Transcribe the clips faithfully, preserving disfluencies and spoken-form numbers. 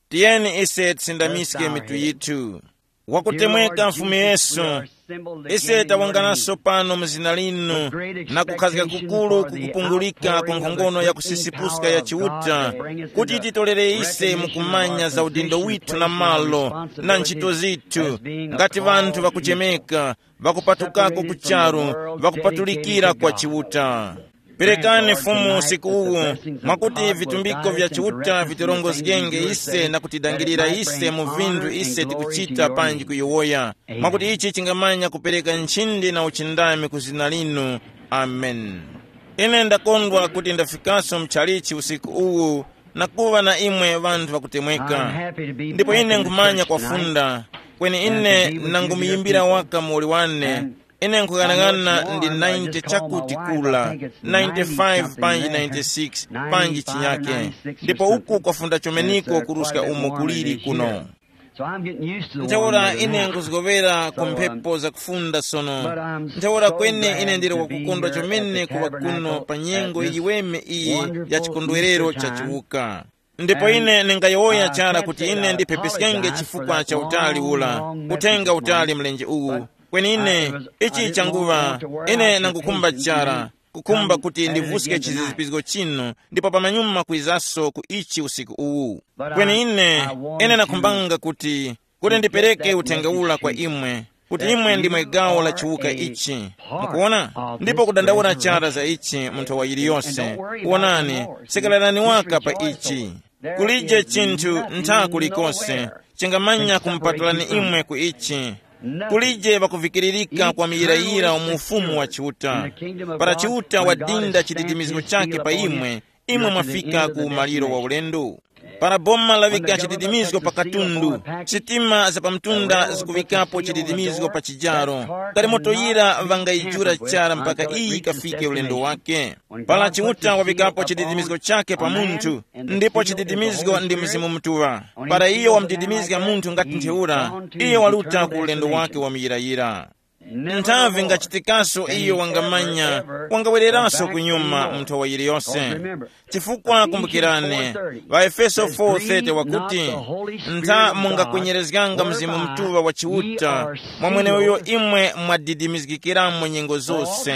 Tiyeni ise tisindamiske mitu yithu. Wakutemweka Mfumu Yesu, ise tawunganaso pano mu zina linu na kukhazika kukuru kukupungulika kwa nkhongono ya kusisipuska ya Chiuta, kuti titolere ise mukumanya za udindo withu na malo na ntchito zithu, ngati ŵanthu ŵakuchemeka, ŵakupatukako ku charu, ŵakupatulikira kwa Chiuta. Perekani Fumu usiku uwu, mwakuti vitumbiko vya Chiuta vitirongozgenge ise na kutidangirira ise mu vinthu ise tikuchita panji kuyowoya, mwakuti ichi chingamanya kupereka nchindi na uchindami ku zina linu. Amen. Ine ndakondwa kuti ndafikaso mchalichi usiku uwu na kuŵa na imwe ŵanthu ŵakutemweka. Ndipo ine nkhumanya kwafunda, kweni ine nangumuyimbira waka muwoli wane. Ine nkhuyang'ana ndi ninety chakuti kula, ninety-five panji ninety-six panji chinyake. Ndipo uku kwafunda chomeniko kuruska umo kuliri kuno. Ntheura ine nkuzgowera ku mphepo zakufunda sono. Ntheura kwene ine ndili wakukondwa chomene kuŵa kuno pa nyengo yiweme iyi ya chikondwerero cha chiwuka. Ndipo ine ndingayowoya chara kuti ine ndiphepiskenge chifukwa cha utali ula, uthenga utali mlenje uwu. Kweni ine, ichi changuŵa, ine nangukhumba chara, kukhumba kuti ndivuske chizizipizgo chinu, ndipo pamanyuma kwizaso ku ichi usiku uwu. Kweni ine, ine nakhumbanga kuti, kuti ndipereke uthenga ula kwa imwe, kuti imwe ndimwe gawo la chiwuka ichi. Mukuona? Ndipo kudandaula chara za ichi mu nthowa yiliyose. Wonani, sekererani waka pa ichi. Kulije chinthu ntha kulikose chingamanya kumupatulani imwe ku ichi. Kulije pakuvikiririka kwa miyirayira mu ufumu wa Chiuta. Para Chiuta wadinda chididimizgo chake pa imwe, imwe mwafika ku maliro wa ulendo. Para boma laŵika chididimizgo pa katundu, sitima za pamtunda zikuŵikapo chididimizgo pa chijaro, kalimoto yira ŵangayijura chara mpaka iyi kafike ulendo wake. Para Chiuta waŵikapo chididimizgo chake pa munthu, ndipo chididimizgo ndi Mzimu Mutuŵa. Para iyo wamudidimizga munthu ngati ntheura, iyo waruta ku ulendo wake wa muyirayira. Nthavi ngachitikaso iyo wangamanya, wangawereranso kunyuma mu nthowa yiliyose. Chifukwa kumbukirani, ŵaefeso four thirty wakuti, ntha mungakwenyerezganga Mzimu Mutuŵa wa Chiuta, mwa mweneuyo imwe mwadidimizgikiramo nyengo zose.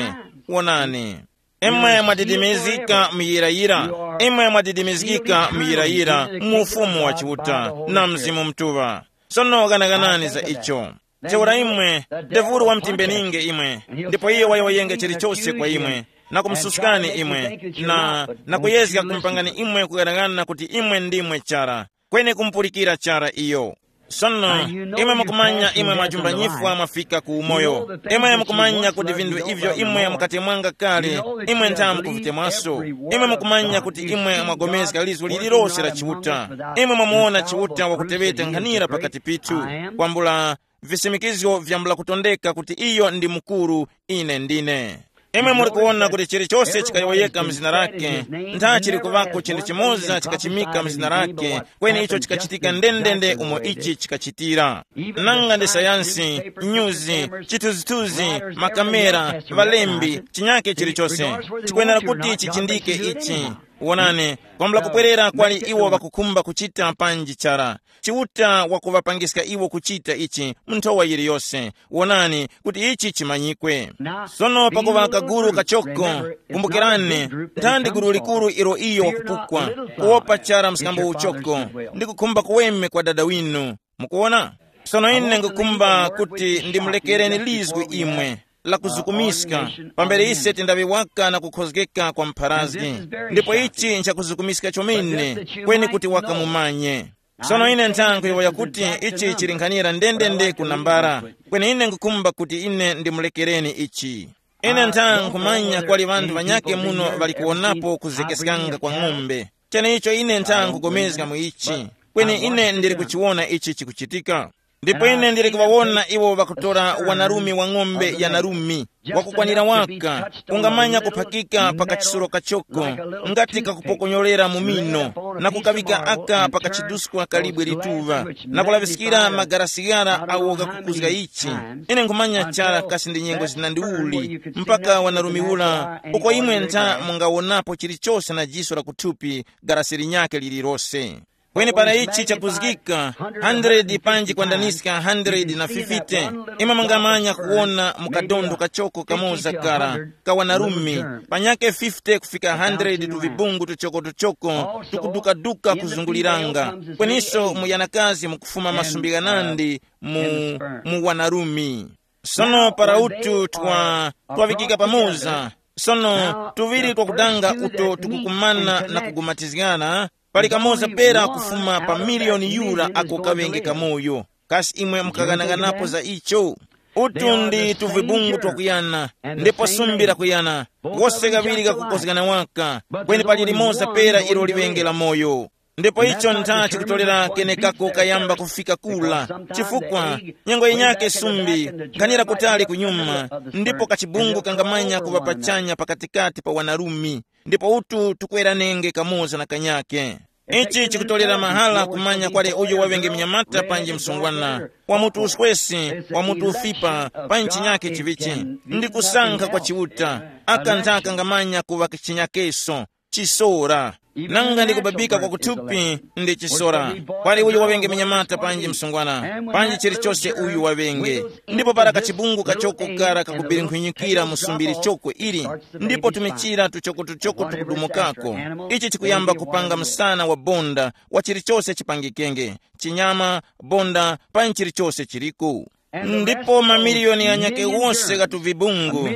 Wonani, imwe mwadidimizgika muyirayira, imwe mwadidimizgika muyirayira mu ufumu wa Chiuta na Mzimu Mutuŵa. Sono ghanaganani za icho. Ntheura imwe, devuru wamtimbeninge imwe, ndipo iyo wayowoyenge chilichose kwa imwe, na kumususkani imwe, na, na kuyezga kumupangani imwe kughanagana kuti imwe ndimwe chara, kweni kumupulikira chara iyo. Sono, imwe mukumanya imwe mwajumba nyifwa mwafika ku umoyo. Imwe mukumanya kuti vinthu ivyo imwe mukatemwanga kale, imwe ntha mukuvitemwaso. Imwe mukumanya kuti imwe mwagomezga lizgu lililose la Chiuta. Imwe mwamuwona Chiuta wakuteŵeta nkhanira pakati pithu, kwambula visimikizgo vyambula kutondeka kuti iyo ndi mukuru, ine ndine. Imwe muli kuwona kuti chilichose chikayowoyeka mzina lake, ntha chili kuvako chinthu chimoza chikachimika mzina lake, kweni icho chikachitika ndendende umo ichi chikachitira. Nanga ndi sayansi, nyuzi, chithunzithunzi, makamera, ŵalembi, chinyake chilichose, chikwenera kuti chichindike ichi. Wonani, kwambula kupwerera kwali iwo ŵakukhumba kuchita panji chara. Chiuta wakuŵapangiska iwo kuchita ichi mu nthowa yiliyose. Wonani kuti ichi chimanyikwe. Sono pakuŵa kaguru kachoko, kumbukirani, nthandi guru likuru ilo iyo wakupukwa, kuwopa chara mskambo uchoko, ndi kukhumba kuweme kwa Dada winu. Mukuwona? Sono ine ngukhumba kuti ndimulekereni lizgu imwe, la kuzukumiska, pambere ise tindaŵe waka na kukhozgeka kwa mpharazgi. Ndipo ichi nchakuzukumiska chomene, kweni kuti waka mumanye. Sono ine nthankhu yowoya kuti ichi chili nkhanira ndendende ku nambala, kweni ine ngukhumba kuti ine ndimulekereni ichi. Ine nthankhu nkhumanya kwali ŵanthu ŵanyakhe muno ŵali kuwonapo kuzekeskanga kwa ng'ombe. Cheneicho ine nthankhu nkhugomezga mu ichi, kweni ine ndili kuchiwona ichi chikuchitika. Ndipo ine ndili kuŵawona iwo ŵakutora wanarume wa ng'ombe ya narumi, wakukwanira waka, ungamanya kuphakika pa kachisuro kachoko, ngati kakupokonyorera mu mino, na kukaŵika aka pa kachiduskwa kalibwe lituŵa, na kulaŵiskira magarasi ghara agho ghakukuzga ichi. Ine nkhumanya chara kasi ndi nyengo zinandi uli, mpaka wanarume ula, uko imwe ntha mungawonapo chilichose na jiso la kuthupi, garasi linyakhe lililose. Kweni para ichi chakuzgika, hundred panji kwandaniska hundred na fifty, imwe mungamanya kuwona mu kadondo kachoko kamoza kara ka wanarumi, panyake fifty kufika hundred tuvibungu tuchoko-tuchoko tukuduka-duka kuzunguliranga. Kweniso mu yanakazi mukufuma masumbi ghanandi mu, mu wanarumi. Sono para utu twa, twaŵikika pamoza, sono tuŵiri twakudanga uto tukukumana na kugumatizgana, pali kamoza pera kufuma pa miliyoni yura ako kaŵenge kamoyo. Kasi imwe mukaghanaganapo za icho? Utu ndi tuvibungu twakuyana, ndipo sumbi lakuyana, wose kaŵiri kakukozgana waka, kweni pali limoza pera ilo liŵenge la moyo. Ndipo icho ntha chikutorera kenekako kayamba kufika kula, chifukwa nyengo yinyake sumbi nkhanira kutali kunyuma, ndipo kachibungu kangamanya kuŵa pachanya pakatikati pa wanarumi, ndipo utu tukweranenge kamoza na kanyake. Ichi chikutorera mahala kumanya kwali uyo waŵenge mnyamata panji msungwana, wa mutu uswesi, wa mutu ufipa, pa nchinyake chivichi, ndi kusankha kwa Chiuta, aka nthaka kangamanya kuŵa chinyakeso, chisora. Nanga ndi kubabika kwa kuthupi ndi chisora. Kwali uyo waŵenge mnyamata panji msungwana, panji chilichose uyu waŵenge. Ndipo para kachibungu kachoko kara kakubirinkhwinyikira mu sumbi lichoko ili, ndipo tumichira tuchoko-tuchoko tukudumukako, ichi chikuyamba kupanga msana wa bonda wa chilichose chipangikenge, chinyama, bonda, panji chilichose chiliku. Ndipo mamiliyoni ghanyake wose gha tuvibungu,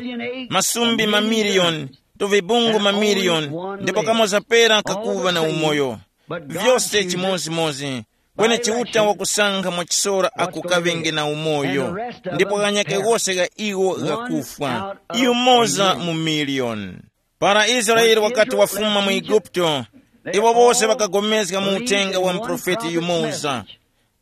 masumbi mamiliyoni, tuvibungu mamiliyoni, ndipo kamoza pera kakuŵa na umoyo. Vyose chimozimozi, kweni Chiuta wakusankha mwachisora ako kaŵenge na umoyo, ndipo ghanyake wose gha iwo ghakufwa, yumoza mu miliyoni. Para Israele wakati wafuma mu Eguputo, iwo wose ŵakagomezga mu uthenga wa muprofeti yumoza.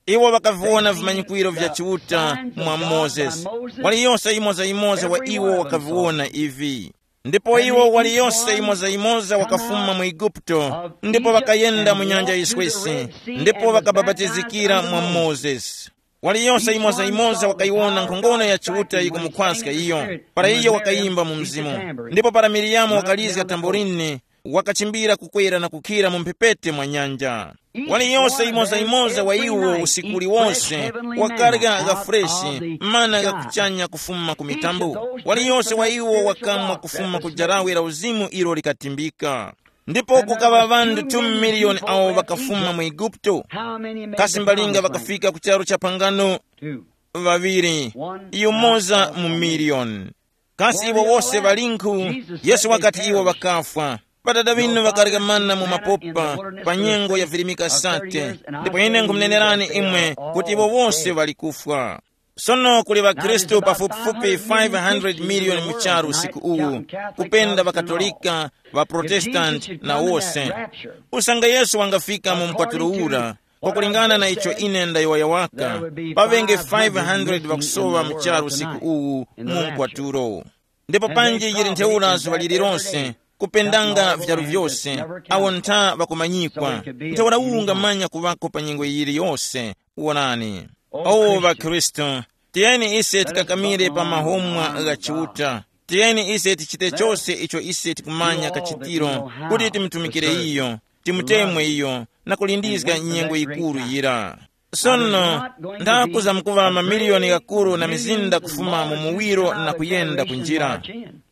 Iwo ŵakaviwona vimanyikwiro vya Chiuta mwa Mozesi. Waliyose yimoza-yimoza wa iwo wakaviwona ivi. Ndipo iwo waliyose yimoza-yimoza wakafuma mu Eguputo, ndipo ŵakayenda mu nyanja yiswesi, ndipo ŵakabapatizikira mwa Mozesi. Waliyose yimoza-yimoza wakayiwona nkhongono ya Chiuta yikumukhwaska iyo, para iyo wakayimba mu mzimu. Ndipo para Miriyamu wakalizga tamborini, wakachimbira kukwera na kukhira mu mphepete mwa nyanja. Waliyose yimoza-yimoza wa iwo usiku uliwose wakarya gha freshi, mana gha kuchanya kufuma ku mitambo. Waliyose wa iwo wakamwa kufuma ku jarawe la uzimu ilo likatimbika. Ndipo kukaŵa ŵanthu two miliyoni awo ŵakafuma mu Eguputo. Kasi mbalinga ŵakafika ku charu cha phangano? Ŵaŵiri, yumoza mu miliyoni. Kasi iwo wose ŵalinkhu? Yesu wakati iwo ŵakafwa. Ŵadada ŵinu ŵakareka mana mu mapopa pa nyengo ya virimika sate, ndipo ine nkhumunenerani imwe kuti iwo wose ŵali kufwa. Sono kuli ŵakhristu pafupifupi five hundred miliyoni mu charu usiku uwu, kupenda ŵaKatolika, ŵaProtestanti na wose. Usange Yesu wangafika mu mkwatulo ura, kwakulingana na icho ine ndayowoya waka, paŵenge five hundred ŵakusoŵa mu charu usiku uwu mu mkwatulo. Ndipo panji yili ntheura zuŵa lililonse, kupendanga vyalu vyose, awo ntha ŵakumanyikwa. Ntheura uwu ungamanya kuŵako pa nyengo yiliyose. Wonani. O ŵakhristu, tiyeni ise tikakamire pa mahomwa gha Chiuta. Tiyeni ise tichite chose icho ise tikumanya kachitiro, kuti timutumikire iyo, timutemwe iyo, na kulindizga nyengo yikuru yira. Sono, ndakuzamkuŵa mamiliyoni ghakuru na mizinda kufuma mu muwiro na kuyenda ku njira.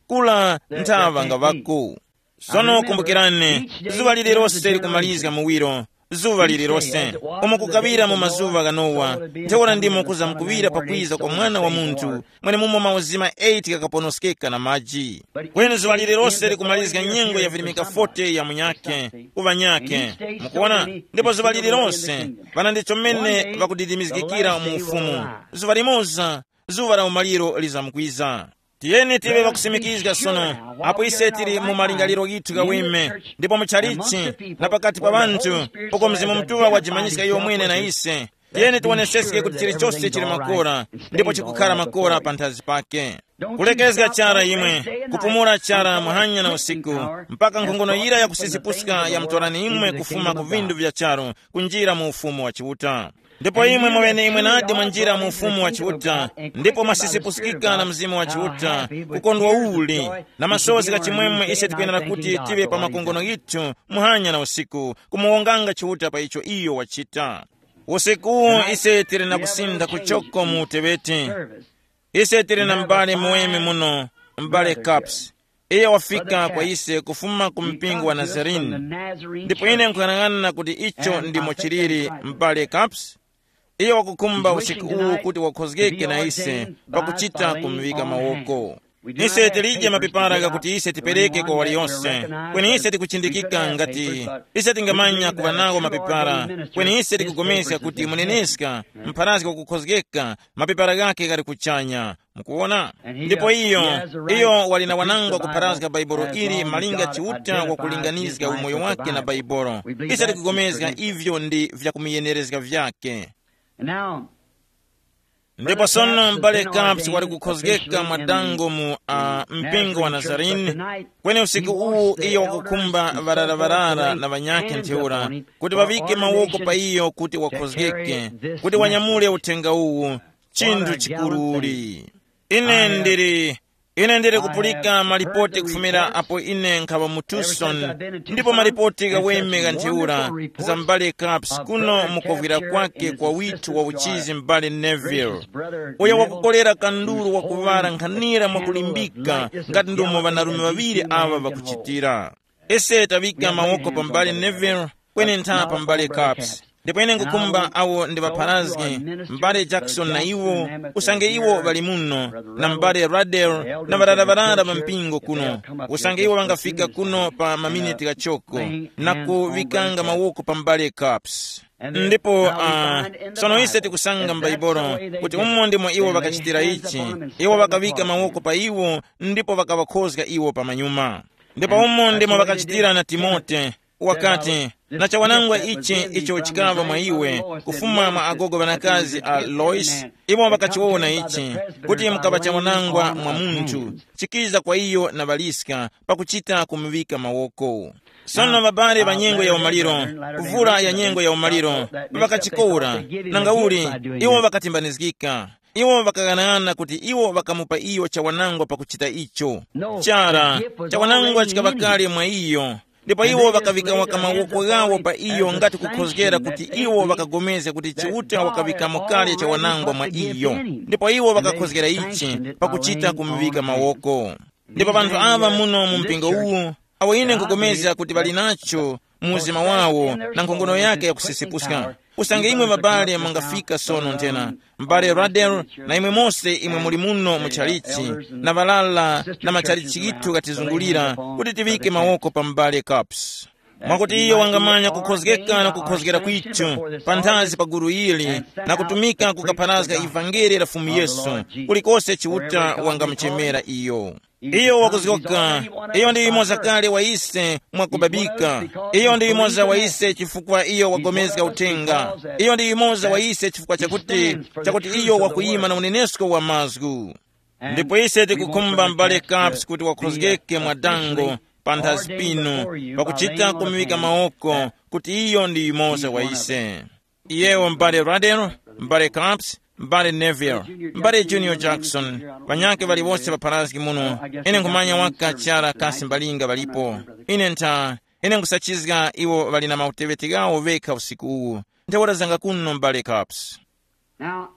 Kula nthaŵa ngaŵako. Sono kumbukirani, zuŵa lililose likumalizga muwiro, zuŵa lililose, umo kukaŵira mu mazuŵa gha Nowa, ntheura ndimo kuzamkuŵira pakwiza kwa Mwana wa Munthu, mwenemumo mauzima eight ghakaponoskeka na maji. Kweni zuŵa lililose likumalizga nyengo ya virimika forty ya munyakhe, ku ŵanyakhe. Mukuona? Ndipo zuŵa lililose, ŵana ndi chomene ŵakudidimizgikira mu ufumu. Zuŵa limoza, zuŵa la umaliro lizamkwiza. Tiyeni tive ŵakusimikizga sono, apo ise tili mu malingaliro ghithu ghaweme, ndipo mu chalichi, na pakati pa ŵanthu, uko Mzimu Mutuŵa wajimanyiska iyo mwene na ise. Tiyeni tiwoneseske kuti chilichose chili makora, ndipo chikukhala makora panthazi pake. Kulekezga chara imwe, kupumula chara muhanya na usiku, mpaka nkhongono yira yakusisipuska yamutorani imwe kufuma ku vindu vya charu, kunjira mu ufumu wa Chiuta. Ndipo imwe mweneimwe nadi mwanjira mu ufumu wa Chiuta, ndipo mwasisipusikika na Mzimu wa Chiuta, kukondwa uli, na masozi gha chimwemwe ise tikwenera kuti tive pa makongono ghithu muhanya na usiku, kumuwonganga Chiuta pa icho iyo wachita. Usiku uwu ise tili na kusintha kuchoko mu uteŵeti. Ise tili na m'bale muweme muno, m'bale Caps. Iye wafika kwa ise kufuma ku mpingo wa Nazarene. Ndipo ine nkuyang'ana kuti icho ndimo chiliri, m'bale Caps. Iye wakukhumba usiku uwu kuti wakhozgeke na ise pakuchita kumuŵika mawoko. Ise tilije mapepara ghakuti ise tipereke kwa waliyonse, kweni ise tikuchindikika ngati ise tingamanya kuŵa nawo mapepara, kweni ise tikupulikana kuti muneneska mpharazgi wakukhozgeka, mapepara ghakhe ghali kuchanya. Mukuwona? Ndipo iyo, iyo wali na wanangwa kupharazga Bhaibuli ili malinga Chiuta wakulinganizga umoyo wake na Bhaibuli. Ise tikupulikana ivyo ndi vyakumuyenerezga vyake. Ndipo sono m'bale Caps wali kukhozgeka mwa dango mu uh, mpingo wa Nazarene, kweni usiku uwu iyo wakukhumba ŵarara-ŵarara na ŵanyakhe ntheura kuti ŵaŵike mawoko pa iyo kuti wakhozgeke, kuti wanyamule uthenga uwu, chinthu chikuruli. Ine ndili ine ndili kupulika malipoti kufumira apo ine nkhaŵa mu Tucson, ndipo malipoti ghaweme gha ntheura za m'bale Caps kuno mukovwira kwake kwa withu wa uchizi m'bale Neville, uyo wakukolera kanduru wakuŵala nkhanira mwakulimbika ngati ndomwe ŵanarume ŵaŵiri aŵa ŵakuchitira. Ise taŵika mawoko pa m'bale Neville, kweni ntha pa m'bale Caps. Ndipo ine nkukhumba awo ndi ŵapharazgi, m'bale Jackson na iwo, usange iwo ŵali muno, na m'bale Radel, na ŵarara-ŵarara ŵa mpingo kuno, usange iwo ŵangafika kuno pa maminiti ghachoko, na kuŵikanga mawoko pa m'bale Caps. Ndipo uh, sono ise tikusanga m'Baibulo kuti umo ndimo iwo ŵakachitira ichi. Iwo ŵakaŵika mawoko pa iwo, ndipo ŵakaŵakhozga iwo pamanyuma. Ndipo umo ndimo ŵakachitira na Timote. Wakati, na chawanangwa ichi icho chikaŵa mwa iwe, kufuma mwa agogo ŵanakazi a Lois, iwo ŵakachiwona ichi, kuti mukaŵa chawanangwa mwa munthu, chikiza kwa iyo na ŵaliska pakuchita kumuŵika mawoko. Sono ŵabale ŵa nyengo ya umaliro, kuvula ya nyengo ya umaliro, ŵakachikora, nangauli iwo ŵakatimbanizgika. Iwo ŵakaghanaghananga kuti iwo ŵakamupa iyo chawanangwa pakuchita icho. Chara, chawanangwa chikaŵa kale mwa iyo. Ndipo iwo ŵakaŵika waka mawoko ghawo pa iyo ngati kukhozgera kuti iwo ŵakagomezga kuti Chiuta wakaŵikamo kale chawanangwa mwa iyo. Ndipo iwo ŵakakhozgera ichi pakuchita kumuŵika mawoko. Ndipo panthu aŵa muno mu mpingo uwu, awo ine nkupulikana kuti ŵali nacho mu uzima wawo na nkhongono yake yakusisipuska. Usange imwe ŵabale mwangafika sono nthena, m'bale Radel, na imwe mose imwe muli muno mu chalichi, na ŵalala na machalichi ghithu ghatizungulira, kuti tiŵike mawoko pa m'bale Caps. Mwakuti iyo wangamanya kukhozgeka na kukhozgera kwithu panthazi pa gulu ili, na kutumika kukapharazga ivangeli la Fumu Yesu kulikose Chiuta wangamuchemera iyo. Iyo wakuzgoka. Iyo ndi yumoza kale wa ise mwakubabika. Iyo ndi yumoza wa ise chifukwa iyo wagomezga uthenga. Iyo ndi yumoza wa ise chifukwa chakuti, chakuti iyo wakuyima na unenesko wa mazgu. Ndipo ise tikukhumba m'bale Caps kuti wakhozgeke mwa dango panthazi pinu, pakuchita kumuŵika mawoko kuti iyo ndi yumoza wa ise. Iyewo m'bale Radel, m'bale Caps, m'bale Neville, m'bale Junior Jackson, ŵanyakhe ŵaliwose ŵapharazgi muno. Ine nkhumanya waka chara kasi mbalinga ŵalipo. Ine ntha, ine nkhusachizga iwo ŵali na mauteŵeti ghawo ŵekha usiku uwu. Ntheura zanga kuno m'bale Caps. Now,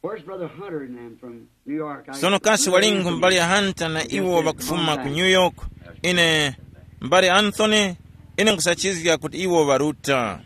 where's Brother Hunter and them from New York? I Sono kasi walingu m'bale Hunter na iwo ŵakufuma ku New York? Ine, m'bale Anthony, ine nkhusachizga kuti iwo ŵaruta.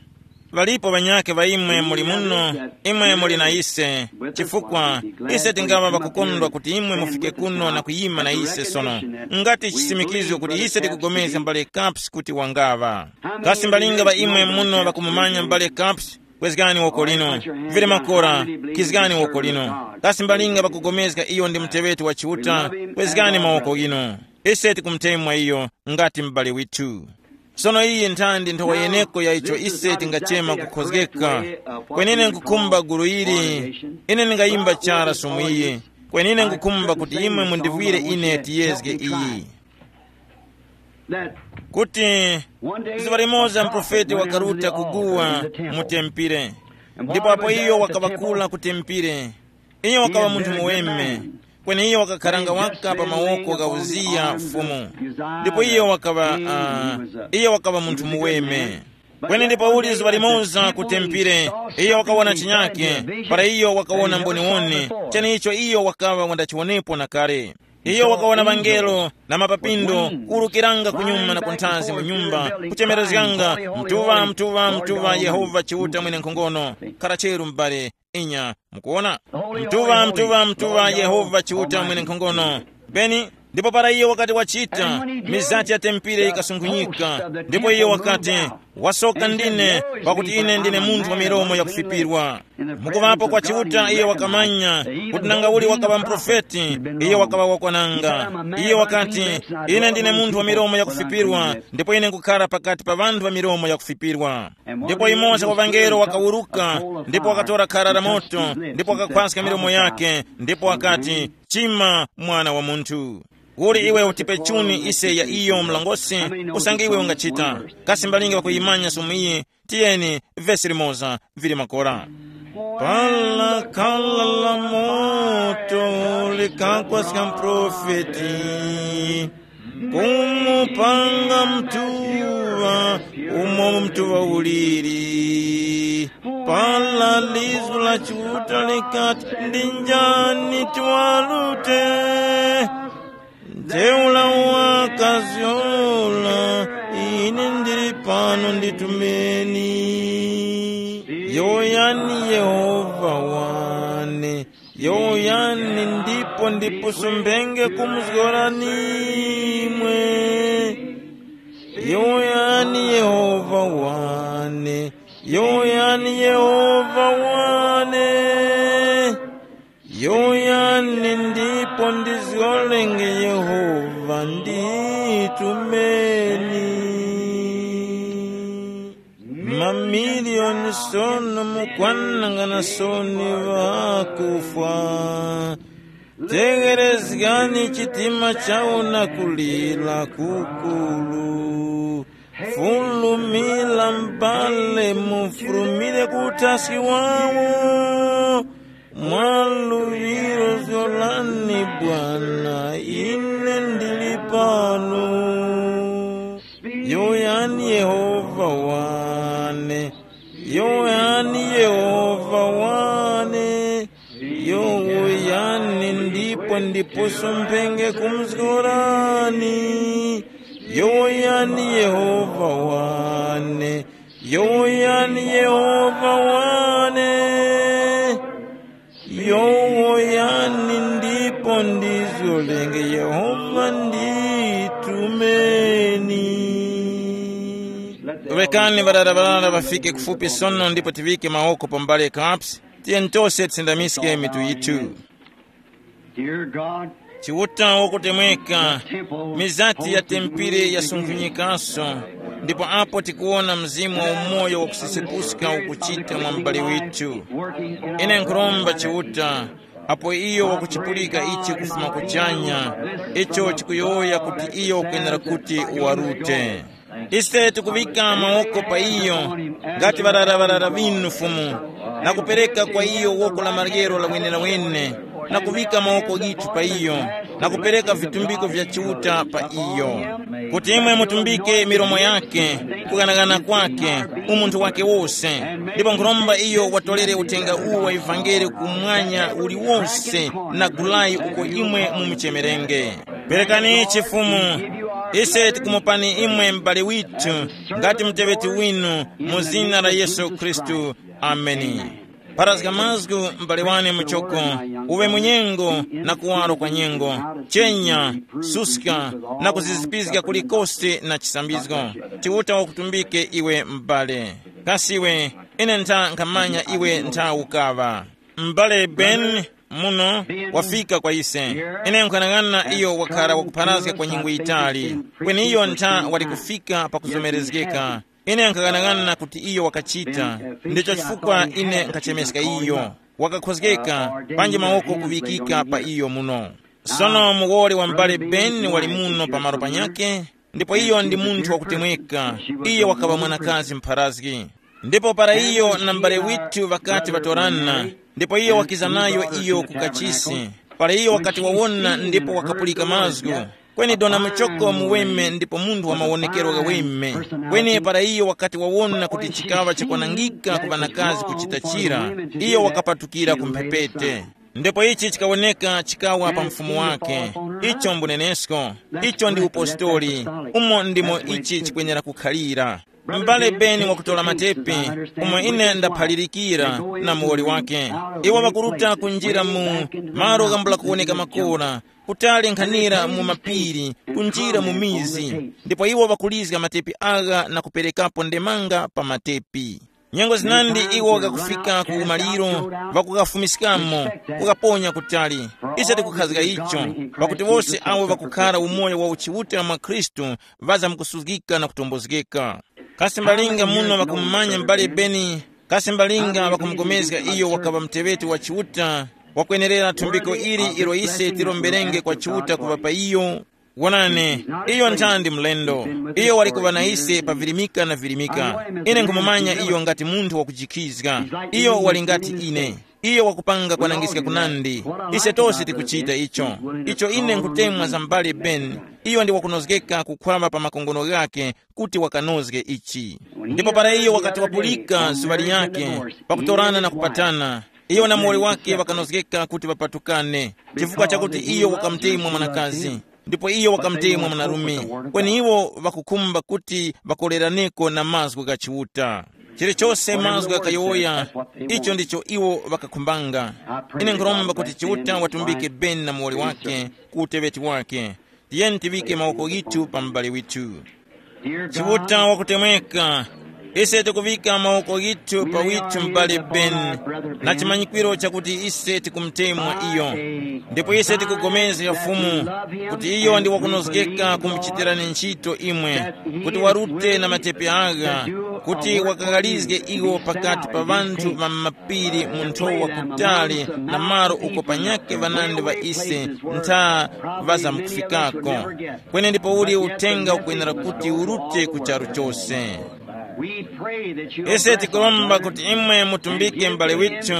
Ŵalipo ŵanyakhe ŵa imwe muli muno, imwe muli na ise, chifukwa ise tingaŵa ŵakukondwa kuti imwe mufike kuno na kuyima na ise sono, ngati chisimikizgo kuti ise tikugomezga m'bale Caps kuti wangaŵa. Kasi mbalinga ŵa imwe muno ŵakumumanya m'bale Caps? Kwezgani woko lino. Vili makora, khizgani woko lino. Kasi mbalinga ŵakugomezga iyo ndi muteŵeti wa Chiuta? Kwezgani mawoko ghinu. Ise tikumutemwa iyo ngati m'bale withu. Sono iyi nthandi nthowa yeneko ya icho ise tingachema kukhozgeka. Kwenine nkukhumba gulu ili, ine ndingayimba chara sumu iyi. Kwenine nkukhumba kuti imwe mundivwire ine tiyezge iyi. Kuti zuŵa limoza mprofeti wakaruta kuguwa mu tempere. Ndipo apo iyo wakaŵa kula ku tempire, iyo wakaŵa munthu muweme, kweni iyo wakakharanga waka pa mawoko gha Uziya Fumu. Ndipo iyo wakaŵa, uh, iyo wakaŵa munthu muweme. Kweni ndipo uli zuŵa limoza ku tempire, iyo wakawona chinyake, para iyo wakawona mboniwone, cheneicho iyo wakaŵa wandachiwonepo na kale. Iyo wakawona ŵangelo na mapapindo kuwurukiranga kunyuma na kunthazi mu nyumba, kuchemerezganga, "Mtuŵa, mtuŵa, mtuŵa, Yehova Chiuta Mwenenkhongono, khara cheru m'bale." Inya, mukuwona? "Mtuŵa, mtuŵa, mtuŵa, Yehova Chiuta Mwenenkhongono." Beni, ndipo para iyo wakati wachita, mizati ya tempire yikasunkhunyika, ndipo iyo wakati, "Wasoka ndine, pakuti ine ndine munthu wa milomo yakufipirwa." Mukuvapo kwa Chiuta iyo wakamanya kuti nanga uli wakaŵa muprofeti, iyo wakaŵa wakwananga. Iyo wakati, "Ine ndine munthu wa milomo yakufipirwa, ndipo ine nkukhara pakati pa ŵanthu ŵa milomo yakufipirwa." Ndipo yumoza wa ŵangelo wakawuruka, ndipo wakatora khara la moto, ndipo wakakhwaska milomo yake, ndipo wakati, "Chima, mwana wa munthu. Uli iwe utipe chuni ise ya iyo mlongosi, usange iwe ungachita." Kasi mbalingi ŵakuyimanya sumu iyi? Tiyeni, vesi limoza vili makora. Pala khala la moto likakwaska mprofeti, kumupanga mtuŵa umo mtuŵa uliri. Pala lizu la Chiuta likati, "Ndi njani tiwarute?" Ntheura wakazgora, "Ine ndili pano, nditumeni." Yowoyani Yehova wane, yowoyani ndipo ndipusumbenge kumuzgorani imwe. Yowoyani Yehova wane, yowoyani Yehova wane. Yowoyani ndipo ndizgorenge Yehova nditumeni. Mamiliyoni sono mukwanangana soni ŵakufwa. Tegherezgani chitima chawo na kulira kukuru. Fulumira mbale mufulumire ku uthaski wawo. Mwa luŵiro zgorani Bwana, ine ndili pano. Yowoyani Yehova wane, yowoyani Yehova wane, yowoyani ndipo ndipusumbenge kumuzgorani. Yowoyani Yehova wane, yowoyani Yehova wane. Yowoyani ndipo ndizgorenge Yehova nditumeni. Rekani ŵarara ŵarara ŵafike kufupi sono ndipo tiŵike mawoko pa mbale kapsi. Tiyeni tose tisindamiske mitu yithu. Dear God, Chiuta wakutemweka, mizati ya tempere yasunkhunyikaso, ndipo apo tikuwona mzimu wa umoyo wakusesepuska ukuchita mwa m'bale withu. Ine nkhuromba Chiuta, apo iyo wakuchipulika ichi kufuma kuchanya, icho chikuyowoya kuti iyo ukwenera kuti uwarute. Ise tikuŵika mawoko pa iyo, ngati ŵarara ŵarara ŵinu Fumu, na kupereka kwa iyo woko la maryero la wenelawene, na kuŵika mawoko ghithu pa iyo, na kupereka vitumbiko vya Chiuta pa iyo, kuti imwe mutumbike milomo yake, kughanagana kwake, umunthu wake wose. Ndipo nkhuromba iyo watolere uthenga uwu wa ivangeli kumwanya uliwonse na gulayi uko imwe mumuchemerenge. Perekani chifumu, ise tikumupani imwe m'bale withu, ngati muteŵeti winu, mu zina la Yesu Khristu. Ameni. Pharazga mazgu m'bale wane muchoko, uwe mu nyengo na kuwaro kwa nyengo, chenya, suska, na kuzizipizga kulikose na chisambizgo. Chiuta wakutumbike iwe m'bale. Kasi iwe, ine ntha nkhamanya iwe ntha ukaŵa. M'bale Ben muno wafika kwa ise. Ine nkhanang'ana iyo wakhala wakupharazga kwa nyengo yitali, kweni iyo ntha wali kufika pakuzomerezgeka. Ine nkaghanaghananga kuti iyo wakachita, ndicho chifukwa ine nkhachemeska iyo. Wakakhozgeka, panji mawoko kuŵikika pa iyo muno. Sono muwoli wa m'bale Ben wali muno pamalo panyakhe, ndipo iyo ndi munthu wakutemweka. Iyo wakaŵa mwanakazi mpharazgi. Ndipo para iyo na m'bale withu ŵakati ŵatorana, ndipo iyo wakiza nayo iyo ku kachisi, para iyo wakati wawona ndipo wakapulika mazgu, kweni dona muchoko muweme ndipo munthu wa mawonekero ghaweme. Kweni para iyo wakati wawona kuti chikaŵa chakwanangika ku ŵanakazi kuchita chira, iyo wakapatukira ku mphepete. Ndipo ichi chikawoneka chikawa pa mfumu wake. Icho mbunenesko. Icho ndi upostori. Umo ndimo ichi chikwenera kukhalira. M'bale Beni wakutora matepi, umo ine ndaphalirikira, na muwoli wake. Iwo ŵakuruta kunjira mu malo ghambula kuwoneka makora, kutali nkhanira mu mapiri, kunjira mu mizi. Ndipo iwo ŵakulizga matepi agha na kuperekapo ndemanga pa matepi. Nyengo zinandi iwo ghakufika ku umaliro, ŵakughafumiskamo, kughaponya kutali. Ise tikukhazga icho, pakuti wose awo ŵakukhara umoyo wa uchiuta mwa Khristu ŵazamkusuzgika na kutombozgeka. Kasi mbalinga muno ŵakumumanya m'bale Beni? Kasi mbalinga ŵakumugomezga iyo wakaŵa muteŵeti wa Chiuta, wakwenerera thumbiko ili ilo ise tilomberenge kwa Chiuta kuŵa pa iyo? Wonani, iyo nthandi mlendo. Iyo wali kuŵa na ise pa virimika na virimika. Ine nkhumumanya iyo ngati munthu wakujikhizga. Iyo wali ngati ine. Iyo wakupanga kwanangiska kunandi. Ise tose tikuchita icho. Icho ine nkutemwa za m'bale Ben. Iyo ndi wakunozgeka kukhwama pa makongono ghake kuti wakanozge ichi. Ndipo para iyo wakati wapulika zuŵa liyake, pakutorana na kupatana, iyo na muwoli wake ŵakanozgeka kuti ŵapatukane, chifukwa chakuti iyo wakamutemwa mwanakazi, ndipo iyo wakamutemwa mwanarume. Kweni iwo ŵakukhumba kuti ŵakoleraneko na mazgu gha Chiuta. Chilichose mazgu ghakayowoya, icho ndicho iwo ŵakakhumbanga. Ine nkhuromba kuti Chiuta watumbike Ben na muwoli wake ku uteŵeti wake. Tiyeni tiŵike mawoko ghithu pa m'bale withu. Chiuta wakutemweka, ise tikuŵika mawoko ghithu pa withu m'bale Ben, na chimanyikwiro chakuti ise tikumutemwa iyo. Ndipo ise tikugomezga Fumu kuti iyo ndi wakunozgeka kumuchitirani ntchito imwe, kuti warute na matepi agha, kuti wakaghalizge iwo pakati pa ŵanthu ŵa m'mapiri mu nthowa kutali na malo uko panyakhe ŵanandi ŵa ise ntha ŵazamkufikako. Kweni ndipo uli uthenga ukwenera kuti urute ku charu chose. Ise tikuromba kuti imwe mutumbike m'bale withu,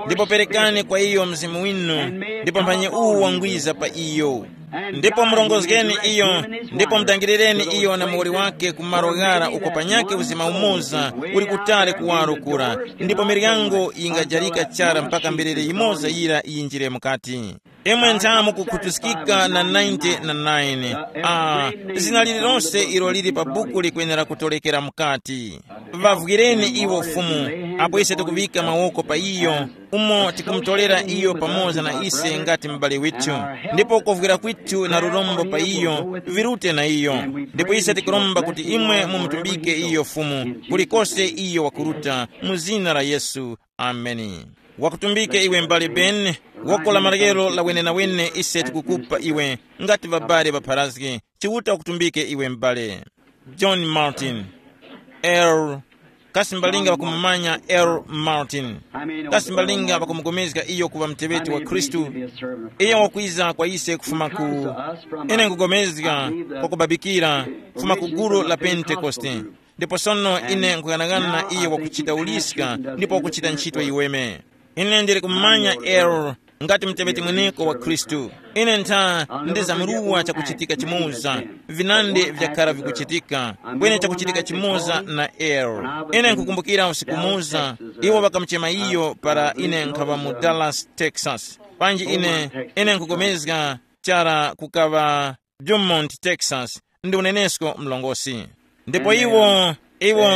ndipo perekani kwa iyo mzimu winu, ndipo mphanyi uwu wangwiza pa iyo. Ndipo murongozgeni iyo, ndipo mutangilireni iyo na muwoli wake ku malo ghara uko panyakhe uzima umoza uli kutali kuwaro kura, ndipo miryango yingajarika chara mpaka mberere yimoza yira yinjire mukati. Imwe ntha mukukhutuskika na ninety na nine. Ah, zina lililonse ilo lili pa buku likwenera kutolekera mukati. Ŵavwireni iwo Fumu, apo ise tikuŵika mawoko pa iyo, umo tikumutolera iyo pamoza na ise ngati m'bale withu. Ndipo kovwira kwithu na lurombo pa iyo virute na iyo. Ndipo ise tikuromba kuti imwe mumutumbike iyo Fumu, kulikose iyo wakuruta, mu zina la Yesu. Ameni. Wakutumbike iwe m'bale Ben, woko la maryero la wenenawene ise tikukupa iwe, ngati ŵabale ŵapharazge, Chiuta wakutumbike iwe m'bale. John Martin. L. Kasi mbalinga ŵakumumanya L. Martin? Kasi mbalinga ŵakumugomezga iyo kuŵa muteŵeti wa Khristu? Iyo wakwiza kwa ise kufuma ku, ine nkugomezga, kwakubabikira, kufuma ku gulu la Pentekoste. Ndipo sono ine nkughanagana na iyo wakuchita uliska ndipo wakuchita ntchito yiweme. Ine ndili kumumanya L. Ngati muteŵeti mweneko wa Khristu. Ine ntha ndizamruwa chakuchitika chimoza, vinandi vyakhara vikuchitika, kweni chakuchitika chimoza na L. Ine nkukumbukira usiku umoza, iwo ŵakamuchema iyo para ine nkhaŵa mu Dallas, Texas. Panji ine, ine nkupulikana chara kukaŵa Beaumont, Texas, ndi unenesko mlongosi. Ndipo iwo, iwo,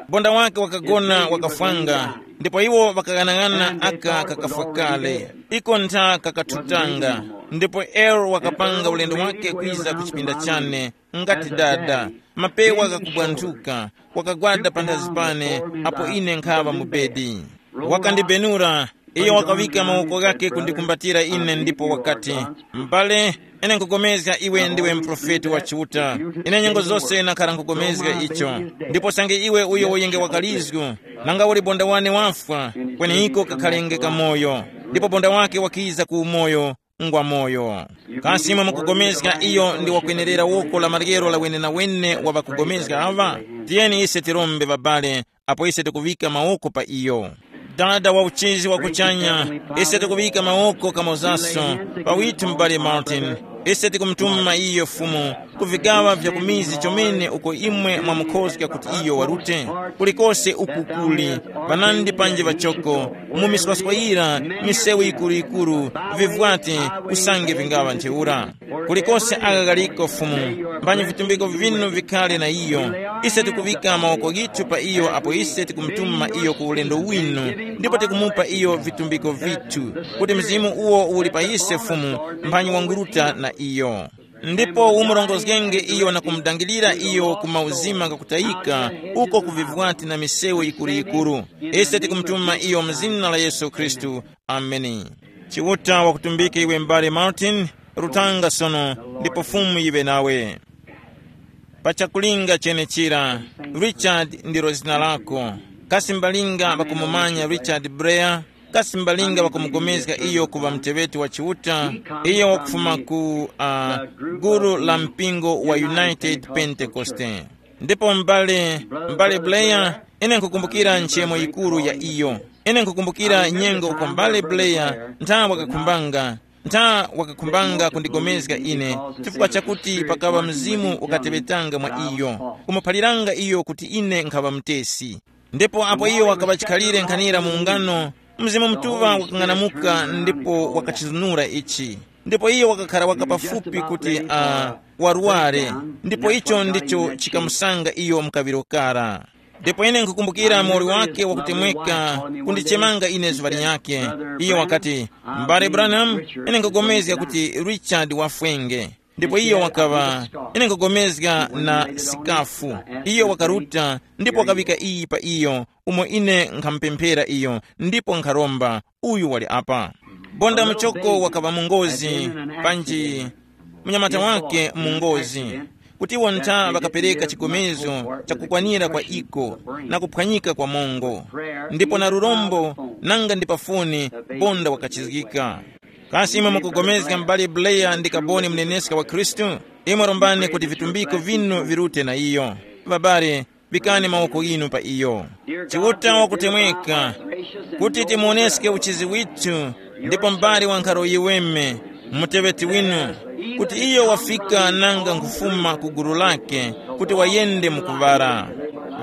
bonda wake wakagona wakafwanga, ndipo iwo ŵakaghanaghananga aka kakafwa kale, iko ntha kakathutanga. Ndipo L wakapanga ulendo wake kwiza ku chipinda chane, ngati dada, mapewa ghakubwanthuka, wakagwada panthazi pane, apo ine nkhaŵa mu bedi. Wakandibenura, iyo wakaŵika mawoko ghake kundikumbatira ine ndipo wakati, "M'bale, ine nkupulikana iwe ndiwe muprofeti wa Chiuta. Ine nyengo zose nakhara nkupulikana icho. Ndipo sange iwe uyo uyenge wakalizgu, nanga uli bonda wane wafwa, kweni iko kakhalenge kamoyo." Ndipo bonda wake wakiza ku umoyo, ngwa moyo. Kasi imwe mukupulikana iyo ndi wakwenerera woko la maryero la wenenawene wa ŵakupulikana aŵa? Tiyeni ise tirombe, ŵabale, apo ise tikuŵika mawoko pa iyo. Dada wa uchizi wa kuchanya, ise tikuŵika mawoko kamozaso pa withu m'bale Martin. Ise tikumutuma iyo Fumu ku vigaŵa vya kumizi chomene uko imwe mwamukhozga kuti iyo warute. Kulikose uku kuli ŵanandi panji ŵachoko, mu miswaswa yira, misewu yikuru-yikuru, vivwati, usange vingaŵa ntheura. Kulikose aka kaliko Fumu, mphanyi vitumbiko vinu vikhale na iyo. Ise tikuŵika mawoko ghithu pa iyo apo ise tikumutuma iyo ku ulendo winu, ndipo tikumupa iyo vitumbiko vithu, kuti mzimu uwo uli pa ise Fumu, mphanyi wanguruta na iyo. Ndipo umurongozgenge iyo na kumudangilira iyo ku mauzima ghakutayika, uko ku vivwati na misewu yikuru-yikuru. Ise tikumutuma iyo mu zina la Yesu Khristu. Ameni. Chiuta wakutumbike iwe m'bale Martin, rutanga sono, ndipo Fumu yiŵe nawe. Pa chakulinga chenechira, Richard ndilo zina lako. Kasi mbalinga ŵakumumanya Richard Blair? Kasi mbalinga ŵakumugomezga iyo kuŵa muteŵeti wa Chiuta, iyo wakufuma ku uh, gulu la mpingo wa United Pentecoste? Ndipo m'bale, m'bale Blair, ine nkukumbukira nchemo yikuru ya iyo. Ine nkukumbukira nyengo uko m'bale Blair ntha wakakhumbanga, ntha wakakhumbanga kundigomezga ine, chifukwa chakuti pakaŵa mzimu ukateŵetanga mwa iyo, kumuphaliranga iyo kuti ine nkhaŵa mutesi. Ndipo apo iyo wakaŵa chikhalire nkhanira mu ungano, Mzimu Mutuŵa wakang'anamuka ndipo wakachizunura ichi. Ndipo iyo wakakhara waka pafupi kuti uh, warware, ndipo icho ndicho chikamusanga iyo mkaŵiro kara. Ndipo ine nkukumbukira moli wake wakutemweka kundichemanga ine zuŵa linyakhe. Iyo wakati, "M'bale Branham, ine nkugomezga kuti Richard wafwenge." Ndipo iyo wakaŵa, ine nkugomezga na sikafu. Iyo wakaruta ndipo wakaŵika iyi pa iyo, umo ine nkhamupemphera iyo, ndipo nkharomba, uyu wali apa. Bonda muchoko wakaŵa mu ngozi, panji munyamata wake mu ngozi, kuti iwo ntha ŵakapereka chigomezgo chakukwanira kwa iko na kuphwanyika kwa mongo, ndipo na lurombo nanga ndi pa foni bonda wakachizgika. Kasi imwe mukugomezga m'bale Blair ndi kaboni muneneska wa Khristu? Imwe rombani kuti vitumbiko vinu virute na iyo. Ŵabale, pikani mawoko ghinu pa iyo. Chiuta wakutemweka kuti timuoneske uchizi withu, ndipo m'bale wa nkharo yiweme, muteŵeti winu, kuti iyo wafika nanga nkufuma ku gulu lake kuti wayende mu kuŵala.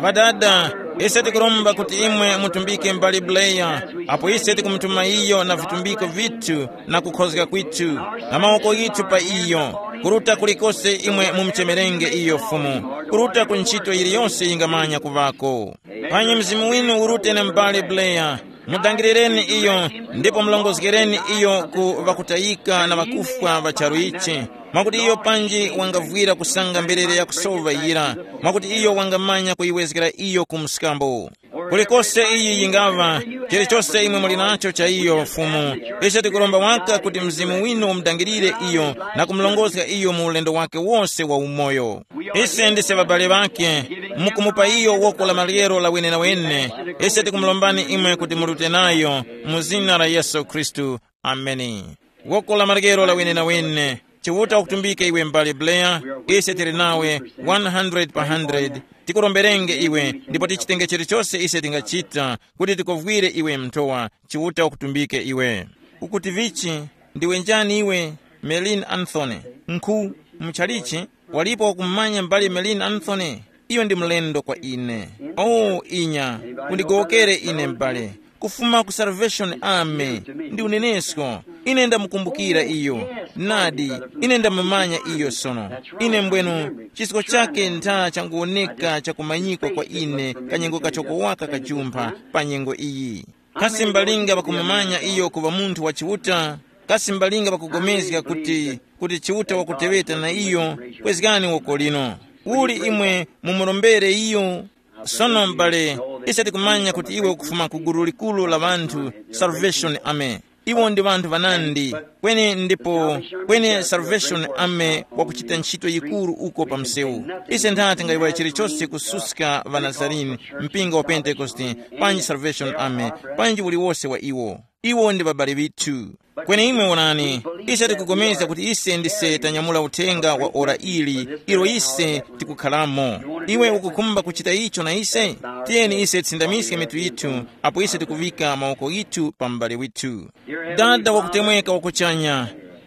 Ŵadada, ise tikuromba kuti imwe mutumbike m'bale Blair, apo ise tikumutuma iyo na vitumbiko vithu na kukhozga kwithu, na mawoko ghithu pa iyo, kuruta kulikose imwe mumuchemerenge iyo Fumu, kuruta ku ntchito yiliyose yingamanya kuŵako. Panyi mzimu winu urute na m'bale Blair, mudangilireni iyo, ndipo mulongozgereni iyo ku ŵakutayika na ŵakufwa ŵa charu ichi, mwakuti iyo panji wangavwira kusanga mberere yakusowa yira, mwakuti iyo wangamanya kuyiwezgera iyo ku mskambo. Kulikose iyi yingaŵa, chilichose imwe muli nacho cha iyo Fumu, ise tikuromba waka kuti Mzimu winu umudangirire iyo na kumulongozga iyo mu ulendo wake wose wa umoyo. Ise ndise ŵabale ŵake, mukumupa iyo woko la maryero la wenewene. Ise tikumulombani imwe kuti murute nayo mu zina la Yesu Khristu. Ameni. Woko la maryero la wenewene. Chiuta wakutumbike iwe m'bale Blair, ise tili nawe one hundred pa hundred. Tikuromberenge iwe ndipo tichitenge chilichose ise tingachita kuti tikovwire iwe mnthowa. Chiuta wakutumbike iwe. Ukuti vichi? Ndiwe njani iwe? Melin Anthony. Nkhu, muchalichi, walipo wakumanya m'bale Melin Anthony? Iyo ndi mlendo kwa ine. Oh, inya, undigowokere ine m'bale. Kufuma ku Salvation Army, ndi unenesko. Ine ndamukumbukira iyo. Nadi, ine ndamumanya iyo sono. Ine mbwenu, chisko chake ntha changuwoneka chakumanyikwa kwa ine kanyengo kachoko waka kajumpha pa nyengo iyi. Kasi mbalinga ŵakumumanya iyo kuŵa munthu wa Chiuta? Kasi mbalinga ŵakugomezga kuti, kuti Chiuta wakuteŵeta na iyo? Kwezgani woko lino. Uli imwe mumurombere iyo? Sono m'bale, ise tikumanya kuti iwe ukufuma ku gulu likuru la ŵanthu, Salvation Army. Iwo ndi ŵanthu ŵanandi, kweni ndipo, kweni Salvation Army wakuchita ntchito yikuru uko pa msewu. Ise ntha tingayiwala chilichose kususka ŵaNazarini, mpingo wa Pentekoste, panji Salvation Army, panji uliwose wa iwo. Iwo ndi ŵabale ŵithu. Kweni imwe wonani, ise tikupulikana kuti ise ndise tanyamula uthenga wa ora ili, ilo ise tikukhalamo. Iwe ukukhumba kuchita icho na ise? Tiyeni ise tisindamiske mitu yithu, apo ise tikuŵika mawoko yithu pa m'bale withu. Dada wakutemweka wakuchanya,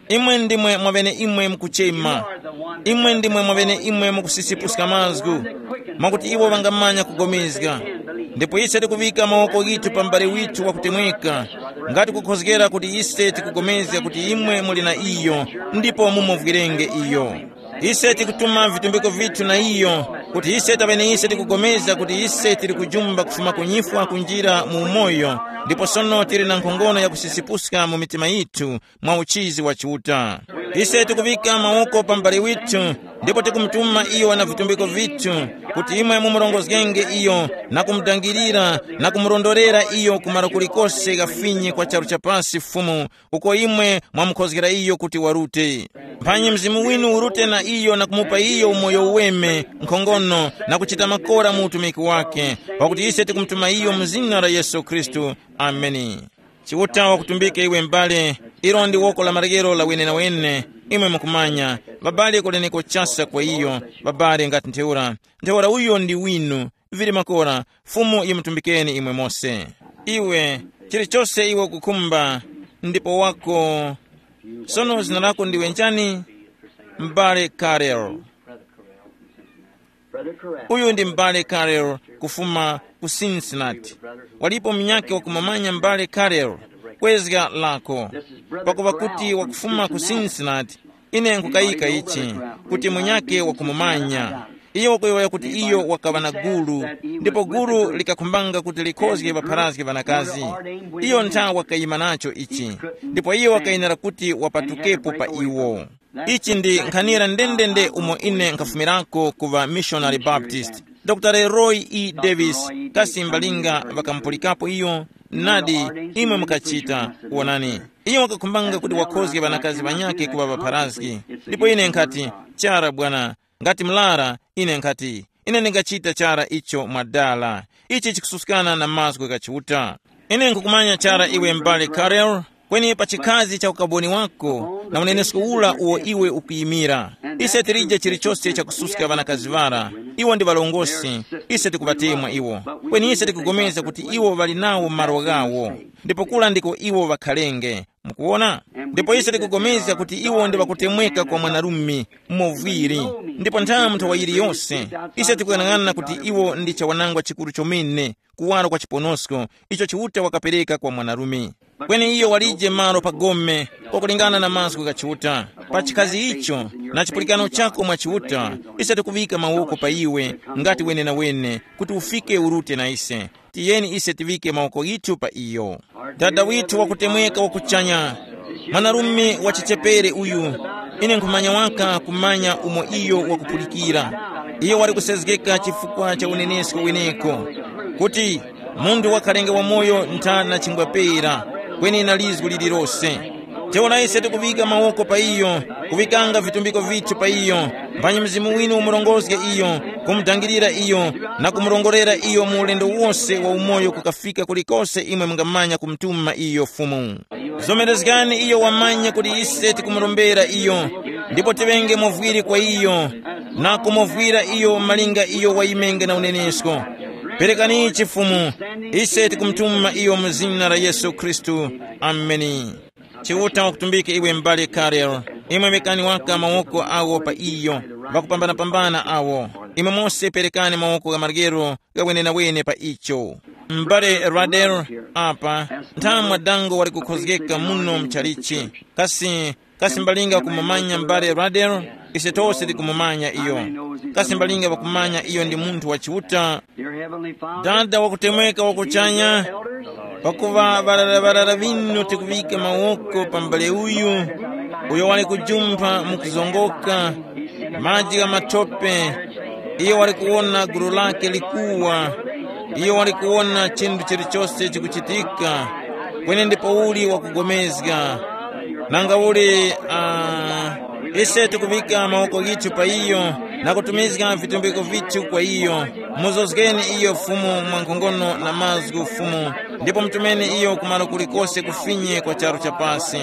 imwe ndimwe mwavene imwe mukuchema. Imwe ndimwe mwavene imwe mukusisipuska mazgu, mwakuti iwo ŵangamanya kugomezga. Ndipo ise tikuŵika mawoko ghithu pa m'bale withu wakutemweka, ngati kukhozgera kuti ise tikugomezga kuti imwe muli na iyo, ndipo mumuvwirenge iyo. Ise tikutuma vitumbiko vithu na iyo, kuti ise taŵene ise tikugomezga kuti ise tili kujumba kufuma ku nyifwa kunjira mu umoyo, ndipo sono tili na nkhongono ya kusisipuska mu mitima yithu, mwa uchizi wa Chiuta. Ise tikuŵika mawoko pa m'bale withu, ndipo tikumutuma iyo na vitumbiko vithu, kuti imwe mumurongozgenge iyo, na kumudangirira, na kumurondorera iyo kumaro kulikose ghafinyi kwa charu cha pasi Fumu, uko imwe mwamukhozgera iyo kuti warute. Mphanyi Mzimu winu urute na iyo na kumupa iyo umoyo uweme, nkhongono, na kuchita makora mu utumiki wake, pakuti ise tikumutuma iyo mu zina la Yesu Khristu. Ameni. Chiuta wakutumbike iwe m'bale, ilo ndi woko la maryero la wenenawene. Imwe mukumanya, ŵabale kuleneko chasa kwa iyo, ŵabale ngati ntheura. Ntheura uyo ndi winu, vili makora, Fumu yimutumbikeni imwe mose. Iwe, chilichose iwe ukukhumba, ndipo wako. Sono zina lako ndiwe njani? M'bale Karel. Uyu ndi m'bale Karel kufuma ku Cincinnati. Walipo munyake wakumumanya m'bale Karel? Kwezga lako. Pakuva kuti wakufuma ku Cincinnati, ine nkukayika ichi, kuti munyake wakumumanya. Iyo wakuyowoya kuti iyo wakaŵa na gulu, ndipo gulu likakhumbanga kuti likhozge ŵapharazge ŵanakazi. Iyo ntha wakayima nacho ichi, ndipo iyo wakayenera kuti wapatukepo pa iwo. Ichi ndi nkhanira ndendende umo ine nkhafumirako ku ŵa Missionary Baptist. Dr Leroy E Davis, kasi mbalinga ŵakamupulikapo iyo? Nadi, imwe mukachita. Wonani, iyo wakakhumbanga kuti wakhozge ŵanakazi ŵanyakhe kuŵa ŵapharazgi. Ndipo ine nkhati, chara bwana, ngati mlara, ine nkhati, ine ndingachita chara icho mwadala. Ichi chikususkana na mazgu gha Chiuta. Ine nkhukumanya chara iwe m'bale Karel, kweni pa chikhazi cha ukaboni wako na unenesko ura uwo iwe ukuyimira, ise tilije chilichose chakususka ŵanakazi ŵara. Iwo ndi ŵalongosi, ise tikuŵatemwa iwo. Kweni ise tikupulikana kuti iwo ŵali nawo malo ghawo, ndipo kura ndiko iwo ŵakharenge. Mukuwona? Ndipo ise tikupulikana kuti iwo ndi ŵakutemweka kwa mwanarume, umo vwiri. Ndipo nthawi nthawi yiliyose, ise tikuyang'ana kuti iwo ndi chawanangwa chikuru chomene, kuwaro kwa chiponosko icho Chiuta wakapereka kwa mwanarume. Kweni iyo walije malo pa gome, pakulingana na mazgu gha Chiuta. Pa chikhazi icho, na chipulikano chako mwa Chiuta, ise tikuŵika mawoko pa iwe, ngati wenenawene, kuti ufike urute na ise. Tiyeni ise tiŵike mawoko ghithu pa iyo. Dada withu wakutemweka wa kuchanya, mwanarume wa chichepere uyu, ine nkhumanya waka kumanya umo iyo wakupulikira. Iyo wali kusezgeka chifukwa cha unenesko weneko, kuti munthu wakhalenge wamoyo ntha na chingwa pera, kweni na lizgu lililose. Teona ise tikuŵika mawoko pa iyo, kuŵikanga vitumbiko vithu pa iyo, mphanyi Mzimu winu umurongozge iyo, kumudangirira iyo, na kumurongorera iyo mu ulendo wose wa umoyo kukafika kulikose imwe mungamanya kumutuma iyo Fumu. Zomerezgani iyo wamanye kuti ise tikumurombera iyo, ndipo tiŵenge movwiri kwa iyo, na kumovwira iyo malinga iyo wayimenge na unenesko. Perekani ichi Fumu, ise tikumutuma iyo mu zina la Yesu Khristu. Ameni. Chiuta wakutumbike iwe m'bale Karel, imwe mekani waka mawoko awo pa iyo, ŵakupambanapambana awo. Imwe mose perekani mawoko gha maryero ghawenenawene pa icho. M'bale Radel, apa, nthamwa dango wali kukhozgeka muno mchalichi. Kasi, kasi mbalinga kumumanya m'bale Radel? Ise tose tikumumanya iyo. Kasi mbalinga ŵakumanya iyo ndi munthu wa Chiuta? Dada wakutemweka wakuchanya, pakuva ŵarara ŵarara ŵinu tikuŵika mawoko pa m'bale uyu, uyo wali kujumpha mu kuzongoka, maji gha mathope, iyo wali kuwona gulu lake likuwa, iyo wali kuwona chinthu chilichose chikuchitika, kweni ndipouli wakugomezga. Nanga uli, uh, ise tikuŵika mawoko ghithu pa iyo, na kutumizga vitumbiko vithu kwa iyo. Muzozgeni iyo Fumu mwa nkhongono na mazgu Fumu, ndipo mutumeni iyo kumalo kulikose kufinye kwa charu cha pasi.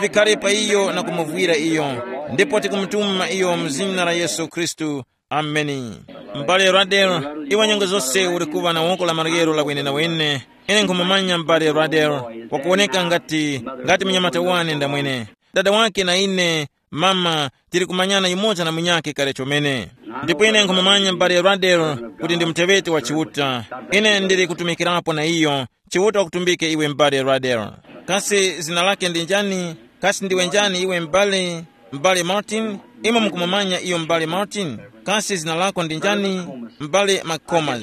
Vikhare pa iyo na kumuvwira iyo, ndipo tikumutuma iyo mu zina la Yesu Khristu. Ameni. M'bale Radel, iwe nyengo zose uli kuŵa na woko la maryero la wenenawene. Ine nkhumumanya m'bale Radel, wakuwoneka ngati, ngati munyamata wane ndamwene. Dada wake na ine, mama, tili kumanyana yumoza na munyakhe kale chomene. Ndipo ine nkhumumanya m'bale Radel kuti ndi muteŵeti wa Chiuta. Ine ndili kutumikirapo na iyo. Chiuta wakutumbike iwe m'bale Radel. Kasi zina lake ndi njani? Kasi ndiwe njani iwe m'bale? M'bale Martin, imwe mukumumanya iyo m'bale Martin? Kasi zina lako ndi njani? M'bale McComas.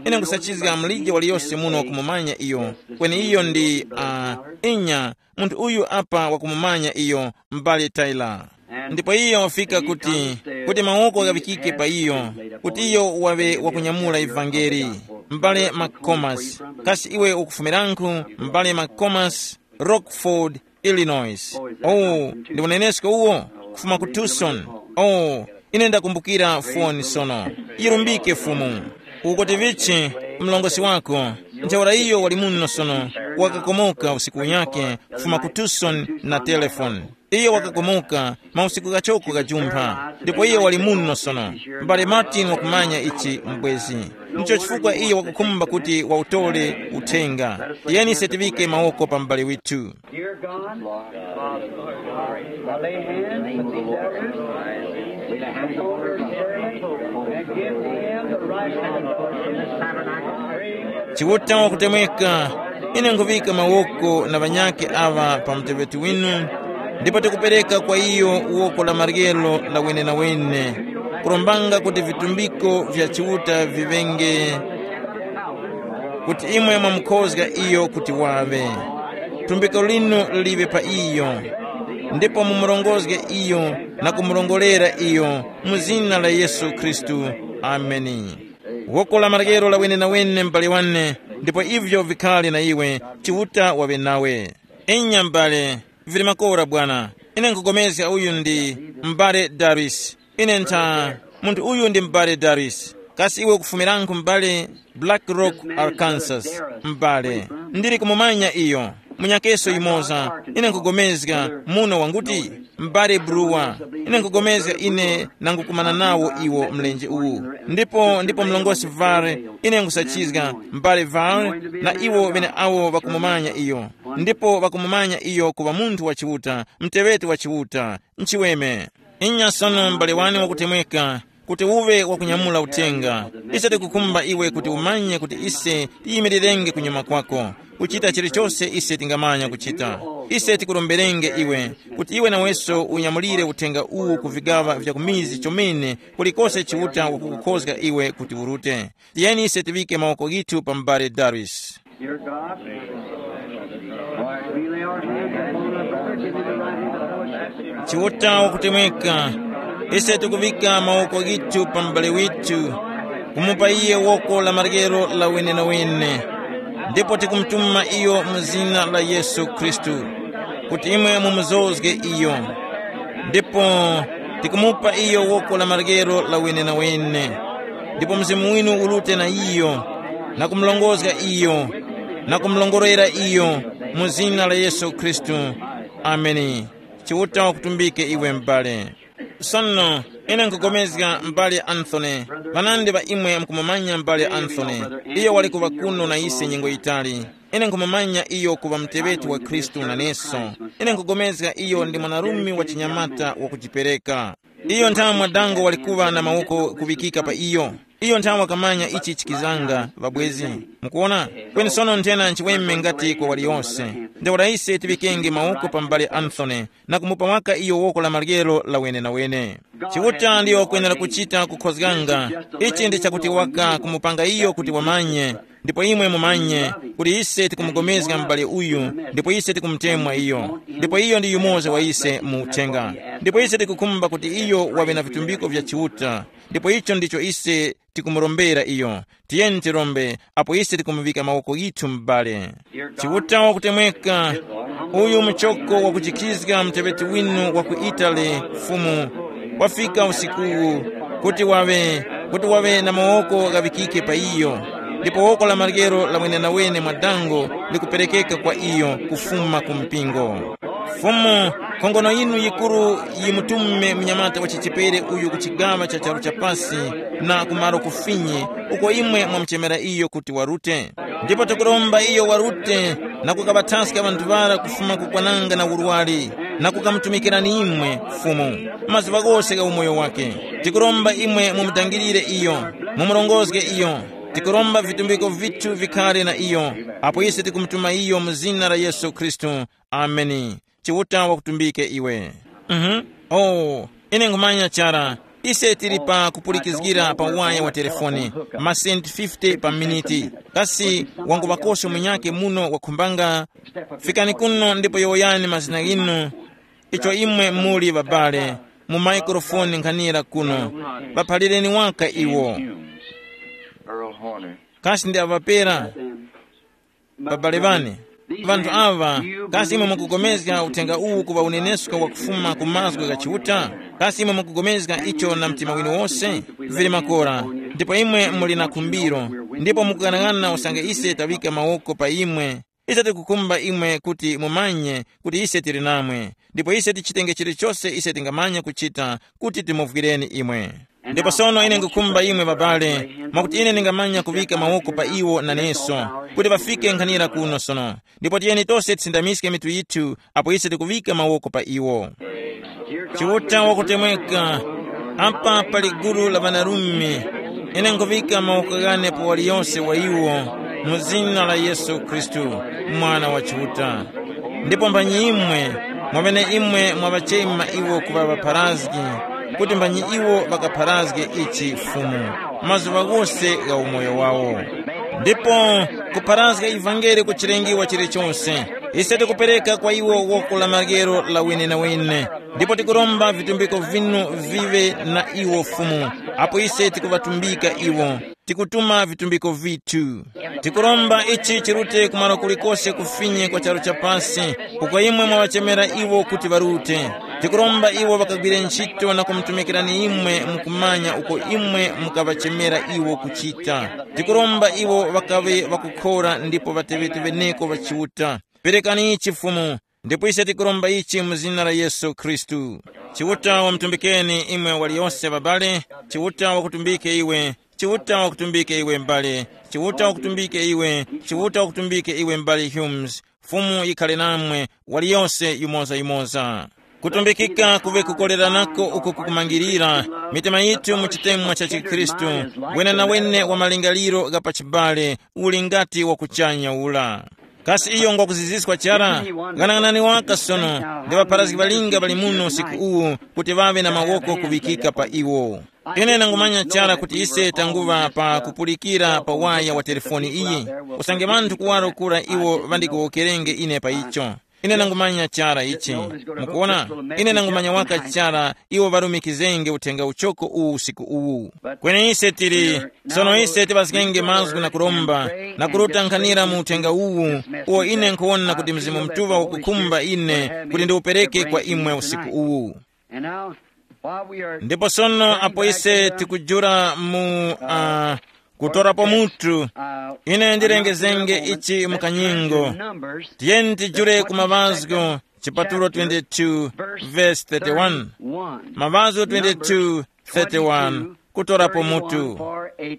Ine nkusachizga mulije waliyose muno kumumanya iyo. Kweni iyo ndi uh, inya, munthu uyu apa wakumumanya iyo, m'bale Tyler. Ndipo iyo wafika kuti, kuti mawoko ghaŵikike pa iyo, kuti iyo wawe wakunyamula ivangeli. M'bale McComas, kasi iwe ukufumirankhu? M'bale McComas, Rockford, Illinois. Oh, ndi unenesko uwo? Kufuma ku Tucson. Oh, ine ndakumbukira foni sono. Yirumbike Fumu. Ukuti vichi, mlongosi wako, ntheura iyo wali muno sono, wakakomoka usiku unyake kufuma ku Tucson na telefoni. Iyo wakakomoka mausiku ghachoko ghajumpha, ndipo iyo wali muno sono. M'bale Martin wakumanya ichi mbwezi. Ndicho chifukwa iyo wakukhumba kuti wautole uthenga. Tiyeni ise tiŵike mawoko pa m'bale withu. Dear God, I lay hands on these elders and give them the right kind of Chiuta wakutemweka, ine nkhuŵika mawoko na ŵanyakhe aŵa pa muteŵeti winu, ndipo tikupereka kwa iyo woko la maryero la wenenawene, kurombanga kuti vitumbiko vya Chiuta viŵenge, kuti imwe mwamukhozga iyo kuti waŵe. Tumbiko linu liŵe pa iyo, ndipo mumurongozge iyo na kumurongorera iyo mu zina la Yesu Khristu. Ameni. Woko la maryero la wenenawene m'bale wane, ndipo ivyo vikhale na iwe, Chiuta waŵe nawe. Inya m'bale, vili makora bwana. Ine nkugomezga uyu ndi m'bale Darius. Ine ntha, munthu uyu ndi m'bale Darius. Kasi iwe ukufumirankhu m'bale? Black Rock, Arkansas. M'bale, ndili kumumanya iyo. Munyakeso yumoza, ine nkugomezga muno wanguti, m'bale Brewer. Ine nkugomezga ine nangukumana nawo iwo mlenje uwu. Ndipo ndipo mlongosi Vare, ine nkusachizga m'bale Vare, na iwo ŵeneawo ŵakumumanya iyo. Ndipo ŵakumumanya iyo kuŵa munthu wa Chiuta, mteŵeti wa Chiuta. Nchiweme. Inya sono m'bale wane wakutemweka, kuti uŵe wakunyamula uthenga. Ise tikukhumba iwe kuti umanye kuti ise tiyimirirenge kunyuma kwako, kuchita chilichose ise tingamanya kuchita. Ise tikuromberenge iwe kuti iwe naweso unyamulire uthenga uwu ku vigaŵa vya ku mizi chomene, kulikose Chiuta wakukukhozga iwe kuti urute. Tiyeni ise tiŵike mawoko ghithu pa m'bale Darius. Dear God, we lay our hands upon our brother, give him the right hand of fellowship. Chiuta wakutemweka, ise tikuŵika mawoko ghithu pa m'bale withu, kumupa iye woko la maryero la wenenawene, ndipo tikumutuma iyo mu zina la Yesu Khristu, kuti imwe mumuzozge iyo. Ndipo tikumupa iyo woko la maryero la wenenawene, ndipo Mzimu winu urute na iyo, na kumulongozga iyo, na kumulongorera iyo, mu zina la Yesu Khristu. Ameni. Chiuta wakutumbike iwe m'bale. Sono, ine nkugomezga m'bale Anthony, ŵanandi ŵa imwe mukumumanya m'bale Anthony. Iyo wali kuŵa kuno na ise nyengo yitali. Ine nkhumumanya iyo kuŵa muteŵeti wa Khristu naneso. Ine nkhugomezga iyo ndi mwanarume wa chinyamata wakujipereka. Iyo nthawe mwadango wali kuŵa na mawoko kuŵikika pa iyo. Iyo nthawe wakamanya ichi chikizanga, ŵabwezi. Mukuona? Kweni sono nthena nchiweme ngati kwa waliyose. Ntheura ise tiŵikenge mawoko pa m'bale Anthony, na kumupa waka iyo woko la maryero la wenenawene. Chiuta ndiyo wakwenera kuchita kukhozganga. Ichi ndi chakuti waka kumupanga iyo kuti wamanye, ndipo imwe mumanye kuti ise tikumugomezga m'bale uyu, ndipo ise tikumutemwa iyo, ndipo iyo ndi yumoza wa ise mu uthenga. Ndipo ise tikukhumba kuti iyo waŵe na vitumbiko vya Chiuta, ndipo icho ndicho ise tikumurombera iyo. Tiyeni tirombe apo ise tikumuŵika mawoko yithu m'bale. Chiuta wakutemweka, uyu muchoko wakujikhizga muteŵeti winu wa ku Itali, Fumu, wafika usikuwu. kuti waŵe, kuti waŵe na mawoko ghaŵikike pa iyo, ndipo woko la maryero la wenenawene mwa dango likuperekeka kwa iyo kufuma ku mpingo. Fumu, khongono yinu yikuru yimutume munyamata wa chichepere uyu ku chigaŵa cha charu cha pasi, na kumaro kufinyi, uko imwe mwamuchemera iyo kuti warute. Ndipo tikuromba iyo warute, na kukaŵathaska ŵanthu ŵara kufuma ku kwananga na urwari, na kukamutumikirani imwe, Fumu, mazuŵa ghose gha umoyo wake. Tikuromba imwe mumudangirire iyo, mumurongozge iyo. Tikuromba vitumbiko vithu vikhare na iyo, apo ise tikumutuma iyo mu zina la Yesu Khristu. Ameni. Chiuta wakutumbike iwe. Mhm. Oh, ine nkhumanya chara. Ise tili pa kupulikizgira pa waya wa telefoni, masenti fifty pa miniti. Kasi wangu wakoso munyake muno wakhumbanga? Fikani kuno ndipo yowoyani mazina ghinu, icho imwe muli babale, mu maikrofoni nkhanira kuno. Ŵaphalireni waka iwo. Earl Horner. Kasi ndi aŵapera? Babale ŵane, ŵanthu aŵa, kasi imwe mukupulikana uthenga uwu kuŵa unenesko wakufuma ku mazgu gha Chiuta? Kasi imwe mukupulikana icho na mtima winu wose? Vili makora, ndipo imwe muli na khumbiro, ndipo mukughanagana usange ise taŵika mawoko pa imwe. Ise tikukumba imwe kuti mumanye kuti ise tili namwe, ndipo ise tichitenge chilichose ise tingamanya kuchita kuti timuvwireni imwe. Ndipo sono ine ngukhumba imwe babale, mwakuti ine ndingamanya kuŵika mawoko pa iwo naneso, kuti ŵafike nkhanira kuno sono. Ndipo tiyeni tose tisindamiske mitu yithu apo ise tikuŵika mawoko pa iwo. Chiuta wakutemweka, apa pali gulu la ŵanarume, ine nkuŵika mawoko ghane pa waliyose wa iwo, mu zina la Yesu Khristu, Mwana wa Chiuta. Ndipo mbanyimwe, mwaŵeneimwe mwaŵachema iwo kuŵa ŵapharazgi, kuti mbanyimwe iwo ŵakapharazge ichi Fumu, mazuŵa ghose gha umoyo wawo. Ndipo kupharazga ivangeli kuchilengiwa chilichonse, ise tikupereka kwa iwo woko la maryero la wenenawene, ndipo tikuromba vitumbiko vinu viŵe na iwo Fumu, apo ise tikuŵatumbika iwo, tikutuma vitumbiko vithu. Tikuromba ichi chirute kumalo kulikose kufinye kwa charu cha pasi, uko imwe mwaŵachemera iwo kuti ŵarute. Tikuromba iwo ŵakagwire ntchito na kumutumikirani imwe mukumanya uko imwe mukaŵachemera iwo kuchita. Tikuromba iwo ŵakaŵe ŵakukhora ndipo ŵateŵeteŵeneko ŵa Chiuta. Perekani ichi Fumu, ndipo ise tikuromba ichi mu zina la Yesu Khristu. Chiuta wamutumbikeni imwe waliyose babale, Chiuta wakutumbike iwe, Chiuta wakutumbike iwe mbale, Chiuta wakutumbike iwe, Chiuta wakutumbike iwe mbale Humes. Fumu yikhale namwe, waliyose yumoza-yumoza. Kutumbikika kuŵe kukoleranako uko kukumangirira, mitima yithu mu chitemwa cha chikhristu, wenenawene wa malingaliro gha pachibale, uli ngati wakuchanya ula. Kasi iyo ngwakuziziswa chara? Ghanaghanani waka sono, ndi ŵapharazgi ŵalinga ŵali muno usiku uwu kuti ŵaŵe na mawoko kuŵikika pa iwo. Ine ndangumanya chara kuti ise tanguŵa pa kupulikira pa waya wa telefoni iyi. Usange ŵanthu kuwaro kura iwo ŵandikuwokerenge ine pa icho. Ine ndangumanya chara ichi. Mukuona, ine ndangumanya waka chara iwo ŵarumikizenge uthenga uchoko uwu usiku uwu. Kweni ise tili, sono ise tiŵazgenge mazgu na kuromba, na kuruta nkhanira mu uthenga uwu, uwo ine nkhuwona kuti Mzimu Mutuŵa wakukhumba ine kuti ndiwupereke kwa imwe usiku uwu. Ndipo sono apo ise tikujula mu uh, kutorapo mutu, ine ndilengezenge ichi mu kanyingo. Tiyeni tijule ku Maŵazgo chipatulo twenty-two, verse thirty-one. Maŵazgo twenty-two, thirty-one, kutorapo mutu.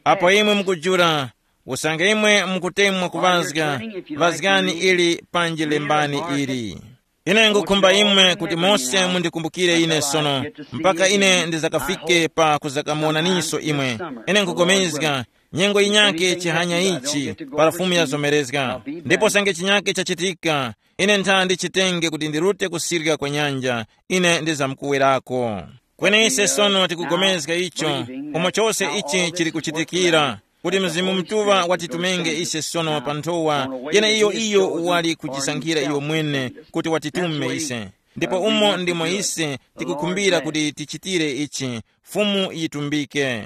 Apo imwe mukujula, usange imwe mukutemwa kuŵazga, ŵazgani ili panji lembani ili. Ine ngukhumba imwe kuti mose mundikumbukire ine sono, mpaka ine ndizakafike pa kuzakamuwonaninso imwe. Ine nkupulikana, nyengo yinyakhe chihanya ichi, para Fumu yazomerezga. Ndipo sange chinyakhe chachitika, ine ntha ndichitenge kuti ndirute kusirya kwa nyanja, ine ndizamkuwerako. Kweni ise sono tikupulikana icho, umo chose ichi chili kuchitikira, kuti Mzimu Mutuŵa watitumenge ise sono pa nthowa yeneiyo iyo wali kujisankhira iyo mwene kuti watitume ise. Ndipo umo ndimo ise tikukhumbira kuti tichitire ichi, Fumu yitumbike.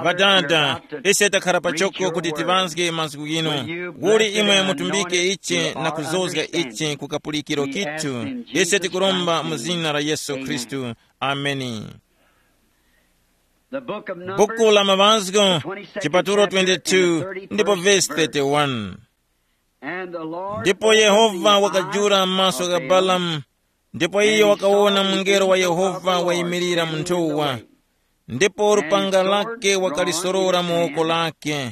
Ŵadada, ise takhala pachoko kuti tiŵazge mazgu ghinu. Uli imwe mutumbike ichi na kuzozga ichi ku kapulikiro kithu, ise tikuromba mu zina la Yesu Khristu. Ameni. The book of Numbers, buku la Maŵazgo, chipatulo twenty-two, ndipo vesi thirty-one. And the Lord Ndipo Yehova wakajula m'maso gha Balamu, ndipo iyo wakawona mungelo wa Yehova wayimirira mu nthowa, ndipo lupanga lake wakalisorora mu woko lake,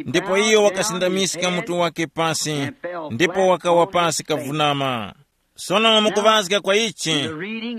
ndipo iyo wakasindamiska mutu wake pasi, ndipo wakawa pasi kavunama. Sono mukuŵazga kwa ichi,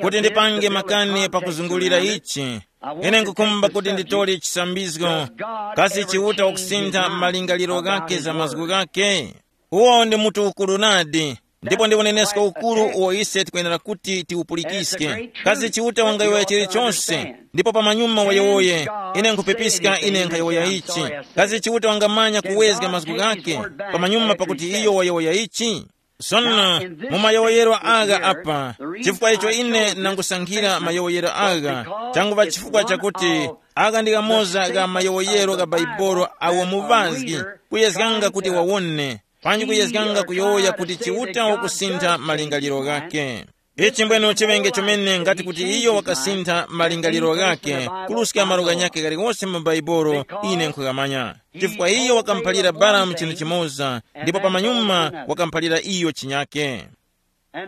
kuti ndipange makani pakuzungulira ichi, ine nkukhumba kuti nditole chisambizgo. Kasi Chiuta wakusintha malingaliro ghake za mazgu ghake? Uwo ndi mutu ukuru nadi, ndipo ndi unenesko ukuru uwo ise tikwenera kuti tiwupulikiske. Kasi Chiuta wangayowoya chilichonse, ndipo pamanyuma wayowoye? Ine nkhupepiska ine nkhayowoya ichi. Kasi Chiuta wangamanya kuwezga mazgu ghake pamanyuma pakuti iyo wayowoya ichi? Sono, mu mayowoyero agha apa, chifukwa icho ine nangusankhira mayowoyero agha, changuŵa chifukwa chakuti agha ndi ghamoza gha mayowoyero gha Baibolo awo muŵazgi kuyezganga kuti wawone, panji kuyezganga kuyowoya kuti Chiuta wakusintha malingaliro ghake. Ichi mbwene chiŵenge chomene ngati kuti iyo wakasintha malingaliro ghake, kuruska malo ghanyakhe ghaliwose mu Baibolo, ine nkhugamanya. Chifukwa iyo wakamuphalira Balamu chinthu chimoza, ndipo pamanyuma wakamuphalira iyo chinyake.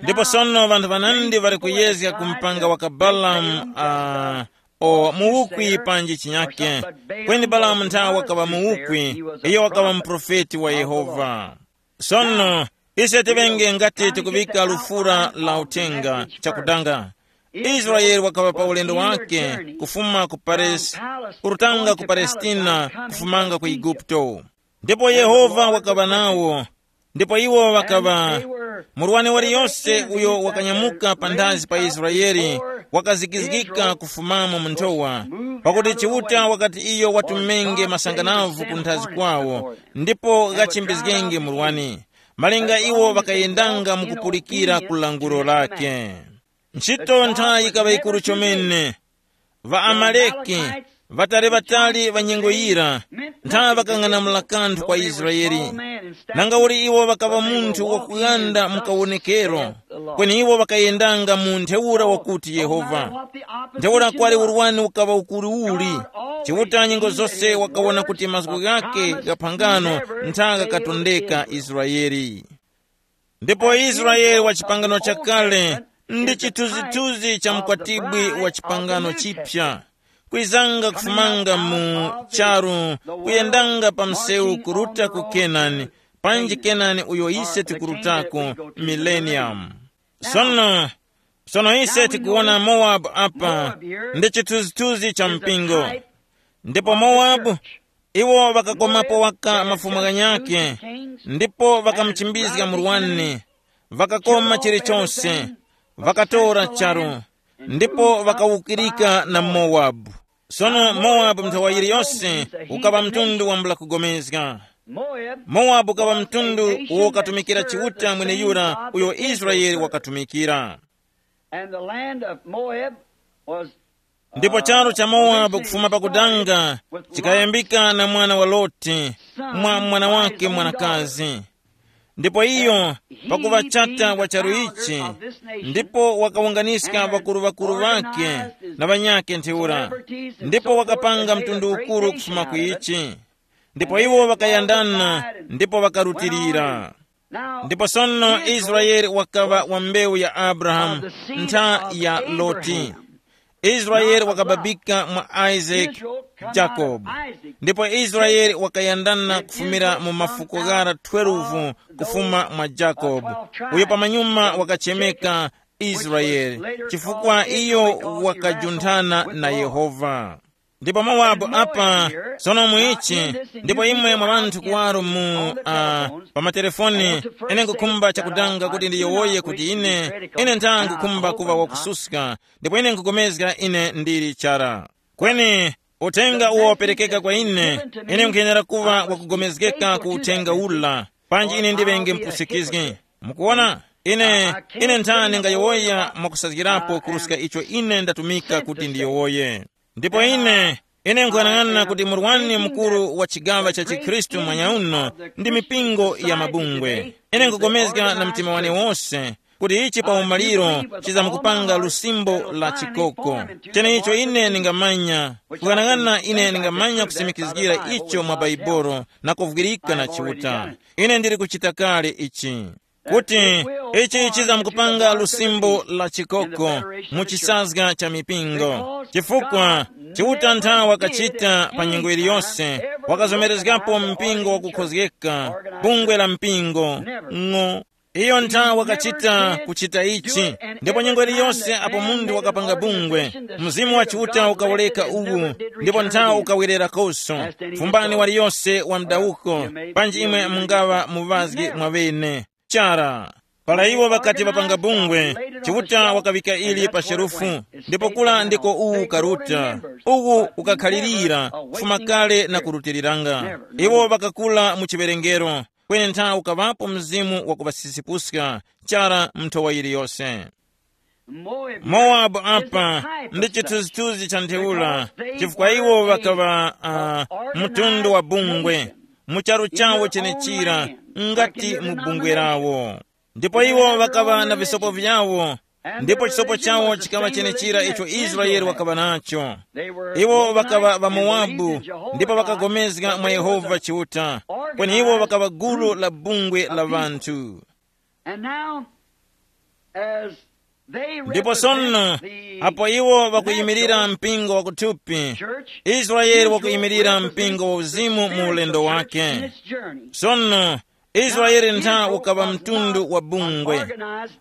Ndipo sono ŵanthu ŵanandi ŵali kuyezga ku mpanga wa ka Balamu, uh, o muwukwi panji chinyake. Kweni Balamu nthawe wakaŵa muwukwi, iyo wakaŵa muprofeti wa Yehova. Sono, ise tiŵenge ngati tikuŵika lufura la uthenga chakudanga. Israeli wakaŵa pa ulendo wake kufuma ku Pares-, kurutanga ku Palestina kufumanga ku Eguputo. Ndipo Yehova wakaŵa nawo, ndipo iwo ŵakaŵa, murwani waliyose uyo wakanyamuka panthazi pa Israeli wakazikizgika kufumamo mu nthowa, pakuti Chiuta wakati iyo watumenge masanganavu ku nthazi kwawo, ndipo ghachimbizgenge murwani, malinga iwo ŵakayendanga mu kupulikira ku languro lake. Ntchito nthayi yikaŵa yikuru chomene. Ŵaamaleki, ŵatali-ŵatali ŵa nyengo yira, ntha ŵakang'anamula kanthu kwa Israeli. Nangauli iwo ŵakaŵa munthu wakughanda mu kawonekero, kweni iwo ŵakayendanga mu ntheura wakuti Yehova. Ntheura kwali urwani ukaŵa ukuru uli, Chiuta nyengo zose wakawona kuti mazgu ghake gha phangano ntha ghakatondeka Israeli. Ndipo Israele wa chipangano chakale ndi chithunzithunzi cha mkwatibwi wa chipangano chipya, kwizanga kufumanga mu charu, kuyendanga pa msewu kuruta ku Kenani, panji Kenani uyo ise tikurutako, millennium. Sono, sono ise tikuwona Mowabu apa, ndi chithunzithunzi cha mpingo. Ndipo Mowabu, iwo ŵakakomapo waka mafumu ghanyakhe, ndipo ŵakamuchimbizga murwani, ŵakakoma chilichonse, ŵakatora charu, ndipo ŵakawukirika na Mowabu. Sono Mowabu nthawa yiliyose ukaŵa mtundu wambula kugomezga. Mowabu ukaŵa mtundu uwo ukatumikira Chiuta mweneyura uyo Israele wakatumikira. And the land of Moab was, ndipo charu cha Mowabu kufuma pakudanga chikayambika na mwana wa Loti, mwa mwana wake mwanakazi. Ndipo iyo, pakuŵa chata wa charu ichi, ndipo wakawunganiska ŵakuru-ŵakuru ŵakhe na ŵanyakhe ntheura, ndipo wakapanga mtundu ukuru kufuma ku ichi. Ndipo iwo ŵakayandana ndipo ŵakarutilira. Ndipo sono Israele wakaŵa wa mbewu ya Abrahamu, ntha ya Loti. Israele wakababika mwa Isaac, Jacob. Ndipo Israele wakayandana kufumira mu mafuko ghara twelve kufuma mwa Jacob, uyo pamanyuma wakachemeka Israele, chifukwa iyo wakajunthana na Yehova. Ndipo Mowabu apa, sono muichi, ndipo imwe mwa ŵanthu kuwaro mu, uh, pa matelefoni, ine nkukhumba chakudanga kuti ndiyowoye kuti ine, ine ntha nkukhumba kuŵa wakususka, ndipo ine nkupulikana ine ndili chara. Kweni uthenga uwo waperekeka kwa ine, ine nkhuyenera kuŵa wakugomezgeka ku uthenga ula, panji ine ndiŵenge mpusikizgi. Mukuona, ine, ine nthani ngayowoya mwakusazgirapo kuruska icho ine ndatumika kuti ndiyowoye. Ndipo ine, ine nkuyang'ana kuti murwani mukuru wa chigaŵa cha chikhristu mwanyauno ndi mipingo ya mabungwe. Ine nkupulikana na mtima wane wose, kuti ichi pa umaliro chizamkupanga lusimbo la chikoko. Cheneicho ine ningamanya, kukhanang'ana ine ningamanya kusimikizgira icho mwa Baibolo na kuvwirika na Chiuta. Ine ndili kuchita kale ichi, kuti ichi chizamkupanga lusimbo la chikoko mu chisazga cha mipingo, chifukwa Chiuta nthawi wakachita pa nyengo iliyonse, wakazomerezgapo mpingo wakukhozgeka, bungwe la mpingo, ng'o. Iyo nthawi wakachita kuchita ichi, ndipo nyengo iliyonse apo munthu wakapanga bungwe, Mzimu wa Chiuta ukawoleka uwu, ndipo nthawi ukawererakoso. Fumbani waliyonse wa mdawuko, panji imwe mungaŵa muŵazgi mwaŵene. Chara, para iwo ŵakati ŵapanga bungwe, Chiuta wakaŵika ili pa sherufu, ndipo kula ndiko uwu ukaruta, uwu ukakhalirira kufuma kale na kurutiliranga. Iwo ŵakakula mu chiwerengero, kweni ntha ukaŵapo mzimu wakuŵasisipuska chara nthowa yiliyose. Mowabu apa ndi chithunzithunzi cha ntheura, chifukwa iwo ŵakaŵa uh, mtundu wa bungwe mu charu chawo chenechira, ngati mu bungwe lawo. Ndipo iwo ŵakaŵa na visopo vyawo, ndipo chisopo chawo chikaŵa chenechira icho Israeli wakaŵa nacho. Iwo ŵakaŵa ŵaMowabu, ndipo ŵakagomezga mwa Yehova Chiuta, kweni iwo ŵakaŵa gulu la bungwe la ŵanthu. And now, as they ndipo sono, represent the apo iwo wakuyimirira natural mpingo wakuthupi, church, Israeli wakuyimirira mpingo wa uzimu mu ulendo wake. Sono, Israeli ntha ukaŵa mtundu wa bungwe.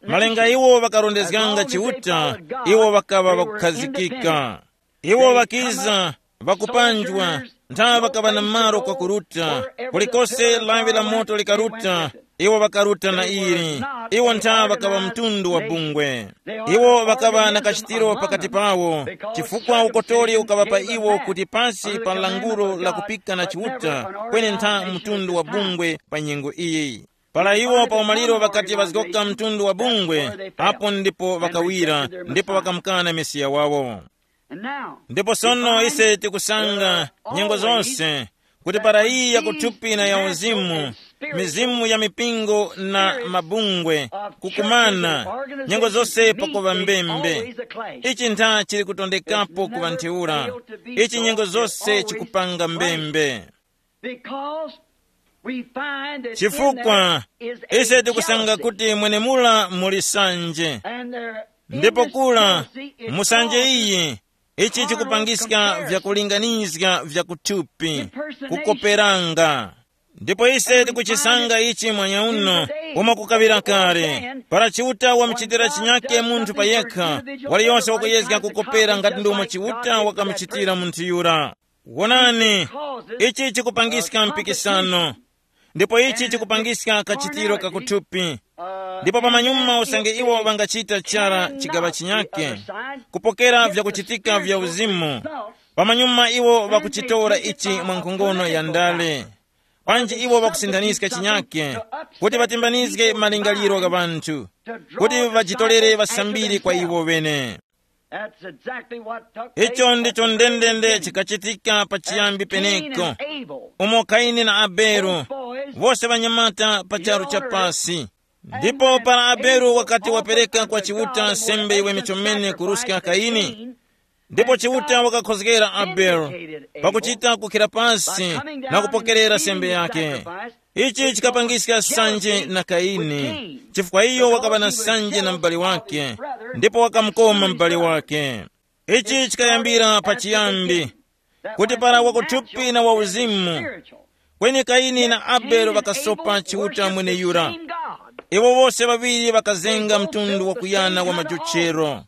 Malinga iwo ŵakarondezganga Chiuta, iwo ŵakaŵa ŵakukhazikika. Iwo ŵakiza, ŵakupanjwa, ntha ŵakaŵa na malo kwakuruta. Kulikose lawi la moto likaruta, iwo ŵakaruta na ili. Iwo ntha ŵakaŵa mtundu wa bungwe. Iwo ŵakaŵa na kachitiro pakati pawo, chifukwa ukotori ukaŵa pa iwo kuti pasi pa lankhulo la kupika na Chiuta, kweni ntha mtundu wa bungwe pa nyengo iyi. Para iwo pa umaliro ŵakati ŵazgoka mtundu wa bungwe, apo ndipo ŵakawira, ndipo ŵakamukana Mesiya wawo. Ndipo sono ise tikusanga nyengo zonse kuti para iyi yakuthupi na ya uzimu, mizimu ya mipingo na mabungwe kukumana, nyengo zonse pakuŵa mbembe. Ichi ntha chili kutondekapo ku ŵantheura. Ichi nyengo zonse chikupanga mbembe. Because we find that in chifukwa there is a ise tikusanga jealousy. Kuti mwenemula muli sanje. And there, ndipo kula mu sanje iyi, ichi chikupangiska vyakulinganizga vyakuthupi, kukoperanga. Ndipo ise tikuchisanga ichi mwanya uno, umo kukaŵira kale, para Chiuta wamuchitira chinyake munthu pa yekha, waliyonse wakuyezga kukopera ngati ndomwe Chiuta wakamuchitira munthu yura. Wonani, ichi chikupangiska mpikisano, ndipo ichi chikupangiska kachitiro kakuthupi. Ndipo pamanyuma usange iwo ŵangachita chara chigaŵa chinyake, kupokera vyakuchitika vya uzimu, pamanyuma iwo ŵakuchitora ichi mwa nkhongono ya ndale. Panji iwo ŵakusinthaniska chinyake, kuti ŵatimbanizge malingaliro gha ŵanthu, kuti ŵajitorere ŵasambiri kwa iwo ŵene. That's exactly what took place. Icho ndicho ndendende chikachitika pachiyambi peneko, umo Kaini na Abele, wose ŵanyamata pa charu cha pasi. Ndipo para Abele wakati wapereka kwa Chiuta sembe yiweme chomene kuruska Kaini, ndipo Chiuta wakakhozgera Abele pakuchita kukhira pasi na kupokerera sembe yake. Ichi chikapangiska sanje na Kaini, chifukwa iyo wakaŵa na sanje na m'bale wake, ndipo wakamukoma m'bale wake. Ichi chikayambira pachiyambi, kuti para wakuthupi na wauzimu, kweni Kaini na Abele ŵakasopa Chiuta mweneyura. Iwo wose ŵaŵiri ŵakazenga mtundu wakuyana wa majochero,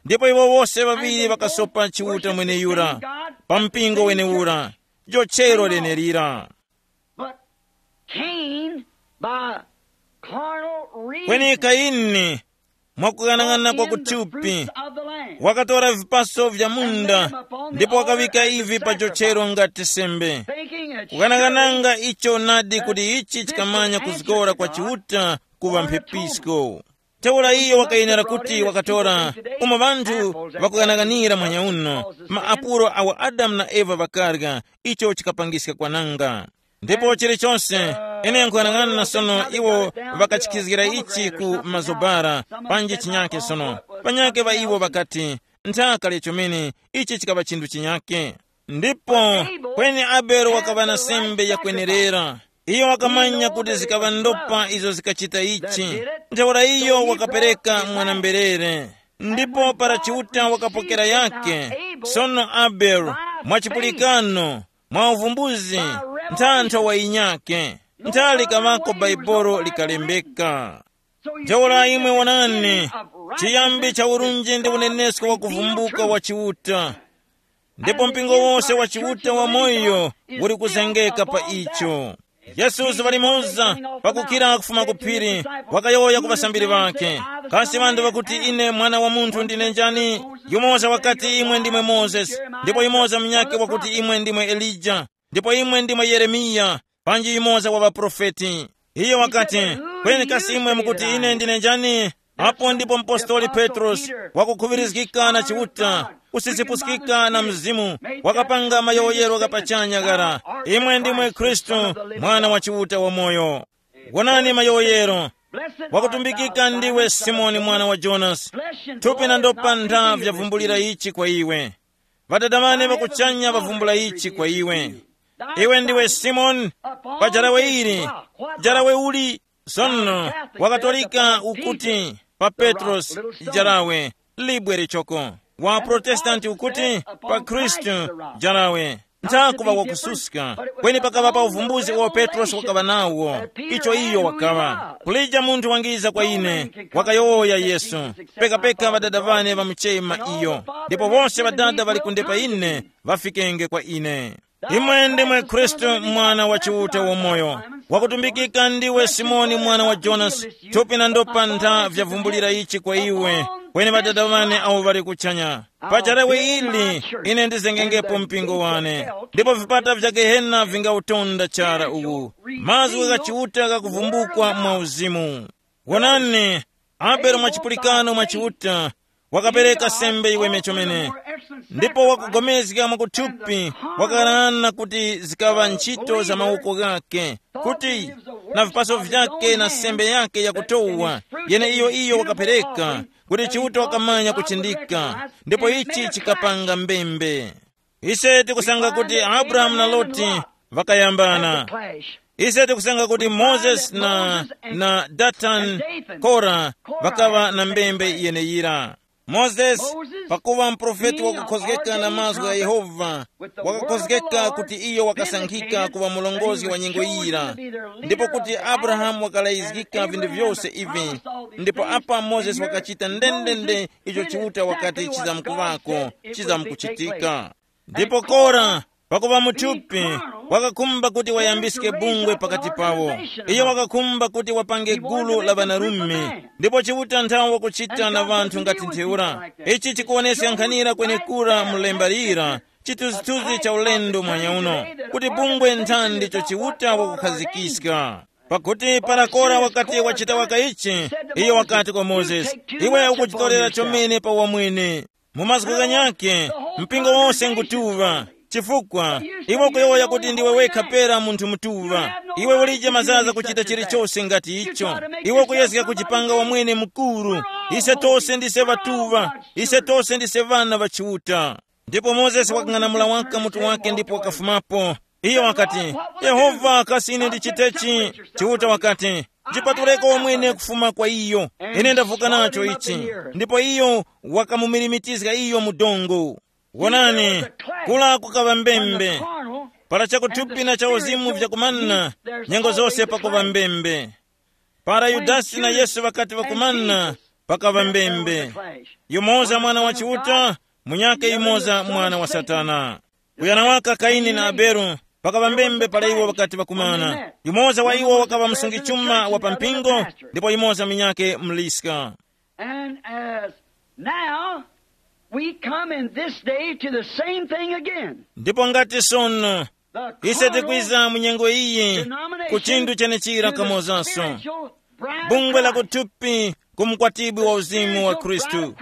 ndipo iwo wose ŵaŵiri ŵakasopa Chiuta mweneyura pa mpingo wenewura, jochero lenelira. But Cain, by carnal reason, kweni Kaini, mwakuyang'ana kwa kuthupi, wakatora vipaso vya munda ndipo wakaŵika ivi pa jochero ngati sembe, kukang'ananga icho nadi kuti ichi chikamanya kuzgora kwa Chiuta kuŵa mphepisko. Ntheura iyo wakayenera kuti wakatora, umo ŵanthu ŵakuyang'anira mwanya uno, maapulo awo Adamu na Eva ŵakarya, icho chikapangiska kwananga. Ndipo chilichonse, ine nkuyang'ana sono iwo ŵakachikizgira ichi ku mazobara, panji chinyake sono. Panyake ŵa iwo ŵakati, nthaka chomene, ichi chikaŵa chinthu chinyake. Ndipo kweni Abele wakaŵa na sembe yakwenerera. Iyo wakamanya kuti zikaŵa ndopa izo zikachita ichi. Ntheura iyo wakapereka mwana-mberere. Ndipo para Chiuta wakapokera yake, sono Abele, mwa chipulikano, mwa uvumbuzi, nthanthwa wa inyake. Nthali kamako Baibolo likalembeka. Ntheura imwe wonani, chiyambi cha urunji ndi unenesko wa kuvumbuka wa Chiuta. Ndipo mpingo wose wa Chiuta wa moyo uli kuzengeka pa icho. Yesu zuŵa limoza, pakukira kufuma ku phiri, wakayowoya ku ŵasambiri ŵakhe, kasi ŵanthu ŵakuti ine Mwana wa Munthu ndine njani? Yumoza wakati, imwe ndimwe Mozesi, ndipo yumoza munyakhe wakuti, imwe ndimwe Elija, ndipo imwe ndimwe Yeremiya, panji yumoza wa ŵaprofeti. Iyo wakati, kweni kasi imwe mukuti ine ndine njani? Apo ndipo mpostoli Petrosi, wakukhuŵirizgika na Chiuta, kusizipuskika na Mzimu, wakapanga mayowoyero gha pachanya ghara, imwe ndimwe Khristu, Mwana wa Chiuta wamoyo. Wonani mayowoyero, wakutumbikika ndiwe Simoni mwana wa Jonasi, thupi na ndopa ntha vyavumbulira ichi kwa iwe. Ŵadada ŵane ŵakuchanya ŵavumbula ichi kwa iwe. Iwe ndiwe Simoni, pa jarawe ili, jarawe uli, sono, wakatolika ukuti, pa Petrosi, jarawe, libwe lichoko, wa Protestanti ukuti, pa Khristu, jarawe. Nthakuva wakususka, kweni pakaŵa pa uvumbuzi uwo Petrosi wakaŵa nawo, icho iyo wakaŵa. Kulija munthu wangiza kwa ine, wakayowoya Yesu, pekapeka ŵadada ŵane ŵamuchema iyo, ndipo wose ŵadada ŵali kunde pa ine, ŵafikenge kwa ine. Imwe ndimwe Khristu, Mwana wa Chiuta wamoyo. Wakutumbikika ndiwe Simoni mwana wa Jonasi, thupi na ndopa ntha vyavumbulira ichi kwa iwe, kweni ŵadada ŵane awo ŵali kuchanya. Pa jarawe ili, ine ndizengengepo mpingo wane, ndipo vipata vya Gehena vingautonda chara uwu. Mazgu gha Chiuta ghakuvumbukwa mwa uzimu. Wonani, Abele mwa chipulikano mwa Chiuta, wakapereka sembe iweme chomene, ndipo wakugomezga mwakuthupi, wakarana kuti zikaŵa ntchito za mawoko ghake, kuti na vipaso vyake na sembe yake yakutowa, yene iyo iyo wakapereka, kuti Chiuta wakamanya kuchindika, ndipo ichi chikapanga mbembe. Ise tikusanga kuti Abrahamu na Loti ŵakayambana. Ise tikusanga kuti Mozesi na, na Datani, Kora, ŵakaŵa na mbembe yeneyira. Mozesi, pakuŵa muprofeti wakukhozgeka na mazgu gha Yehova, wakakhozgeka kuti iyo wakasankhika kuŵa mulongozi wa nyengo yira, ndipo kuti Abrahamu wakalayizgika vinthu vyose ivi, ndipo apa Mozesi wakachita ndendende icho Chiuta wakati chizamkuŵako, chizamkuchitika. Ndipo Kora, pakuŵa muthupi, wakakhumba kuti wayambiske bungwe pakati pawo. Iyo wakakhumba kuti wapange gulu la ŵanarume, ndipo Chiuta nthawe wakuchita na ŵanthu ngati ntheura. Ichi chikuwoneska nkhanira kwenekura mu lemba lira, chithunzithunzi cha ulendo mwanyauno, kuti bungwe nthani ndicho Chiuta wakukhazikiska. Pakuti para Kora wakati wachita waka ichi, iyo wakati kwa Mozesi, iwe ukuchitorera chomene pa wamwene. Mu mazgu ghanyakhe, mpingo wose ngutuŵa, chifukwa iwe ukuyowoya kuti ndiwe wekha pera munthu mutuŵa. Iwe ulije mazaza kuchita chilichose ngati icho. Iwe ukuyezga kuchipanga wamwene mukuru. Ise tose ndise ŵatuŵa, ise tose ndise ŵana ŵa Chiuta. Ndipo Mozesi wakang'anamula waka mutu wake ndipo wakafumapo. Iyo wakati, Yehova, kasi ine ndichitechi? Chiuta wakati, jipatuleko wamwene kufuma kwa iyo. Ine ndavuka nacho ichi. Ndipo iyo wakamumirimitizga iyo mu dongo. Wonani, kula kukaŵa mbembe. Para chakuthupi na cha uzimu vyakumana, nyengo zose pakuŵa mbembe. Para Yudasi na Yesu ŵakati ŵakumana, pakaŵa mbembe. Yumoza mwana wa Chiuta, munyakhe yumoza mwana wa Satana. Kuyana waka Kaini na Abele, pakaŵa mbembe para iwo ŵakati ŵakumana. Yumoza wa iwo wakaŵa msungi chuma wa pa mpingo, ndipo yumoza munyakhe mliska. And as now we come in this day to the same thing again. Ndipo ngati sono, ise tikwiza mu nyengo iyi ku chinthu chenechira kamozanso. Bungwe la kuthupi ku mkwatibwi wa uzimu wa Khristu.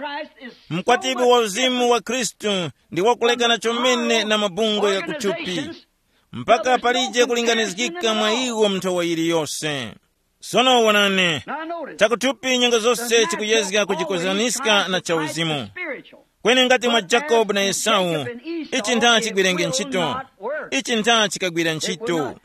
Mkwatibwi wa uzimu wa Khristu ndi wakulekana chomene na mabungwe ya kuthupi. mpaka palije kulinganizgika mwa iwo mnthowa yiliyose. Sono wonani, chakuthupi nyengo zose chikuyezga kujikozaniska na chauzimu. Kweni ngati mwa Jakobu na Esau, ichi ntha chigwirenge ntchito, ichi ntha chikagwira ntchito.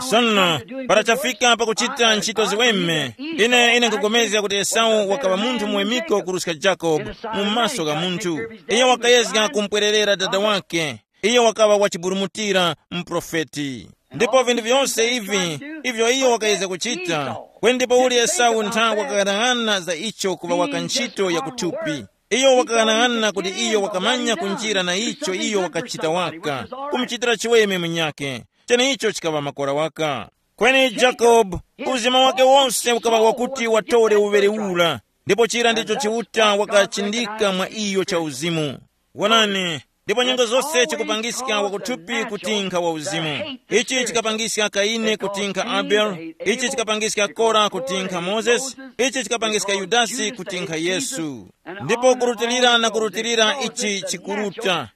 Sono, para chafika pakuchita ntchito ziweme, ine ine nkupulikana kuti Esau wakaŵa munthu muwemiko kuruska Jakobu mu maso gha munthu. Iyo wakayezga kumpwererera dada wake. Iyo wakaŵa wachiburumutira, mprofeti. Ndipo vinthu vyose ivi, ivyo iyo wakayezga kuchita, kweni ndipo uli Esau ntha wakaghanag'ana za icho kuŵa waka ntchito ya kuthupi. Iyo wakaghanag'ana kuti iyo wakamanya kunjira na icho iyo wakachita waka, kumuchitira chiweme munyakhe. Cheneicho chikaŵa makora waka. Kweni Jakobu, uzima wake wose ukaŵa wakuti watore uŵere ura, ndipo chira ndicho Chiuta wakachindika mwa iyo cha uzimu. Wonani, ndipo nyengo zose chikupangiska wakuthupi kutinkha wa uzimu. Ichi chikapangiska Kaini kutinkha Abel, ichi chikapangiska Kora kutinkha Moses, ichi chikapangiska Yudasi kutinkha Yesu. Ndipo kurutilira na kurutilira ichi chikuruta.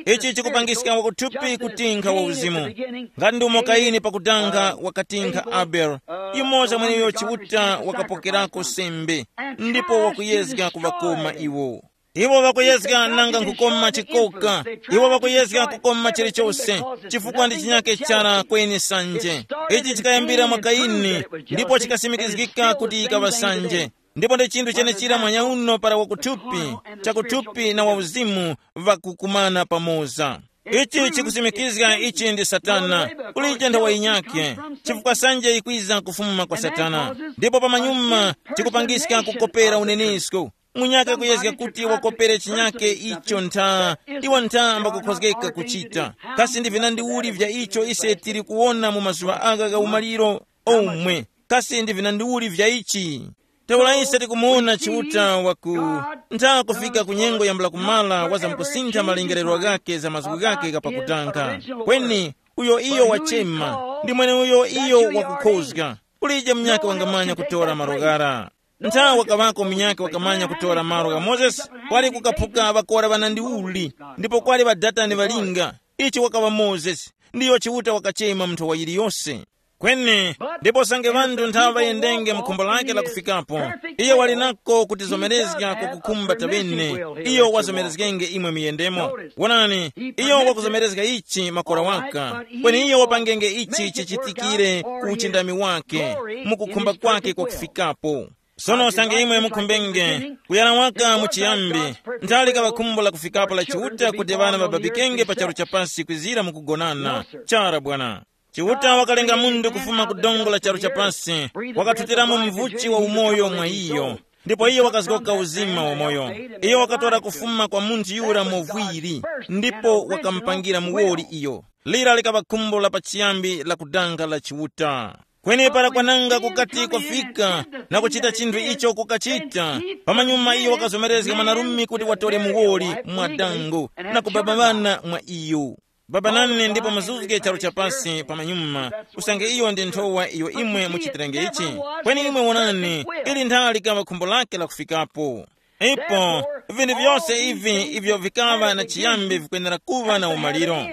Ichi chikupangiska wakuthupi kutinkha wa uzimu. Ngati ndi umo Kaini pakutanga wakatinkha Abel, yumoza mweneyo Chiuta wakapokerako sembe, ndipo wakuyezga kuŵakoma iwo. Iwo ŵakuyezga nanga nkukoma chikoka, iwo ŵakuyezga kukoma chilichose, chifukwa ndi chinyake chara kweni sanje. Ichi chikayambira mwa Kaini, ndipo chikasimikizgika kuti yikaŵa sanje. Ndipo ndi chinthu chenechira mwanyauno para wakuthupi, chakuthupi na wauzimu ŵakukumana pamoza. Ichi chikusimikizga ichi ndi Satana, kulije nthawa yinyakhe, chifukwa sanje yikwiza kufuma kwa Satana. Ndipo pamanyuma chikupangiska kukopera unenesko. Munyakhe kuyezga kuti wakopere chinyakhe icho ntha, iwo ntha ambakukhozgeka kuchita. Kasi ndi vinandi uli vya icho ise tili kuwona mu mazuŵa agha gha umaliro omwe? Kasi ndi vinandi uli vya ichi? Ntheura ise tikumuwona Chiuta waku ntha kufika ku nyengo yambula kumala wazamkusintha malingerero ghakhe za mazgu ghakhe ghapakutanga. Kweni uyo iyo wachema, ndi mweneuyo iyo wakukhozga. Kulije munyakhe wangamanya kutora malo ghara. Nthawe wakaŵako munyakhe wakamanya kutora malo gha Mozesi, kwali kukaphuka ŵakora ŵanandi uli, ndipo kwali ŵadatani ŵalinga. Ichi wakaŵa Mozesi, ndiyo Chiuta wakachema munthu wa yiliyose. Kweni, ndipo sange ŵanthu nthawe ŵayendenge mu khumbo lake la kufikapo, iyo wali nako kutizomerezga kwa kukhumba taŵene, iyo wazomerezgenge imwe muyendemo. Wonani, iyo wakuzomerezga ichi makora waka, kweni iyo wapangenge ichi chichitikire ku uchindami wake, mu kukhumba kwake kwa kufikapo. Sono usange imwe mukhumbenge kuyana waka mu chiyambi, nthali kaŵa khumbo la kufikapo la Chiuta kuti ŵana ŵababikenge pa charu cha pasi kwizira mu kugonana. Chara bwana. Chiuta wakalenga munthu kufuma ku dongo la charu cha pasi, wakathutiramo mvuchi wa umoyo mwa iyo, ndipo iyo wakazgoka uzima wa moyo. Iyo wakatora kufuma kwa munthu yura movwiri, ndipo wakamupangira muwoli iyo. Lira likaŵa khumbo la pachiyambi la kudanga la Chiuta. Kweni para kwananga kukati kwafika na kuchita chinthu icho kukachita, pamanyuma iyo wakazomerezga mwanarume kuti watore muwoli mwa dango na kubaba ŵana mwa iyo. Baba nane ndipo muzuzge charu cha pasi pamanyuma, usange iyo ndi nthowa iyo imwe muchitirenge ichi. Kweni imwe wonani, ili nthali likaŵa khumbo lake la kufikapo. Ipo, vinthu vyose ivi ivyo vikaŵa na chiyambi vikwenera kuŵa na umaliro.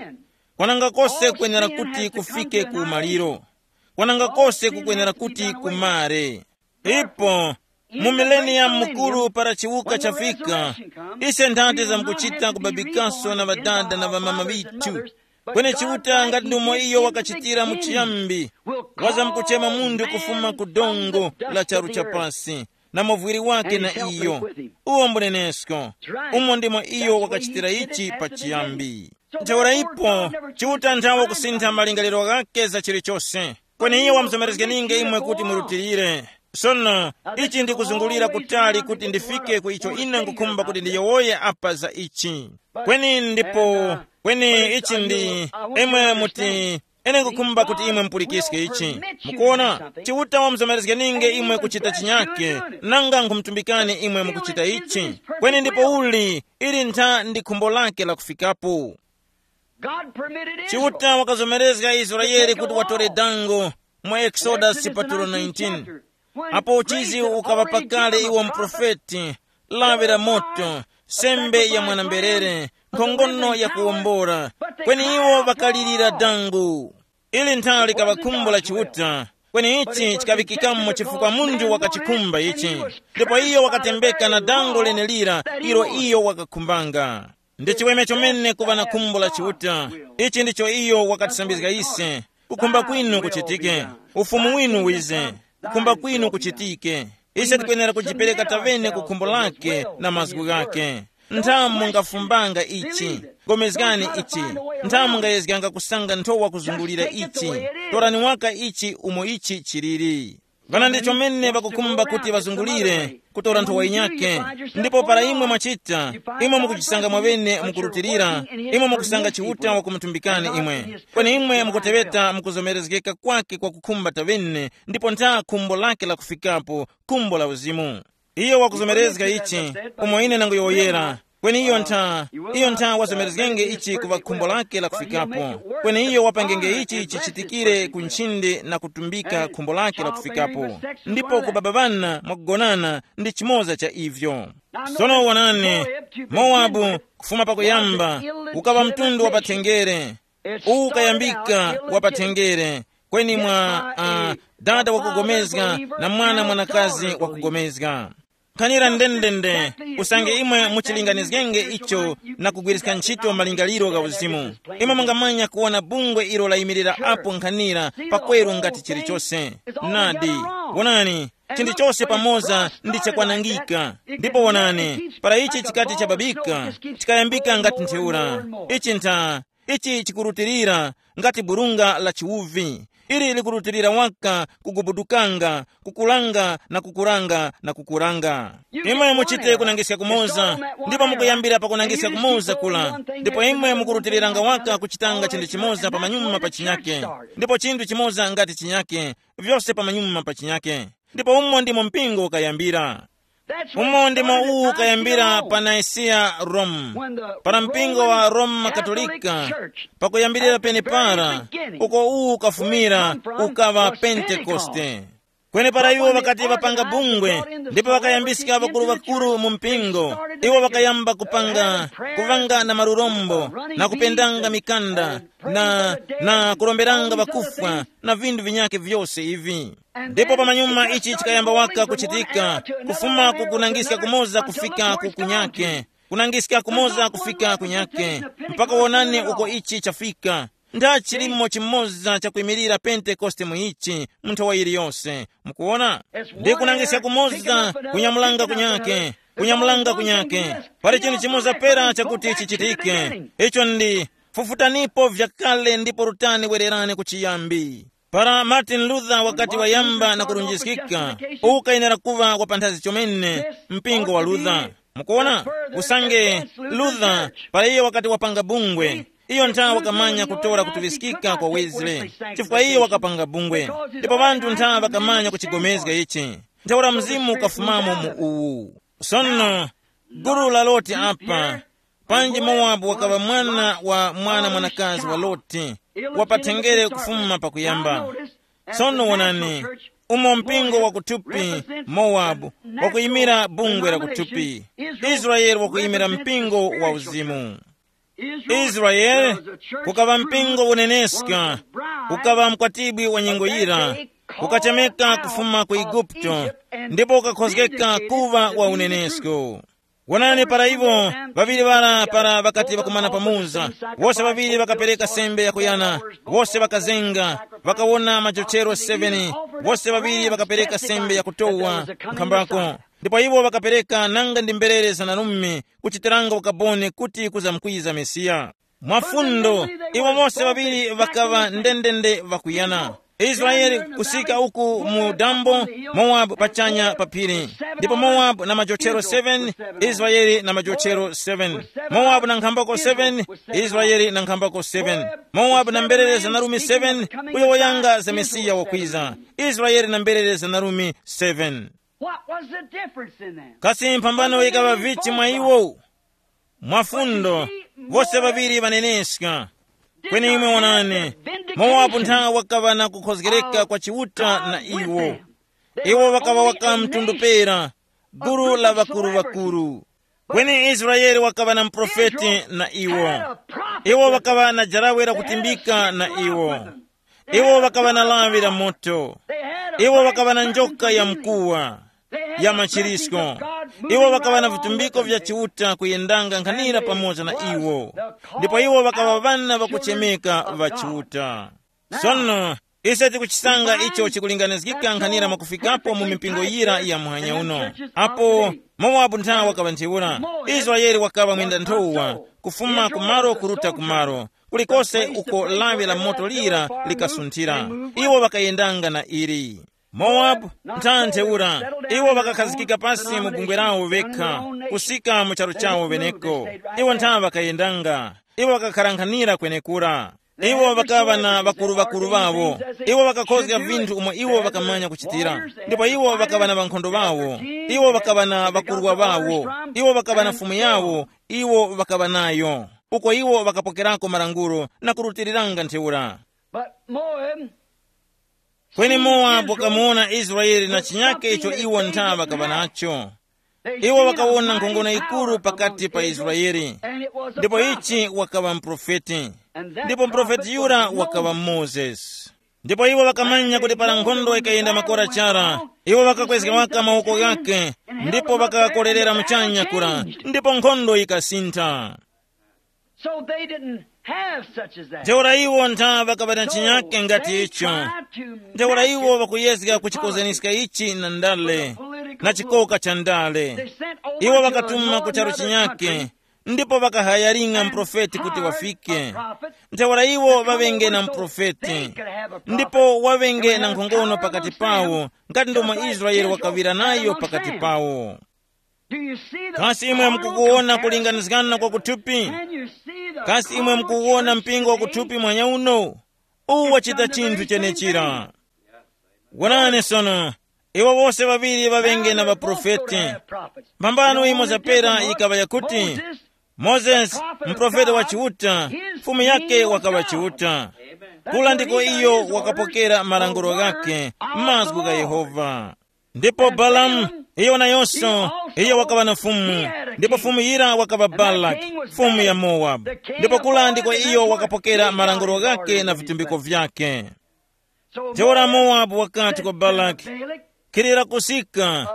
Kwananga kose kwenera kuti kufike ku umaliro. Kwananga kose kukwenera kuti kumare. Ipo, mu mileniyamu mukuru para chiwuka chafika, ise nthate zamkuchita kubabikaso na ŵadada na ŵamama ŵithu. Kweni Chiuta ngati ndumo iyo wakachitira mu chiyambi, wazamkuchema munthu kufuma ku dongo la charu cha pasi, na muvwiri wake na iyo. Uwo mbunenesko. Umo ndimo iyo wakachitira ichi pa chiyambi. Ntheura ipo, Chiuta nthawe kusintha malingaliro ghake za chilichose. Kweni iye wamuzomerezgeninge imwe kuti murutilire. Sono, ichi ndikuzungulira kutali kuti ndifike ku icho ine ngukhumba kuti ndiyowoye apa za ichi. Kweni ndipo, kweni ichi ndi, imwe muti, ine ngukhumba kuti imwe mupulikiske ichi. Mukuona, Chiuta wamuzomerezgeninge imwe kuchita chinyake, nanga nkhumutumbikani imwe mukuchita ichi. Kweni ndipo uli, ili ntha ndi khumbo lake la kufikapo. Chiuta wakazomerezga Israeli kuti watore dango mu Exodus chipatulo nineteen. Apo uchizi ukaŵa pakale iwo muprofeti, lawi la moto, sembe ya mwanamberere, nkhongono ya kuwombora. Kweni iwo ŵakalirira dango. Ili nthawi likaŵa khumbo la Chiuta, kweni ichi chikaŵikikamo chifukwa munthu wakachikhumba ichi, ndipo iyo wakatembeka na dango lenelira ilo iyo wakakhumbanga. Ndi chiweme chomene kuŵa na khumbo la Chiuta. Ichi ndicho iyo wakatisambizga ise. Kukhumba kwinu kuchitike, ufumu winu wize, kukhumba kwinu kuchitike. Ise tikwenera kujipereka tavene ku khumbo lake na mazgu ghake. Nthamu mungafumbanga ichi, gomezgani ichi. Nthamu mungayezganga kusanga nthowa kuzungulira ichi. Torani waka ichi umo ichi chiliri. Ghana ndi chomene ŵakukhumba kuti ŵazungulire kutora nthowa yinyakhe. Ndipo para imwe mwachita, imwe mukujisanga mwaŵene mukurutilira, imwe mukusanga Chiuta wakumutumbikani imwe. Kweni imwe mukuteŵeta mukuzomerezgeka kwake kwa kukhumba tavene, ndipo ntha khumbo lake lakufikapo, khumbo la uzimu. Iyo wakuzomerezga ichi, umo ine nanguyowoyera. Kweni iyo ntha, iyo ntha wazomerezgenge ichi kuŵa khumbo lake lakufikapo. Kweni iyo wapangenge ichi chichitikire ku nchindi na kutumbika khumbo lake lakufikapo. Ndipo kubaba ŵana mwakugonana ndi chimoza cha ivyo. Sono wonani, Mowabu, kufuma pakuyamba, ukaŵa mtundu wa pathengere. Uwu ukayambika wa pathengere, kweni mwa uh, dada wakugomezga na mwana mwanakazi wakugomezga. Nkhanira ndendende, usange imwe muchilinganizgenge icho na kugwiriska ntchito malingaliro gha uzimu, imwe mungamanya kuwona bungwe ilo layimirira apo nkhanira pakweru ngati chilichose. Nadi, wonani, chinthu chose pamoza ndi chakwanangika. Ndipo wonani, para ichi chikati chababika, chikayambika ngati ntheura. Ichi ntha, ichi chikurutilira ngati burunga la chiwuvi. Ili likurutilira waka kugubudukanga, kukulanga na kukuranga na kukuranga. Imwe muchite kunangiska kumoza, ndipo mukuyambira pakunangiska kumoza kula, ndipo imwe mukurutiliranga waka kuchitanga chinthu chimoza pamanyuma pa chinyake, ndipo chinthu chimoza ngati chinyake, vyose pamanyuma pa chinyake. Ndipo umo ndimo mpingo ukayambira. Umo ndimo uwu ukayambira pa Nicaea, Rome, para mpingo wa Roma Katolika, pakuyambirira penepara, uko uwu ukafumira, ukaŵa Pentekoste. Kweni para iwo ŵakati ŵapanga bungwe, ndipo ŵakayambiska ŵakuru-ŵakuru mu mpingo, iwo ŵakayamba kupanga, kuvanga na malurombo, na kupendanga mikanda, na, na kuromberanga ŵakufwa, na vinthu vinyakhe vyose ivi. Ndipo pamanyuma ichi chikayamba waka kuchitika, kufuma ku kunangiska kumoza kufika ku kunyake, kunangiska kumoza kufika kunyake, mpaka wonani uko ichi chafika. Ntha chilimo chimoza chakwimirira Pentekoste mu ichi, mu nthowa yiliyose. Mukuwona? Ndi kunangiska kumoza, kunyamulanga kunyake, kunyamulanga kunyake. Pali chinthu chimoza pera chakuti chichitike. Icho ndi, fufutanipo vyakale ndipo rutani wererani ku chiyambi. Para Martin Luther wakati wayamba na kurunjiskika, ukayenera kuŵa wa panthazi chomene, mpingo wa Luther. Mukuona? Usange Luther, para iye wakati wapanga bungwe, iyo ntha wakamanya kutora kutuŵiskika kwa Wesley, chifukwa iyo wakapanga bungwe. Ndipo ŵanthu ntha ŵakamanya kuchigomezga ichi. Ntheura mzimu ukafumamo mu uwu. Sono, gulu la Loti apa, panji Mowabu wakaŵa mwana wa mwana mwanakazi wa Loti, wapathengere kufuma pakuyamba. Sono wonani, umo mpingo wakuthupi, Mowabu, wakuyimira bungwe la kuthupi, Israeli wakuyimira mpingo wa uzimu. Israeli kukaŵa mpingo uneneska, ukaŵa mkwatibwi wa nyengo yira, ukachemeka kufuma ku Igupto, ndipo ukakhozgeka kuŵa wa unenesko. Wonani, para iwo ŵaŵiri ŵara para ŵakati ŵakumana pamoza, wose ŵaŵiri ŵakapereka sembe yakuyana, wose ŵakazenga, ŵakawona majochero seven, wose ŵaŵiri ŵakapereka sembe yakutowa nkhambako. Ndipo iwo ŵakapereka nanga ndi mberere zanarume kuchitiranga ukaboni kuti kuzamkwiza Mesiya. Mwafundo, iwo mose ŵaŵiri ŵakaŵa ndendende ŵakuyana. Israeli kusika uku mu dambo, Mowabu pachanya pa phiri. Ndipo Mowabu na majochero seven, Israeli na majochero seven. Mowabu na nkhambako seven, Israeli na nkhambako seven. Mowabu na mberere zanarume seven, uyo woyanga za Mesiya wakwiza. Israeli na mberere zanarume seven. What was the difference in them? Kasi mphambano yikaŵa vichi mwa iwo? Mwafundo, vose ŵaŵiri ŵaneneska. Kweni imwe wonani, Mowabu ntha wakaŵa na kukhozgereka kwa Chiuta na iwo. Iwo ŵakaŵa waka mtundu pera, gulu la ŵakuru-ŵakuru. Kweni Israele wakaŵa na muprofeti na iwo. Iwo ŵakaŵa na jarawe lakutimbika na iwo. Iwo ŵakaŵa na lawi la moto. Iwo ŵakaŵa na njoka ya mkuwa, ya machirisko. Iwo ŵakaŵa na vitumbiko vya Chiuta kuyendanga nkhanira pamoza na iwo. Ndipo iwo ŵakaŵa ŵana ŵakuchemeka ŵa Chiuta. Sono, ise tikuchisanga icho chikulinganizgika nkhanira mwakufikapo mu mipingo yira ya muhanya uno. Apo Mowabu nthawe wakaŵa ntheura, Israele wakaŵa mwenda nthowa, kufuma kumaro kuruta kumaro, kulikose uko lawi la moto lira likasunthira. Iwo ŵakayendanga na ili. Mowabu ntha ntheura, iwo ŵakakhazikika pasi mu bungwe lawo vekha, kusika mu charu chawo veneko. Iwo ntha ŵakayendanga, iwo ŵakakharankhanira kwenekura. Iwo ŵakaŵa na ŵakuru-ŵakuru ŵawo. Iwo ŵakakhozga vinthu umo iwo ŵakamanya kuchitira. Ndipo iwo ŵakaŵa na ŵankhondo ŵawo. Iwo ŵakaŵa na ŵakurwa ŵawo. Iwo ŵakaŵa na fumu yawo. Iwo ŵakaŵa nayo, uko iwo ŵakapokerako malangulo na kurutiriranga ntheura. But Moab, kweni Mowabu wakamuwona Israeli na chinyake icho iwo ntha ŵakaŵa nacho. Iwo ŵakawona nkhongono yikuru pakati pa Israeli. Ndipo ichi wakaŵa mprofeti. Ndipo mprofeti yura wakaŵa Mozesi. Ndipo iwo ŵakamanya kuti para nkhondo yikayenda makora chara, iwo ŵakakwezga waka mawoko ghake, ndipo ŵakakorerera muchanya kura, ndipo nkhondo yikasintha. So they didn't have such as that. Ntheura iwo ntha ŵakaŵa na chinyake ngati icho. Ntheura iwo ŵakuyezga kuchikozaniska ichi na ndale, na chikoka cha ndale. Iwo ŵakatuma ku charu chinyake, ndipo ŵakahayaringa mprofeti kuti wafike. Ntheura iwo ŵaŵenge na mprofeti, ndipo waŵenge na nkhongono pakati pawo, ngati ndomwe Israele wakaŵira nayo pakati pawo. Kasi imwe mukukuwona kulinganizgana kwa kuthupi? Kasi imwe mukuwona mpingo wa kuthupi mwanya uno? Uwu wachita chinthu chenechira. Wonani sono, iwo wose ŵaŵiri ŵaŵenge na ŵaprofeti. Mbambano imo zapera yikaŵa yakuti, Mozesi, muprofeti wa Chiuta, fumu yake wakaŵa Chiuta. Kula ndiko iyo wakapokera malangulo ghake, mazgu gha Yehova. Ndipo Balamu, iyo nayonso, iyo wakaŵa na fumu, ndipo fumu yira wakaŵa Balaki, fumu ya Mowabu. Ndipo kula ndiko iyo wakapokera malangulo ghake na vitumbiko vyake. Ntheura Mowabu wakati kwa Balaki, khilira kusika.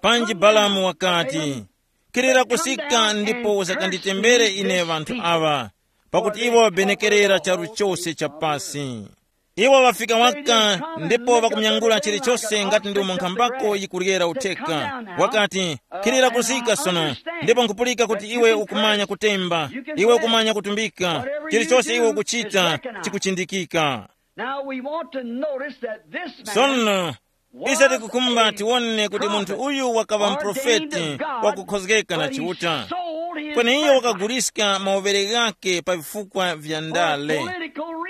Panji Balamu wakati, khilira kusika ndipo usakanditembere ine ŵanthu aŵa, pakuti iwo ŵabenekerera charu chose cha pasi. Iwo ŵafika waka, ndipo ŵakumyangula chilichose ngati ndi umo nkhambako yikuryera utheka. Wakati, khilira kusika sono, ndipo nkhupulika kuti iwe ukumanya kutemba, iwe ukumanya kutumbika, chilichose iwe ukuchita chikuchindikika. Now we want to notice that this man Sono, ise tikukhumba tiwone kuti munthu uyu wakaŵa mprofeti wakukhozgeka na Chiuta. Kweni iyo wakaguliska mawovere ghake pa vifukwa vya ndale,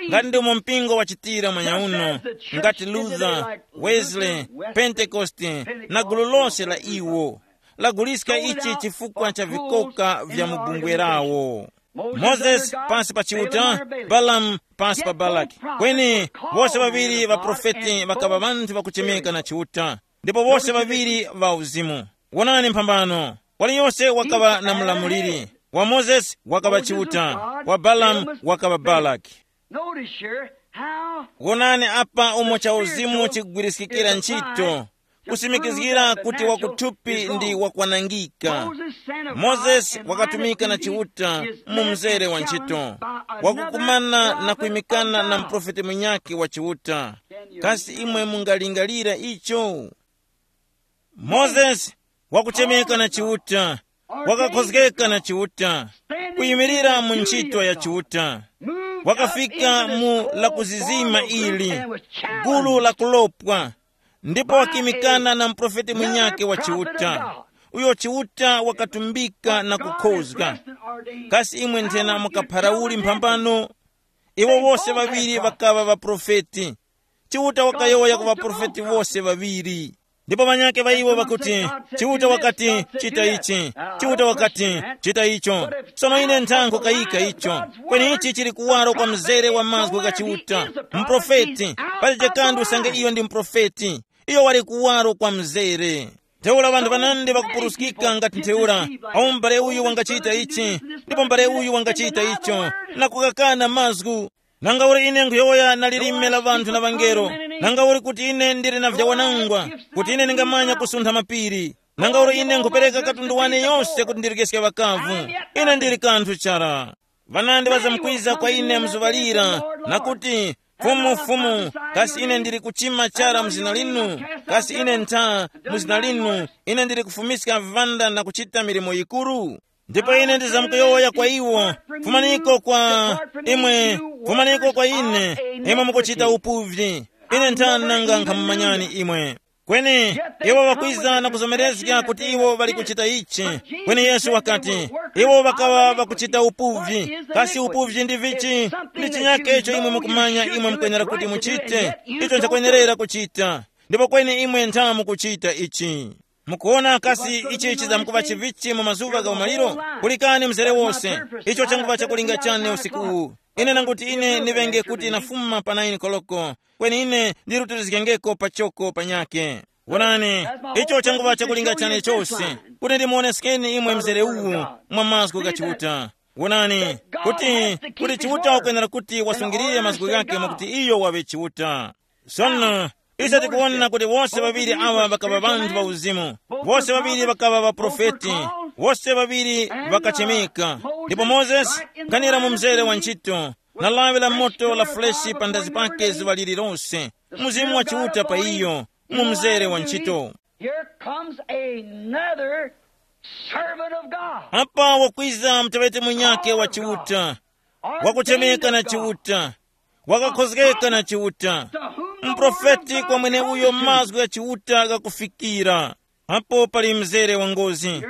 ngati ndimo mpingo wachitira mwanyauno, ngati Luther, Wesley, Pentekoste, na gulu lose la iwo, laguliska ichi chifukwa cha vikoka vya mu bungwe lawo. Mozesi pasi pa Chiuta, Balamu pasi pa Balaki. Kweni, wose ŵaŵiri ŵaprofeti ŵakaŵa ŵanthu ŵakuchemeka na Chiuta, ndipo wose ŵaŵiri ŵa uzimu. Wonani mphambano, waliyose wakaŵa na mlamuliri. Wa Mozesi wakaŵa Chiuta, wa Balamu wakaŵa Balaki. Notice here how Wonani apa umo cha uzimu chikugwiriskikira ntchito, kusimikizgira kuti wakuthupi ndi wakwanangika. Mozesi wakatumika na Chiuta mu mzere wa ntchito, wakukumana na kuimikana na mprofeti munyakhe wa Chiuta. Kasi imwe mungalingalira icho? Mozesi wakuchemeka na Chiuta, wakakhozgeka na Chiuta, kuyimirira mu ntchito ya Chiuta, wakafika mu lakuzizima ili, gulu la kulopwa, ndipo wakimikana na muprofeti munyakhe wa Chiuta, uyo Chiuta wakatumbika na kukhozga. Kasi imwe nthena mukapharauli mphambano? Iwo wose ŵaŵiri ŵakaŵa ŵaprofeti. Chiuta wakayowoya ku ŵaprofeti wose ŵaŵiri. Ndipo ŵanyakhe ŵa iwo ŵakuti, Chiuta wakati, chita ichi. Chiuta wakati, chita icho. Sono ine nthankho kayika icho. Kweni ichi chili kuwaro kwa mzere wa mazgu gha Chiuta. Mprofeti. Pali chikanthu usange iyo ndi mprofeti. Iyo wali kuwaro kwa mzere. Ntheura ŵanthu ŵanandi ŵakupuruskika ngati ntheura, awu m'bale uyu wangachita ichi, ndipo m'bale uyu wangachita icho, na kukakana mazgu. Nanga uli ine nkhuyowoya na lilime la ŵanthu na ŵangelo, nanga uli kuti ine ndili na vyawanangwa, kuti ine ndingamanya kusuntha mapiri, nanga uli ine nkhupereka katundu wane yose kuti ndirekeske ŵakavu, ine ndili kanthu chara. Ŵanandi ŵazamkwiza kwa ine mzuŵa lira, na kuti, Fumu, Fumu, kasi ine ndili kuchima chara mu zina linu? Kasi ine ntha mu zina linu ine ndili kufumiska viŵanda na kuchita milimo yikuru? Ndipo ine ndizamkuyowoya kwa iwo, fumaniko kwa imwe, fumaniko kwa ine, imwe mukuchita upuvyi. Ine ntha nanga nkhamumanyani imwe. Kweni iwo ŵakwiza na kuzomerezga kuti iwo ŵali kuchita ichi. Kweni Yesu wakati, iwo ŵakaŵa ŵakuchita upuvyi. Kasi upuvyi ndi vichi? Ndi chinyake icho imwe mukumanya imwe mukwenera kuti muchite, icho nchakwenerera kuchita. Ndipo kweni imwe ntha mukuchita ichi. Mukuona kasi ichi chizamkuŵa chivichi mu mazuŵa ga umaliro? Kulikani mzere wose. Icho changuŵa chakulinga chane usiku uwu. Ine nanguti ine ndiŵenge kuti nafuma pa naini koloko, kweni ine ndirutirizgengeko pachoko panyake. Wonani, icho changuŵa chakulinga chane chose, kuti ndimuoneskeni imwe mzere uwu mwa mazgu gha Chiuta. Wonani, kuti, kuti Chiuta wakwenera kuti wasungirire mazgu ghake mwakuti iyo waŵe Chiuta. Sono, ise tikuwona kuti wose ŵaŵiri awa ŵakaŵa ŵanthu ŵa uzimu. Wose ŵaŵiri ŵakaŵa ŵaprofeti. Wose ŵaŵiri ŵakachemeka. Ndipo Mozesi, nkhanira mu mzere wa ntchito, na lawi la moto la fuleshi pa ndazi pake zuŵa lililose, Mzimu wa Chiuta pa iyo, mu mzere wa ntchito. Here comes another servant of God. Apa wakwiza mutewete munyake wa Chiuta, wakuchemeka na Chiuta, wakakhozgeka na Chiuta, mprofeti kwa mweneuyo mazgu gha Chiuta ghakufikira. Apo pali mzere wa ngozi.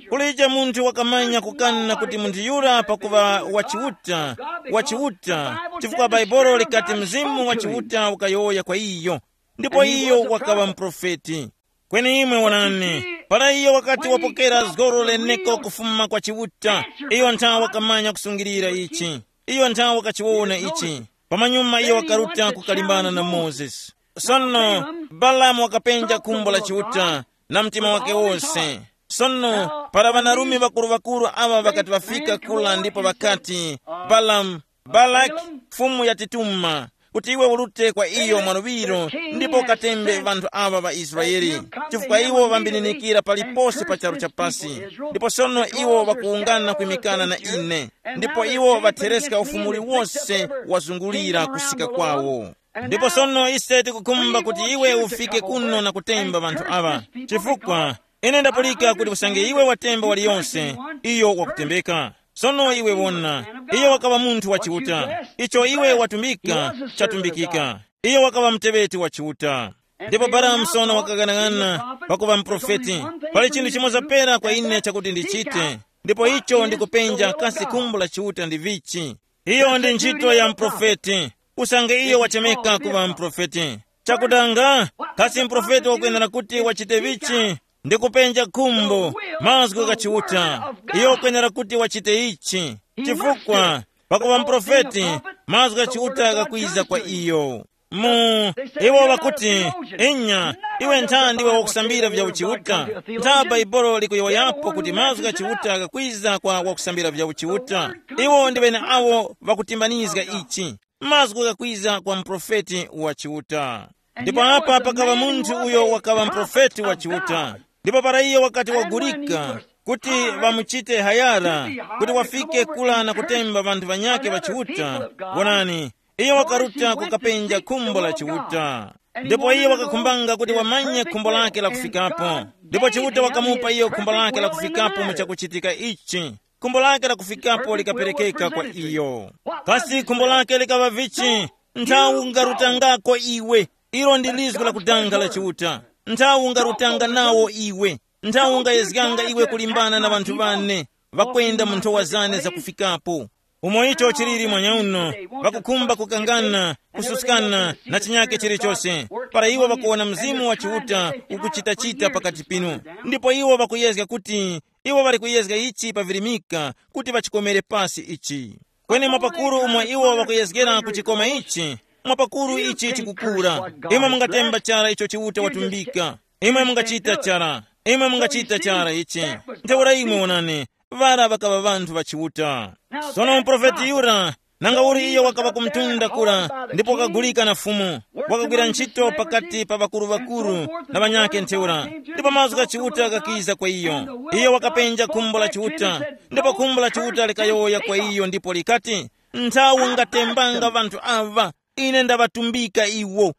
Kulije munthu wakamanya kukana kuti munthu yura pakuŵa wa Chiuta, wa Chiuta, chifukwa Bhaibuli likati Mzimu wa Chiuta ukayowoya kwa iyo, ndipo iyo wakaŵa muprofeti. Kweni imwe wonani, para iyo wakati wapokera zgoro leneko kufuma kwa Chiuta, iyo nthawe wakamanya kusungilira ichi. Iyo nthawe wakachiwona ichi. Pamanyuma iyo wakaruta kukalimbana na Mozesi. Sono Balamu wakapenja khumbo la Chiuta na mtima wake wose. Sono para ŵanarume ŵakuru-ŵakuru aŵa ŵakati ŵafika kula ndipo ŵakati, Balamu, Balaki, Fumu yatituma kuti iwe urute kwa iyo mwaluŵiro ndipo ukatembe ŵanthu aŵa ŵa Israele, chifukwa iwo ŵambininikira palipose pa charu cha pasi. Ndipo sono iwo ŵakuwungana kwimikana na ine, ndipo iwo ŵathereska ufumu uliwose wazungulira kusika kwawo. Ndipo sono ise tikukhumba kuti iwe ufike kuno na kutemba ŵanthu aŵa, chifukwa ine ndapulika kuti usange iwe watemba waliyonse, iyo wakutembeka. Sono iwe wona, iyo wakaŵa munthu wa Chiuta. Icho iwe watumbika, chatumbikika. Iyo wakaŵa muteŵeti wa Chiuta. Ndipo Balamu sono wakaghanag'ana pakuŵa muprofeti. Pali chinthu chimoza pera kwa ine chakuti ndichite, ndipo icho ndikupenja kasi khumbo la Chiuta ndi vichi. Iyo ndi ntchito ya muprofeti. Usange iyo wachemeka kuŵa muprofeti, chakudanga, kasi muprofeti wakwenera kuti wachite vichi? Ndi kupenja khumbo, mazgu gha Chiuta. Iyo wakwenera kuti wachite ichi, chifukwa pakuŵa muprofeti, mazgu gha Chiuta ghakwiza kwa iyo. Mu iwo ŵakuti, inya, iwe ntha ndiwe wakusambira vya uchiuta. Ntha Bhaibuli likuyowoyapo kuti mazgu gha Chiuta ghakwiza kwa wakusambira vya uchiuta. Iwo ndi ŵene awo ŵakutimbanizga ichi, mazgu ghakwiza kwa muprofeti wa Chiuta. Ndipo apa pakaŵa munthu uyo wakaŵa muprofeti wa Chiuta. Ndipo para iyo wakati wagulika kuti ŵamuchite hayara, kuti wafike kula na kutemba ŵanthu ŵanyakhe ŵa Chiuta, wonani, iyo wakaruta kukapenja khumbo la Chiuta. Ndipo iyo wakakhumbanga kuti wamanye khumbo lake la kufikapo. Ndipo Chiuta wakamupa iyo khumbo lake la kufikapo mu chakuchitika ichi. Khumbo lake la kufikapo likaperekeka kwa iyo. Kasi khumbo lake likaŵa vichi? Nthawi ungarutangako iwe. Ilo ndi lizgu la kudanga la Chiuta. Nthawi ungarutanga nawo iwe. Nthawi ungayezganga iwe kulimbana na ŵanthu ŵane ŵakwenda mu nthowa zane zakufikapo. Umo icho chiliri mwanyauno, ŵakukhumba kukangana, kususkana na chinyake chilichose, para iwo ŵakuwona Mzimu wa Chiuta ukuchitachita pakati pinu. Ndipo iwo ŵakuyezga kuti iwo ŵali kuyezga ichi pavirimika kuti ŵachikomere pasi ichi. Kweni mwapakuru umo iwo ŵakuyezgera kuchikoma ichi, mwapakuru ichi chikukura. Imwe mungatemba chara icho Chiuta watumbika. Imwe mungachita chara. Imwe mungachita chara ichi. Ntheura imwe wonani, ŵara ŵakaŵa ŵanthu ŵa Chiuta. Sono muprofeti yura Nanga uli iyo wakaŵa ku mtunda kura, ndipo wakagulika na Fumu, wakagwira ntchito pakati pa ŵakuru-ŵakuru na ŵanyakhe ntheura. Ndipo mazgu gha Chiuta ghakiza kwa iyo. Iyo wakapenja khumbo la Chiuta, ndipo khumbo la Chiuta likayowoya kwa iyo ndipo likati, nthawi ngatembanga ŵanthu aŵa, ine ndaŵatumbika iwo.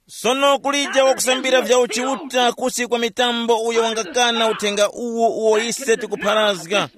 Sono kulije wakusambira vya uchiuta kusi kwa mitambo uyo wangakana uthenga uwu uwo ise tikupharazga.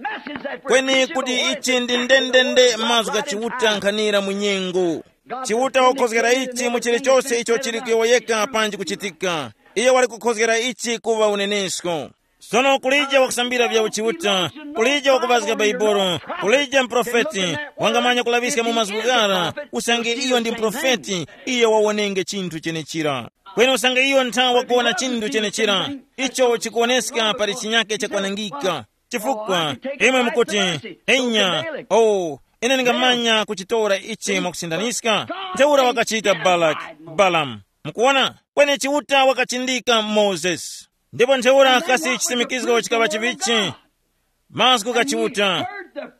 Kweni kuti ichi ndi ndendende mazgu gha Chiuta nkhanira mu nyengo. Chiuta wakukhozgera ichi mu chilichose icho chili kuyowoyeka panji kuchitika. Iye wali kukhozgera ichi kuva unenesko. Sono kulije wakusambira vya uchiuta, kulije wakupazga Baibolo, kulije mprofeti wangamanya kulaŵiska mu mazgu ghara, usange iyo ndi mprofeti, iyo wawonenge chinthu chenechira. Kweni usange iyo ntha wakuwona chinthu chenechira, icho chikuwoneska pali chinyake chakwanangika. Chifukwa imwe mukuti, enya, oh, ine ndingamanya kuchitora ichi mwakusindaniska. Ntheura wakachita Balaki, Balamu. Mukuwona? Kweni Chiuta wakachindika Mozesi. Ndipo ntheura kasi chisimikizgo chikaŵa chivichi? Mazgu gha Chiuta.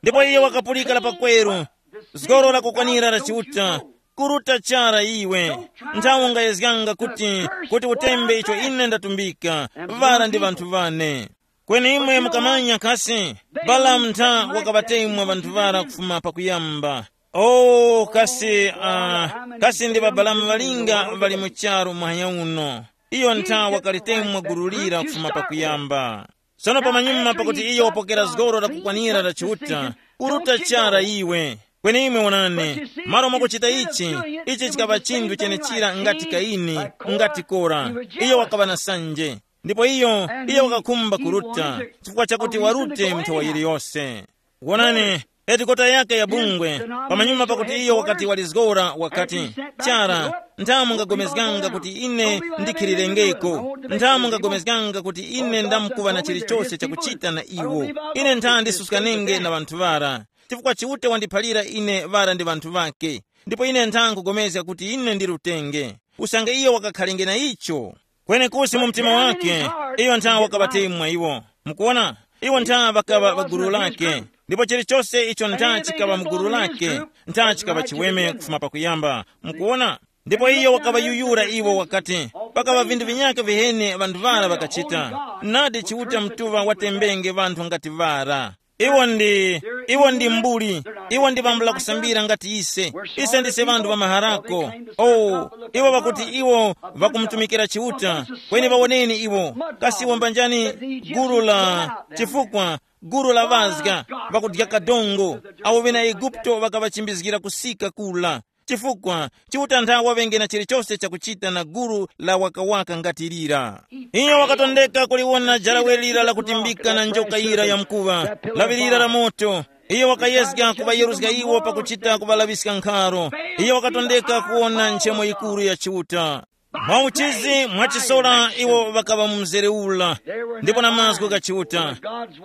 Ndipo iye wakapulika la pakweru, zgoro lakukwanira la Chiuta, kuruta chara iwe. Nthawi ungayezganga kuti, kuti utembe icho ine ndatumbika, vara ndi vanthu vane. Kweni imwe mukamanya kasi, Balamu ntha wakaŵatemwa vanthu vara kufuma pakuyamba. Oh, kasi, uh, kasi ndi Babalamu ŵalinga ŵali mu charu mwanya uno? Iyo ntha wakalitemwa gulu lira kufuma pakuyamba. Sono pamanyuma pakuti iyo wapokera zgoro lakukwanira la Chiuta, kuruta chara iwe. Kweni imwe wonani, malo mwakuchita ichi, ichi chikaŵa chinthu chenechira ngati Kaini, ngati Kora. Iyo wakaŵa na sanje. Ndipo iyo, iyo wakakhumba kuruta, chifukwa chakuti warute nthawa yiliyose. Wonani, headquarter yake ya bungwe, pamanyuma pakuti iyo wakati walizgora wakati, chara, nthamu ngagomezganga kuti ine ndikhilirengeko, nthamu ngagomezganga kuti ine ndamkuva na chilichose chakuchita na iwo. Ine ntha ndisuskanenge na ŵanthu ŵara, chifukwa Chiuta wandiphalira ine ŵara ndi ŵanthu ŵake, ndipo ine ntha nkugomezga kuti ine ndi lutenge. Usange iyo wakakhalenge na icho, kwenekusi mu mtima wake, iyo ntha wakaŵatemwa iwo. Mukuona, iwo ntha ŵakaŵa ŵa gulu lake, ndipo chilichose icho ntha chikaŵa mu gulu lake, ntha chikaŵa chiweme kufuma pakuyamba. Mukuona, ndipo iyo wakaŵayuyura iwo wakati, pakaŵa vinthu vinyakhe viheni ŵanthu ŵara ŵakachita. Nadi Chiuta mutuŵa watembenge ŵanthu ngati ŵara. Iwo ndi, iwo ndi mbuli, iwo ndi pambula kusambira ngati ise. Ise ndise ŵanthu ŵa maharako. Oh, iwo ŵakuti iwo ŵakumutumikira Chiuta, kweni ŵawoneni iwo, kasi iwo mbanjani gulu la, chifukwa gulu la ŵazga ŵakudya kadongo, awo ŵena Eguputo ŵakaŵachimbizgira kusika kula. Chifukwa Chiuta ntha waŵenge na chilichose chakuchita na gulu la wakawaka ngati lira. Iyo wakatondeka kuliwona jarawe lira lakutimbika na njoka yira ya mkuŵa, lawi lira la moto. Iyo wakayezga kuŵayeruzga iwo pakuchita kuŵalaŵiska nkharo. Iyo wakatondeka kuwona nchemo yikuru ya Chiuta. Mwauchizi mwachisola iwo ŵakaŵa mu mzere ula, ndipo na mazgu gha Chiuta.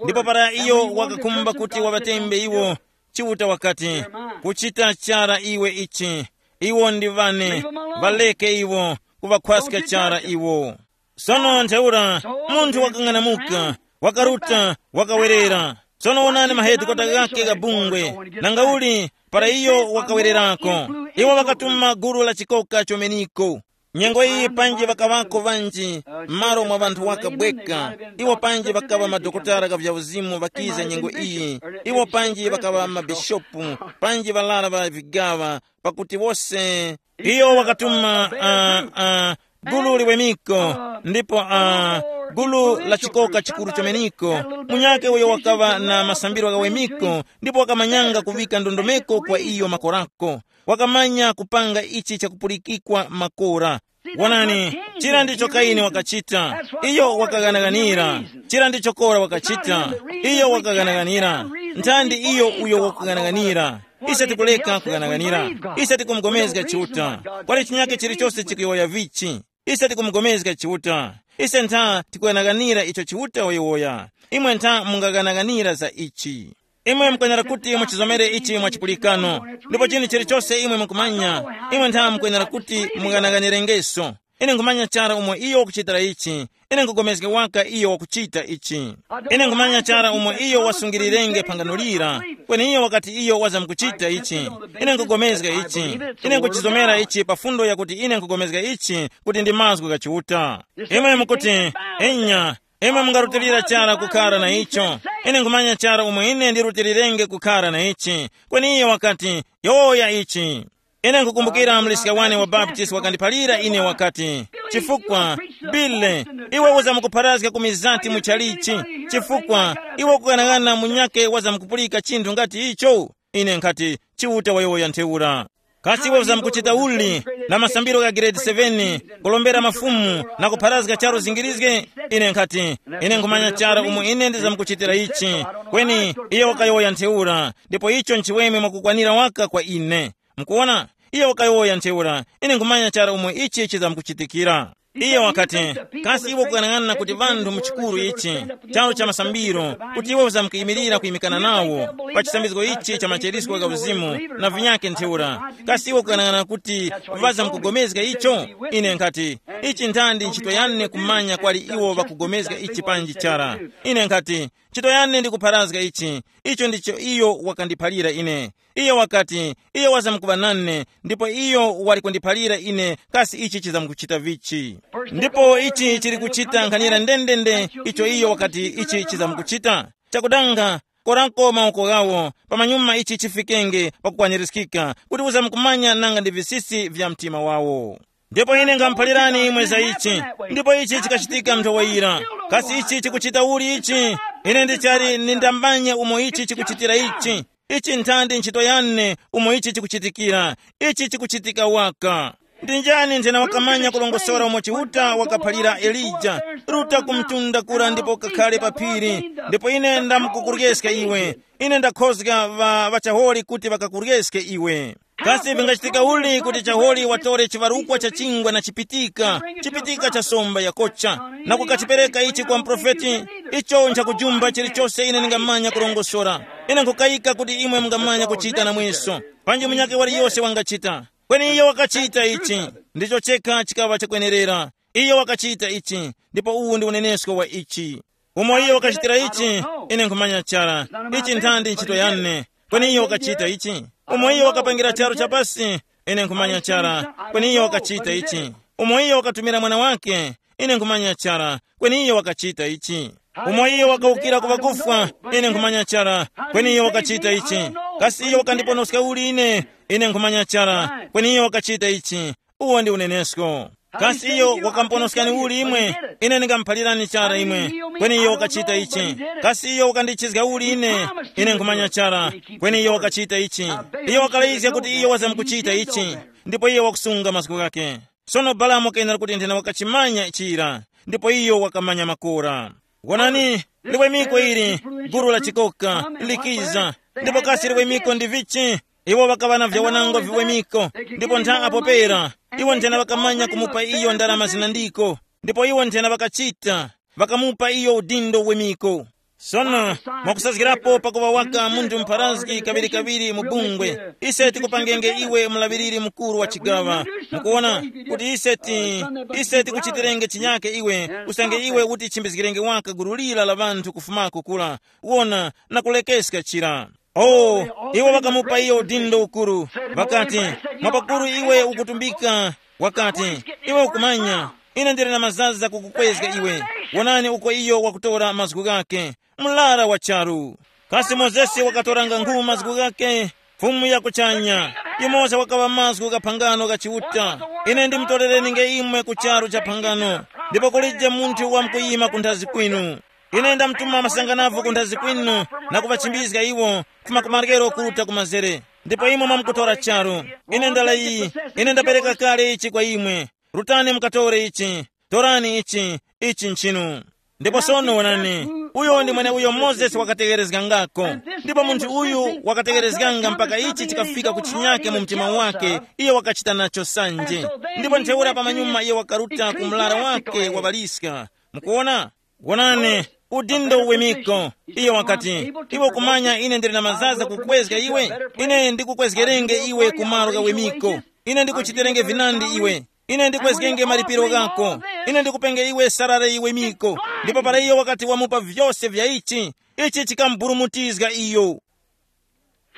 Ndipo para iyo wakakhumba kuti waŵatembe iwo, Chiuta wakati, kuchita chara iwe ichi, iwo ndi ŵane, ŵaleke iwo, kuŵakhwaska chara iwo. Sono ntheura munthu wakang'anamuka, wakaruta, wakawerera. Sono wonani mahedikota ghakhe gha bungwe, nangauli para iyo wakawererako, iwo ŵakatuma gulu la chikoka chomeniko. Nyengo iyi panji ŵakaŵako ŵanji m'malo mwa ŵanthu wakabweka, iwo panji ŵakaŵa madokotala gha vya uzimu ŵakiza nyengo iyi, iwo panji ŵakaŵa mabishopu, panji ŵalara ŵa vigaŵa, pakuti wose iyo wakatuma uh, uh, gulu liwemiko, ndipo uh, gulu la chikoka chikuru chomeniko, munyake uyo wakaŵa na masambiro ghawemiko, ndipo wakamanyanga kuvika ndondomeko kwa iyo makorako, wakamanya kupanga ichi chakupulikikwa makora. Wonani, chira ndicho Kaini wakachita, iyo wakaghanaghanira. Chira ndicho Kora wakachita, iyo wakaghanaghanira. Nthandi iyo uyo wakughanaghanira. Ise tikuleka kughanaghanira. Ise tikumugomezga Chiuta. Pali chinyake chilichose chikuyowoya vichi, ise tikumugomezga Chiuta. Ise ntha tikughanaghanira icho Chiuta wayowoya. Imwe ntha mungaghanaghanira za ichi. Imwe mukwenera kuti muchizomere ichi mwa chipulikano, ndipo chinthu chilichose imwe mukumanya, imwe ntha mukwenera kuti mung'anang'anirengeso. Ine nkhumanya chara umo iyo wakuchitira ichi. Ine nkhugomezga waka iyo wakuchita ichi. Ine nkhumanya chara umo iyo wasungirirenge phangano lira. Kweni iyo wakati iyo wazamkuchita ichi. Ine nkhugomezga ichi. Ine nkuchizomera ichi pa fundo yakuti ine nkhugomezga ichi kuti ndi mazgu gha Chiuta. Imwe mukuti, enya, imwe mungarutilira chara kukhara na icho. Ine nkhumanya chara umo ine ndirutilirenge kukhara na ichi. Kweni iyo wakati, yowoya ichi. Ine nkukumbukira mliska wane wa Baptist wakandiphalira ine wakati, chifukwa, Bile, iwe uzamkupharazga ku mizati mu chalichi, chifukwa iwe ukughanagana munyake wazamkupulika chinthu ngati icho. Ine nkhati, Chiuta wayowoya ntheura. Kasi iwe uzamkuchita uli na masambiro gha grade seven, kulombera mafumu na kupharazga charu zingirizge? Ine nkhati, ine nkhumanya chara umo ine ndizamkuchitira ichi. Kweni iye wakayowoya ntheura, ndipo icho nchiweme mwakukwanira waka kwa ine. Mukuwona, iye wakayowoya ntheura, ine nkhumanya chara umo ichi chizamkuchitikira. Iye wakati, kasi iwe ukuyang'ana kuti vanthu mu chikuru ichi, charu cha masambiro, kuti iwe uzamkuyimirira kuyimikana nawo pa chisambizgo ichi cha macherisko gha uzimu na vinyake ntheura, kasi iwe ukuyang'ana kuti vazamkugomezga icho? Ine nkhati, ichi nthandi ntchito yane kumanya kwali iwo ŵakugomezga ichi panji chara. Ine nkhati, ntchito yane ndi kupharazga ichi. Icho ndicho iyo wakandiphalira ine. Iyo wakati, iyo wazamkuŵa nane, ndipo iyo wali kundiphalira ine kasi ichi chizamkuchita vichi. Ndipo ichi chili kuchita nkhanira ndendende icho iyo wakati ichi chizamkuchita. Chakudanga, korako mawoko ghawo, pamanyuma ichi chifikenge pakukwanirizgika, kuti uzamkumanya nanga ndi visisi vya mtima wawo. Ndipo ine ngamuphalirani imwe za ichi. Ndipo ichi chikachitika nthowa yira. Kasi ichi chikuchita uli ichi? Ine ndichali nindambanye umo ichi chikuchitira ichi. Ichi nthandi ntchito yane umo ichi chikuchitikira. Ichi chikuchitika waka. Ndi njani nthena wakamanya kulongosora umo Chiuta wakaphalira Elija, ruta ku mtunda kura ndipo kakhale pa phiri, ndipo ine ndamukukuryeska iwe. Ine ndakhozga ŵa ŵachaholi kuti ŵakakuryeske iwe. Kasi vingachitika uli kuti chaholi watore chivarukwa cha chingwa na chipitika, chipitika cha somba yakocha, na kukachipereka ichi kwa mprofeti? Icho nchakujumba chilichose ine ndingamanya kurongosora. Ine nkukayika kuti imwe mungamanya kuchita namweso. Panji munyakhe waliyose wangachita. Kweni iyo wakachita ichi. Ndicho chekha chikaŵa chakwenerera. Iyo wakachita ichi, ndipo uwu ndi unenesko wa ichi. Umo iyo wakachitira ichi, ine nkhumanya chara. Ichi nthandi ntchito yane. Kweni iyo wakachita ichi. Umo iyo wakapangira charu chapasi, ine nkhumanya chara. Kweni iyo wakachita ichi. Umo iyo wakatumira mwana wake, ine nkhumanya chara. Kweni iyo wakachita ichi. Umo iyo wakawukira ku ŵakufwa, ine nkhumanya chara. Kweni iyo wakachita ichi. Kasi iyo wakandiponoska uli ine? Ine nkhumanya chara. Kweni iyo wakachita ichi. Uwo ndi unenesko. Kasi iyo wakamponoskani uli imwe? Ine ndingamuphalirani chara imwe. Kweni iyo wakachita ichi. Kasi iyo wakandichizga uli ine? Ine nkhumanya chara. Kweni iyo wakachita ichi. Iyo wakalayizga kuti iyo wazamkuchita ichi. Ndipo iyo wakusunga mazgu ghake. Sono Balamu kenera kuti nthena wakachimanya chira. Ndipo iyo wakamanya makora. Wonani, liwemiko ili, guru la chikoka, likiza. Ndipo kasi liwemiko ndi vichi? Iwo ŵakaŵa na vyawanangwa viwemiko, ndipo ntha apo pera, iwo nthena ŵakamanya kumupa iyo ndarama zinandiko, ndipo iwo nthena ŵakachita, ŵakamupa iyo udindo uwemiko. Sono, mwakusazgirapo pakuŵa waka munthu mpharazgi kaŵirikaŵiri mu bungwe, ise tikupangenge iwe mulaŵiriri mukuru wa chigaŵa. Mukuwona, kuti ise ti, ise tikuchitirenge chinyake iwe, usange iwe uti chimbizgirenge waka gulu lira la ŵanthu kufumako kula, wona, na kulekeska chira. Oh, iwo ŵakamupa iyo udindo ukuru. Ŵakati, mwapakuru iwe ukutumbika. Wakati, iwe ukumanya, ine ndili na mazaza kukukwezga iwe. Wonani uko iyo wakutora mazgu ghake, mlara wa charu. Kasi Mozesi wakatoranga nkhu mazgu ghake? Fumu ya kuchanya, yumoza wakaŵa mazgu gha phangano gha Chiuta. Ine ndimutolere ninge imwe ku charu cha phangano, ndipo kulije munthu wamkuyima kunthazi kwinu. Ine ndamtuma masanganavo ku nthazi kwinu na kuŵachimbizga iwo kufuma ku maryero kuruta ku mazere. Ndipo imwe mwamkutora charu. Ine ndalayi, ine ndapereka kale ichi kwa imwe. Rutani mukatore ichi. Torani ichi, ichi nchinu. Ndipo sono wonani, uyo ndi mweneuyo Mozesi wakategherezgangako. Ndipo munthu uyu wakategherezganga mpaka ichi chikafika ku chinyake mu mtima wake, iyo wakachita nacho sanje. Ndipo ntheura pamanyuma iyo wakaruta ku mlara wake wa ŵaliska. Mukuwona? Wonani, udindo uwemiko. Iyo wakati, iwe ukumanya ine ndili na mazaza kukwezga iwe? Ine ndikukwezgerenge iwe ku malo ghawemiko. Ine ndikuchiterenge vinandi iwe. Ine ndikwezgenge malipiro ghako. Ine ndikupenge iwe sarare iwe miko. Ndipo para iyo wakati wamupa vyose vya ichi, ichi chikamuburumutizga iyo.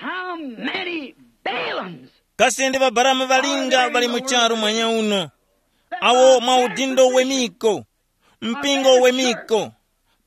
How many Balaams? Kasi ndi Babalamu ŵalinga ŵali mu charu mwanya uno, awo mwa udindo wemiko, mpingo wemiko,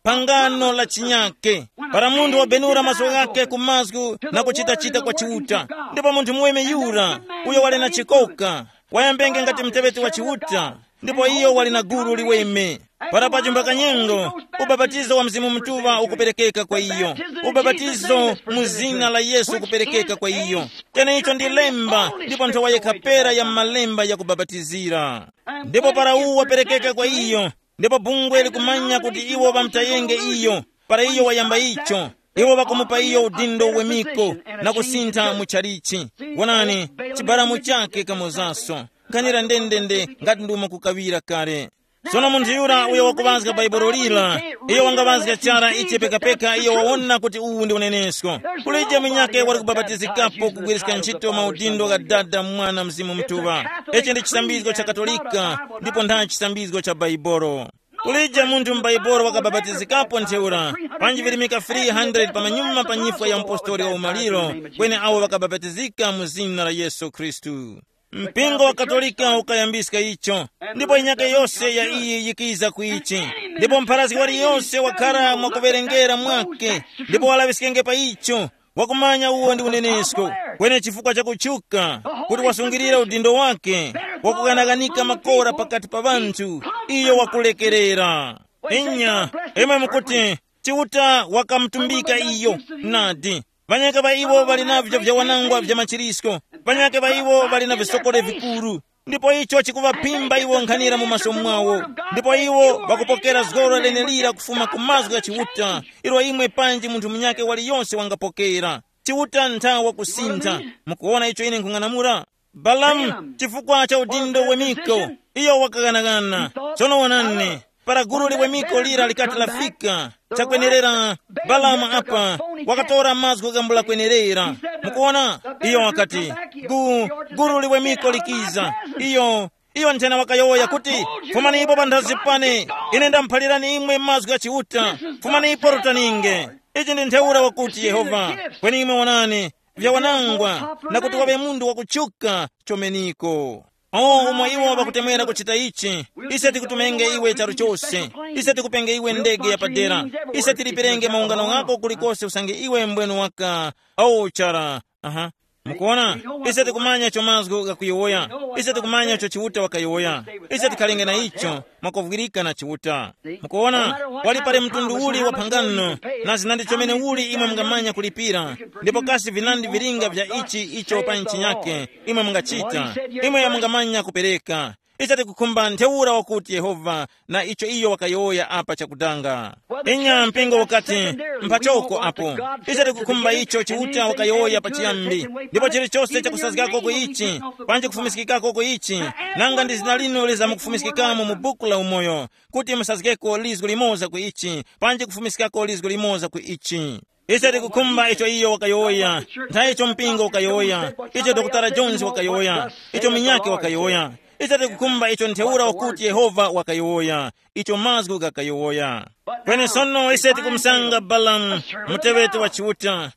phangano la chinyake, para munthu wabenura maso ghake ku mazgu na kuchita-chita kwa Chiuta, ndipo munthu muweme yura, uyo wali na chikoka, wayambenge ngati mteŵeti wa Chiuta, ndipo iyo wali na gulu liweme. Para pachumba kanyengo, ubapatizo wa Mzimu Mutuŵa ukuperekeka kwa iyo. Ubapatizo mu zina la Yesu ukuperekeka kwa iyo. Cheneicho ndi lemba, ndipo nthowa yekha pera ya malemba ya kubapatizira. Ndipo para uwu waperekeka kwa iyo, ndipo bungwe likumanya kuti iwo ŵamutayenge iyo, para iyo wayamba icho, iwo ŵakumupa iyo udindo wemiko na kusintha mu chalichi. Wonani, chibaramu chake kamozaso. Nkhanira ndendende ngati ndi umo kukaŵira kale. Sono munthu yura uyo wakuŵazga Bhaibuli lira, iyo wangaŵazga chara ichi pekapeka iyo wawona kuti uwu ndi unenesko. Kulije munyakhe wali kubapatizikapo kugwiriska ntchito maudindo gha Dada, Mwana, Mzimu Mutuŵa. Ichi ndi chisambizgo cha Katolika, ndipo ntha chisambizgo cha Bhaibuli. Kulije munthu m'Bhaibuli wakabapatizikapo ntheura, panji virimika three hundred pamanyuma pa nyifwa ya mpostoli wa umaliro, kweni awo ŵakabapatizika mu zina la Yesu Khristu. Mpingo wa Katolika ukayambiska icho, ndipo inyake yose ya iyi yikiza ku ichi, ndipo mpharazgi waliyose wakhara mwakuwerengera mwake, ndipo walaŵiskenge pa icho, wakumanya uwo ndi unenesko, kweni chifukwa chakutchuka kuti wasungirira udindo wake, wakughanaghana makora pakati pa ŵanthu, iyo wakulekerera. Inya, imwe mukuti, Chiuta wakamutumbika iyo, nadi. Ŵanyaka ŵa iwo ŵali na vyo vyawanangwa vya machirisko, ŵanyaka ŵa iwo ŵali na visokole vikuru, ndipo icho chikuŵaphimba iwo nkhanira mu maso mwawo. Ndipo iwo ŵakupokera zgoro lenelira kufuma ku mazgu gha Chiuta, ilo imwe panji munthu munyakhe waliyonse wangapokera. Chiuta ntha wakusintha. Mukuwona icho ine nkhung'anamula? Balamu, chifukwa cha udindo wemiko, iyo wakaghanagana. Tsono wonani, para gulu liwemiko lira likati lafika, chakwenerera, Balamu apa wakatora mazgu gambula kwenerera. Mukuona, iyo wakati, gu, gulu liwemiko likiza. Iyo, iyo nthena wakayowoya kuti, fumani ipo panthazi pane, ine ndamuphalirani imwe mazgu gha Chiuta. Fumani ipo rutaninge. Ichi ndi ntheura wakuti Yehova. Kweni imwe wonani, vyawanangwa, na kuti waŵe munthu wakutchuka chomeniko. O, umo iwo ŵakutemwera kuchita ichi, ise tikutumenge iwe charu chose, ise tikupenge iwe ndege ya padera, ise tilipirenge maungano ghako kulikose usange iwe mbwenu waka. O chara. Aha. Mukuona, ise tikumanya icho mazgu ghakuyowoya, ise tikumanya icho Chiuta wakayowoya, ise tikhalenge na icho, mwakuvwirika na Chiuta. Mukuona, wali pali mtundu uli wa phangano, na zinandi chomene uli imwe mungamanya kulipira, ndipo kasi vinandi vilinga vya ichi icho pa nchi yake imwe mungachita, imwe mungamanya kupereka. Ise tikukhumba ntheura wakuti Yehova na icho iyo wakayowoya apa chakudanga. Inya mpingo ukati, mpachoko apo. Ise tikukhumba icho Chiuta wakayowoya pachiyambi, ndipo chilichose chakusazgako ku ichi, panji kufumiskikako ku ichi, nanga ndi zina linu liza mukufumiskikamo mu buku la umoyo, kuti musazgeko lizgu limoza ku ichi, panji kufumiskako lizgu limoza ku ichi. Ise tikukhumba icho iyo wakayowoya, ntha icho mpingo wakayowoya, icho Dokotala Jones wakayowoya, icho minyake wakayowoya. Ise tikukhumba icho ntheura wakuti Yehova wakayowoya, icho mazgu gakayowoya. Kweni sono ise tikumusanga Balamu, muteŵeti wa Chiuta,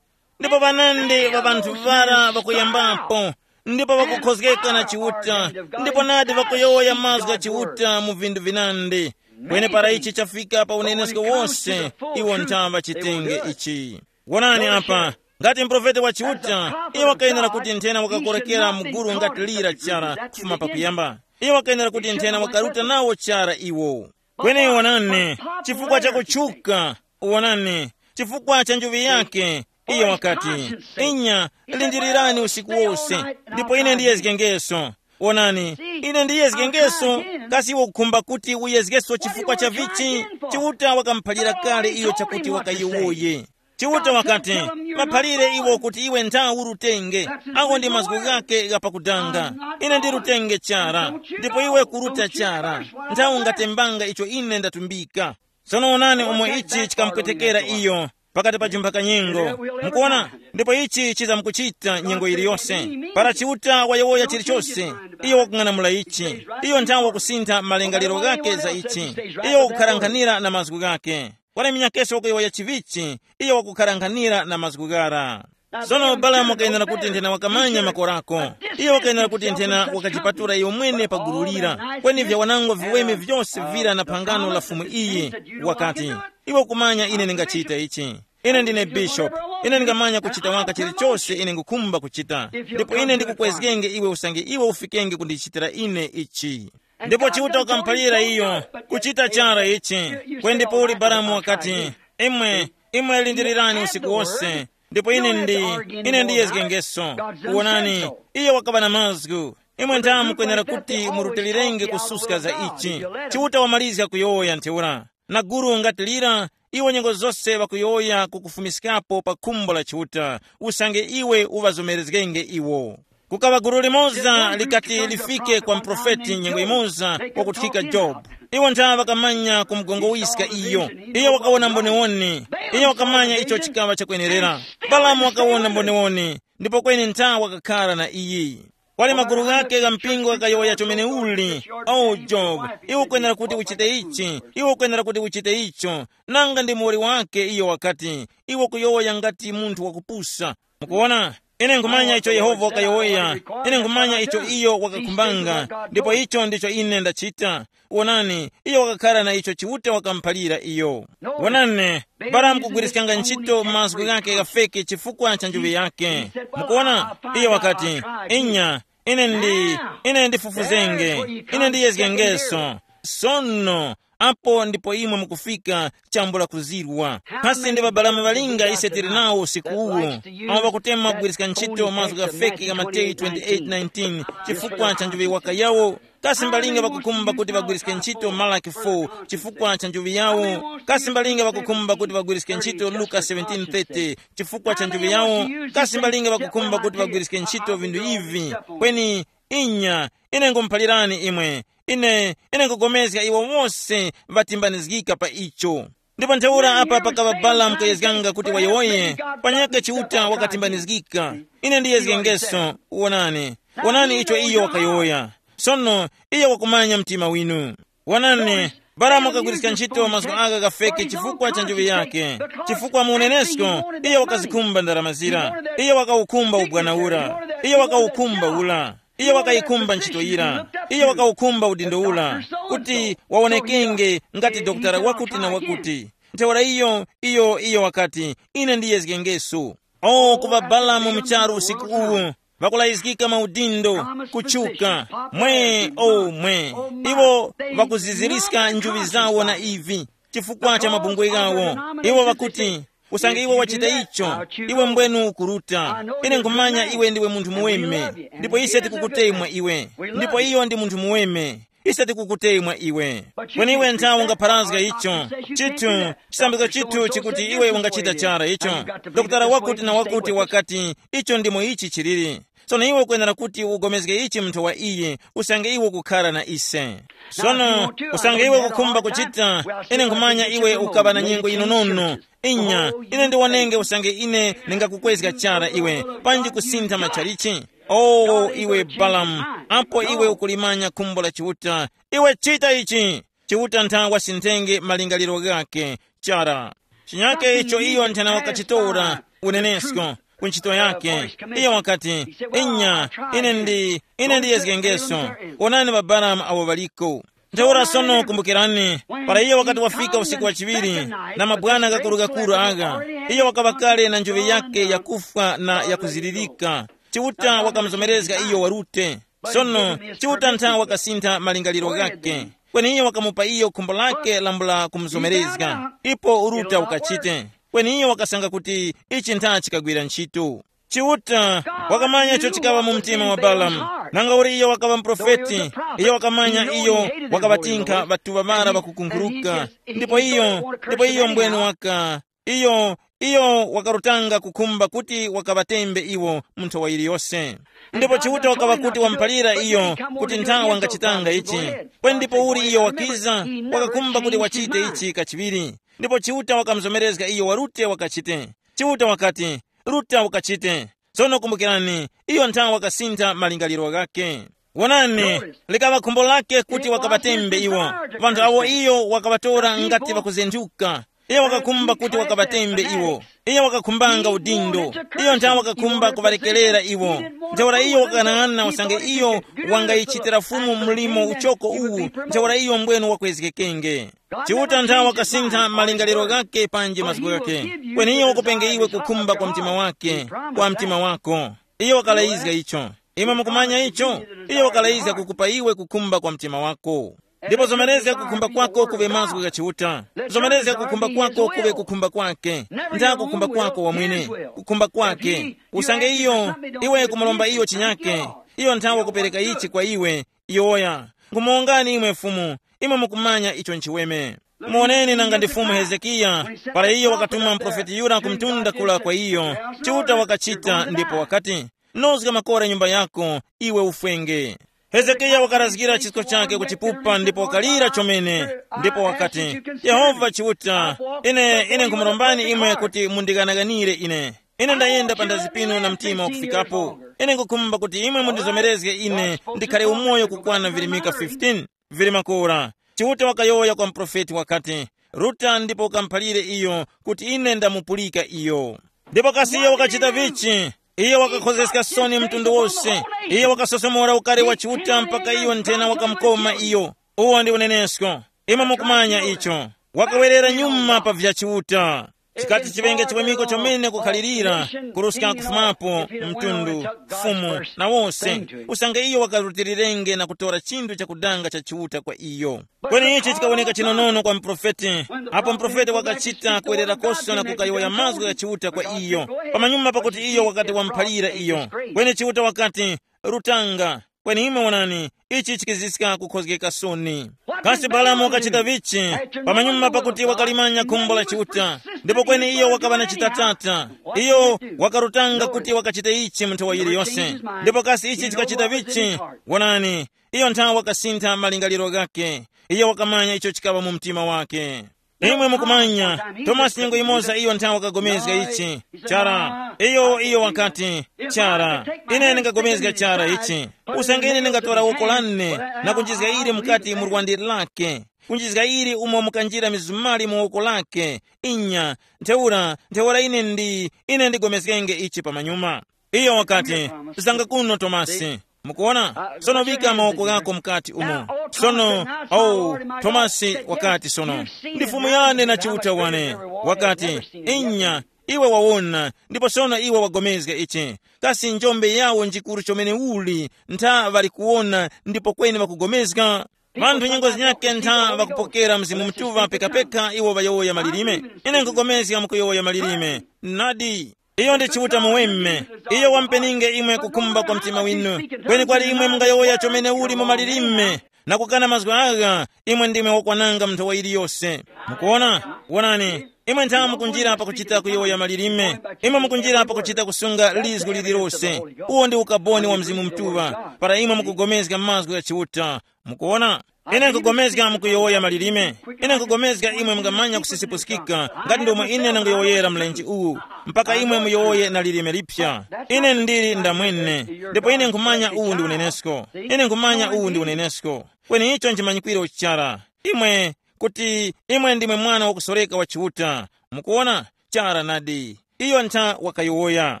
ndipo ŵanandi ŵa ŵanthu ŵara ŵakuyambapo, ndipo ŵakukhozgeka na Chiuta, ndipo nadi ŵakuyowoya mazgu gha Chiuta mu vinthu vinandi. Kweni para ichi chafika pa unenesko wose, iwo ntha ŵachitenge ichi. Wonani apa, ngati muprofeti wa Chiuta, iwo wakayenera kuti nthena wakakorekera mu gulu ngati lira chara kufuma pakuyamba. Iwo wakayenera kuti nthena wakaruta nawo chara iwo. Kweni wonani, chifukwa cha kutchuka, wonani, chifukwa cha njuŵi yake, iyo wakati, inya, lindirirani usiku wose, ndipo ine ndiyezgengeso. Wonani, ine ndiyezgengeso. Kasi iwe ukukhumba kuti uyezgeso chifukwa cha vichi? Chiuta wakamuphalira kale iyo chakuti wakayowoye. Chiuta wakati, maphalire iwo kuti iwe ntha urutenge. Awo ndi mazgu ghake ghapakudanga. Ine ndirutenge chara, ndipo iwe kuruta chara. Ntha ungatembanga icho ine ndatumbika. Sono onani umo ichi chikamupwetekera iyo. pakati pa jumphaka nyengo. Mukuona? Ndipo ichi chizamkuchita nyengo yiliyose. Para Chiuta wayowoya chilichose, iyo wakung'anamula ichi. Iyo nthawe wakusintha malingaliro ghake za ichi. Iyo wakukharankhanira na mazgu ghake. Wala minyakeso wakuyowoya chivichi, iyo wakukharankhanira na mazgu ghara. Sono Balamu wakayenera kuti nthena wakamanya makorako. Iyo wakayenera kuti nthena wakajipatula iyo mwene pa gulu lira. Kweni vya wanangwa viweme vyose vira na phangano la Fumu iyi, wakati, iwe ukumanya ine ndingachita ichi. Ine ndine bishopu. Ine ndingamanya kuchita waka chilichose ine ngukhumba kuchita. Ndipo ine ndikukwezgenge iwe usange iwe ufikenge kundichitira ine ichi. Ndipo Chiuta wakamuphalira iyo kuchita chara ichi. Kwendi Pauli Balamu wakati, imwe, imwe lindirirani usiku wose, ndipo ine ndi, ine ndiyezgengeso. Wonani, iyo wakaŵa na mazgu. Imwe nthamu mukwenera kuti murutilirenge kususka za ichi. Chiuta wamalizga kuyowoya ntheura. Na guru ngati lira, iwo nyengo zose ŵakuyowoya kukufumiskapo pa khumbo la Chiuta, usange iwe uŵazomerezgenge iwo. Kukaŵa gulu limoza likati lifike kwa muprofeti nyengo yimoza wakuthika Jobu. Iwo ntha ŵakamanya kumugongowiska iyo. Iyo wakawona mboniwoni. Iyo wakamanya icho chikaŵa chakwenerera. Balamu wakawona mboniwoni, ndipo kweni ntha wakakhara na iyi. Kwali magulu ghake gha mpingo ghakayowoya chomeneuli, o Jobu, iwe ukwenera kuti uchite ichi, iwe ukwenera kuti uchite icho. Nanga ndi muwoli wake iyo wakati, iwe ukuyowoya ngati munthu wakupusa. Mukuwona? Ine nkhumanya icho Yehova wakayowoya. Ine nkhumanya icho iyo wakakhumbanga, ndipo icho ndicho ine ndachita. Wonani, iyo wakakhara na icho Chiuta wakamuphalira iyo. Wonani, Balamu kugwiriskanga ntchito mazgu ghake ghafeke chifukwa cha njuŵi yake. Mukuwona? Iyo wakati, inya, ine ndi, ine ndifufuzenge, ine ndiyezgengeso. Sono, apo ndipo imwe mukufika chambula kuzirwa. Kasi ndi ŵabalamu ŵalinga ise tili nawo usiku uwu, awo ŵakutema kugwiriska ntchito mazgu ghafeke gha Mateyu twenty-eight nineteen chifukwa cha njuŵi waka yawo? Kasi mbalinga ŵakukhumba kuti ŵagwiriske ntchito Malaki four chifukwa cha njuŵi yawo? Kasi mbalinga ŵakukhumba kuti ŵagwiriske ntchito Luka seventeen thirty chifukwa cha njuŵi yawo? Kasi mbalinga ŵakukhumba kuti ŵagwiriske ntchito vinthu ivi? Kweni inya, ine ngumuphalirani imwe, ine, ine nkugomezga iwo wose ŵatimbanizgika pa icho. Ndipo ntheura apa pakaŵa Balamu kuyezganga kuti wayowoye, panyakhe Chiuta wakatimbanizgika. Ine ndiyezgengeso, wonani, wonani icho iyo wakayowoya. Sono, iyo wakumanya mtima winu. Wonani, Balamu wakagwiriska ntchito mazgu aka ghafeke chifukwa cha njuŵi yake, chifukwa mu unenesko iyo wakazikhumba ndarama zira, iyo wakawukhumba ubwana ura, iyo wakawukhumba ura. Iyo wakayikhumba ntchito yira. Iyo wakawukhumba udindo ura, kuti wawonekenge ngati dokotala wakuti na wakuti. Ntheura iyo, iyo, iyo wakati, ine ndiyezgengeso. O, kuŵa Balamu mu charu usiku uwu, ŵakulayizgika maudindo, kutchuka, mwe, o, mwe. Iwo ŵakuziziriska njuŵi zawo na ivi, chifukwa cha mabungwe ghawo. Iwo ŵakuti, usange iwe wachita icho, iwe mbwenu ukuruta. Ine nkhumanya iwe ndiwe munthu muweme, ndipo ise tikukutemwa iwe. Ndipo iyo ndi munthu muweme, ise tikukutemwa iwe. Kweni iwe nthawi ungapharazga icho. Chithu, chisambizo chithu chikuti iwe ungachita chara icho. Dokotala wakuti na wakuti wakati, icho ndimo ichi chiliri. Sono iwe ukwenera kuti ugomezge ichi munthu wa iye, usange iwe ukukhara na ise. Sono, usange iwe ukukhumba kuchita, ine nkhumanya iwe ukaŵa na nyengo yinonono. Inya, ine ndiwonenge usange ine ndingakukwezga chara iwe, panji kusintha matchalichi. O, iwe Balamu, apo iwe ukulimanya khumbo la Chiuta, iwe chita ichi. Chiuta ntha wasinthenge malingaliro ghakhe chara. Chinyake icho iyo nthena wakachitora unenesko ku ntchito yake. Iyo wakati, inya, ine ndi, ine ndiyezgengeso. Onani ŵaBalamu awo ŵaliko. Ntheura sono kumbukirani, para iyo wakati wafika usiku wa chiŵiri, na mabwana gakuru-gakuru agha, iyo wakaŵa kale na njoŵe yake yakufwa na yakuzilirika. Chiuta wakamuzomerezga iyo warute. Sono, Chiuta ntha wakasintha malingaliro ghakhe. Kweni iyo wakamupa iyo khumbo lake lambula kumuzomerezga. Ipo uruta ukachite. Kweni iyo wakasanga kuti ichi ntha chikagwira ntchito. Chiuta wakamanya icho chikaŵa mu mtima wa Balamu. Nanga uli iyo wakaŵa muprofeti, iyo wakamanya iyo wakaŵatinkha ŵatuŵa ŵara ŵakukunkhuruka. Ndipo iyo, ndipo iyo mbwenu waka, iyo, iyo wakarutanga kukhumba kuti wakaŵatembe iwo mu nthowa yiliyose. Ndipo Chiuta wakaŵa kuti wamuphalira iyo kuti nthawi wangachitanga ichi. Kweni ndipo uli iyo wakiza, wakakhumba kuti wachite ichi kachiŵiri. Ndipo Chiuta wakamuzomerezga iyo wa Rute wakachite. Chiuta wakati, Ruta wakachite. Sono kumbukirani, iyo nthawe wakasintha malingaliro ghakhe. Wonani, likaŵa khumbo lake kuti wakaŵatembe iwo. Vanthu awo iyo wakaŵatora ngati ŵakuzenthuka. Iyo wakakhumba kuti wakaŵatembe iwo. Iyo wakakhumbanga udindo. Iyo nthawe wakakhumba kuŵalekerera iwo. Ntheura iyo wakanang'ana usange iyo wangayichitira Fumu mlimo uchoko uwu, ntheura iyo mbwenu wakwezgekenge. Chiuta nthawe wakasintha malingaliro ghakhe panji mazgu ghakhe. Kweni iyo wakupenge iwe kukhumba kwa mtima wake, kwa mtima wako. Iyo wakalayizga icho. Imwe mukumanya icho? Iyo wakalayizga kukupa iwe kukhumba kwa mtima wako. Ndipo zomerezga kukhumba kwako kuve mazgu gha Chiuta. Zomerezga kukhumba kwako kuve kukhumba kwake. Nda kukhumba kwako wamwene. Kukhumba kwake. Usange iyo, iwe kumulomba iyo chinyake, iyo nthawe kupereka ichi kwa iwe. Yowoya, ngumuwongani imwe Fumu, imwe mukumanya icho nchiweme. Muoneni nanga ndi Fumu Hezekiya, para iyo wakatuma muprofeti Yura ku mtunda kula kwa iyo, Chiuta wakachita ndipo wakati, nozga makora nyumba yako, iwe ufwenge. Hezekiya wakarazgira chisko chake kuchipupa ndipo wakalira chomene, ndipo wakati, Yehova Chiuta, ine ine nkhumurombani imwe kuti mundighanaghanire ine. Ine ndayenda panthazi pinu na mtima wakufikapo. Ine nkukhumba kuti imwe mundizomerezge ine ndikhale umoyo kukwana virimika fifteen vili makora. Chiuta wakayowoya kwa muprofeti wakati, ruta ndipo ukamuphalire iyo kuti ine ndamupulika iyo. Ndipo kasi iyo wakachita vichi? Iyo wakakhozeska soni mtundu wose. Iyo wakasosomora ukari wa Chiuta mpaka iyo nthena wakamukoma iyo. Uwo ndi unenesko. Imwe mukumanya icho. Wakawerera nyuma pa vya Chiuta. Chikati chiŵenge chiwemiko chomene kukhalirira, kuruska kufumapo, mtundu, fumu, na wose, usange iyo wakarutilirenge na kutora chinthu chakudanga cha Chiuta kwa iyo. Kweni ichi chikawoneka chinonono kwa muprofeti. Apo muprofeti wakachita kuwererakoso na kukayowoya mazgu gha Chiuta kwa iyo, pamanyuma pakuti iyo wakati wamuphalira iyo. Kweni Chiuta wakati, rutanga. Kweni imwe wonani, ichi chikiziska kukhozgeka soni. Kasi Balamu wakachita vichi? Pamanyuma pakuti wakalimanya khumbo la Chiuta, ndipo kweni iyo wakaŵa na chitatata. Iyo wakarutanga kuti wakachita ichi mu nthawi yiliyose. Ndipo kasi ichi chikachita vichi? Wonani, iyo nthawe wakasintha malingaliro ghakhe. Iyo wakamanya icho chikaŵa mu mtima wake. Imwe mukumanya, Tomasi nyengo yimoza iyo nthawe wakagomezga ichi. Chara, iyo iyo wakati, chara, ine ndingagomezga chara ichi. Usange ine ndingatora woko lane na kunjizga ili mukati mu lwandi lake, kunjizga ili umo mukanjira mizumali mu woko lake, inya, ntheura ntheura ine ndi ine ndigomezgenge ichi pamanyuma. Iyo wakati, zanga kuno Tomasi. Mukuona? Sono vika mawoko ghako mukati umo. Sono, oh, Tomasi wakati sono, ndi Fumu yane na Chiuta wane. Wakati, inya, iwe wawona, ndipo sono iwe wagomezga ichi. Kasi njombe yawo njikuru chomene uli, ntha ŵali kuwona ndipo kweni ŵakugomezga? Vanthu nyengo zinyakhe ntha ŵakupokera Mzimu Mutuŵa pekapeka iwo ŵayowoya malilime. Ine nkugomezga mukuyowoya malilime. Nadi. Iyo ndi Chiuta muweme. Iyo wampeninge imwe kukhumba kwa mtima winu. Kweni kwali imwe mungayowoya chomene uli mu malilime na kukana mazgu agha, imwe ndimwe wakwananga mu nthowa yiliyose. Mukuona? Wonani, imwe nthawe mukunjira pakuchita kuyowoya malilime. Imwe mukunjira pakuchita kusunga lizgu lililose. Uwo ndi ukaboni wa Mzimu Mutuŵa para imwe mukugomezga mazgu gha Chiuta. Mukuona? Ine nkugomezga mukuyowoya malilime. Ine nkugomezga imwe mungamanya kusisipusikika ngati ndomwe ine nanguyowoyera mlenje uwu, mpaka imwe muyowoye na lilime lipya. Ine ndili ndamwene, ndipo ine nkhumanya uwu ndi unenesko. Ine nkhumanya uwu ndi unenesko. Kweni icho nchimanyikwiro chara. Imwe, kuti imwe ndimwe mwana wakusoreka wa Chiuta. Mukuona? Chara nadi. Iyo ntha wakayowoya.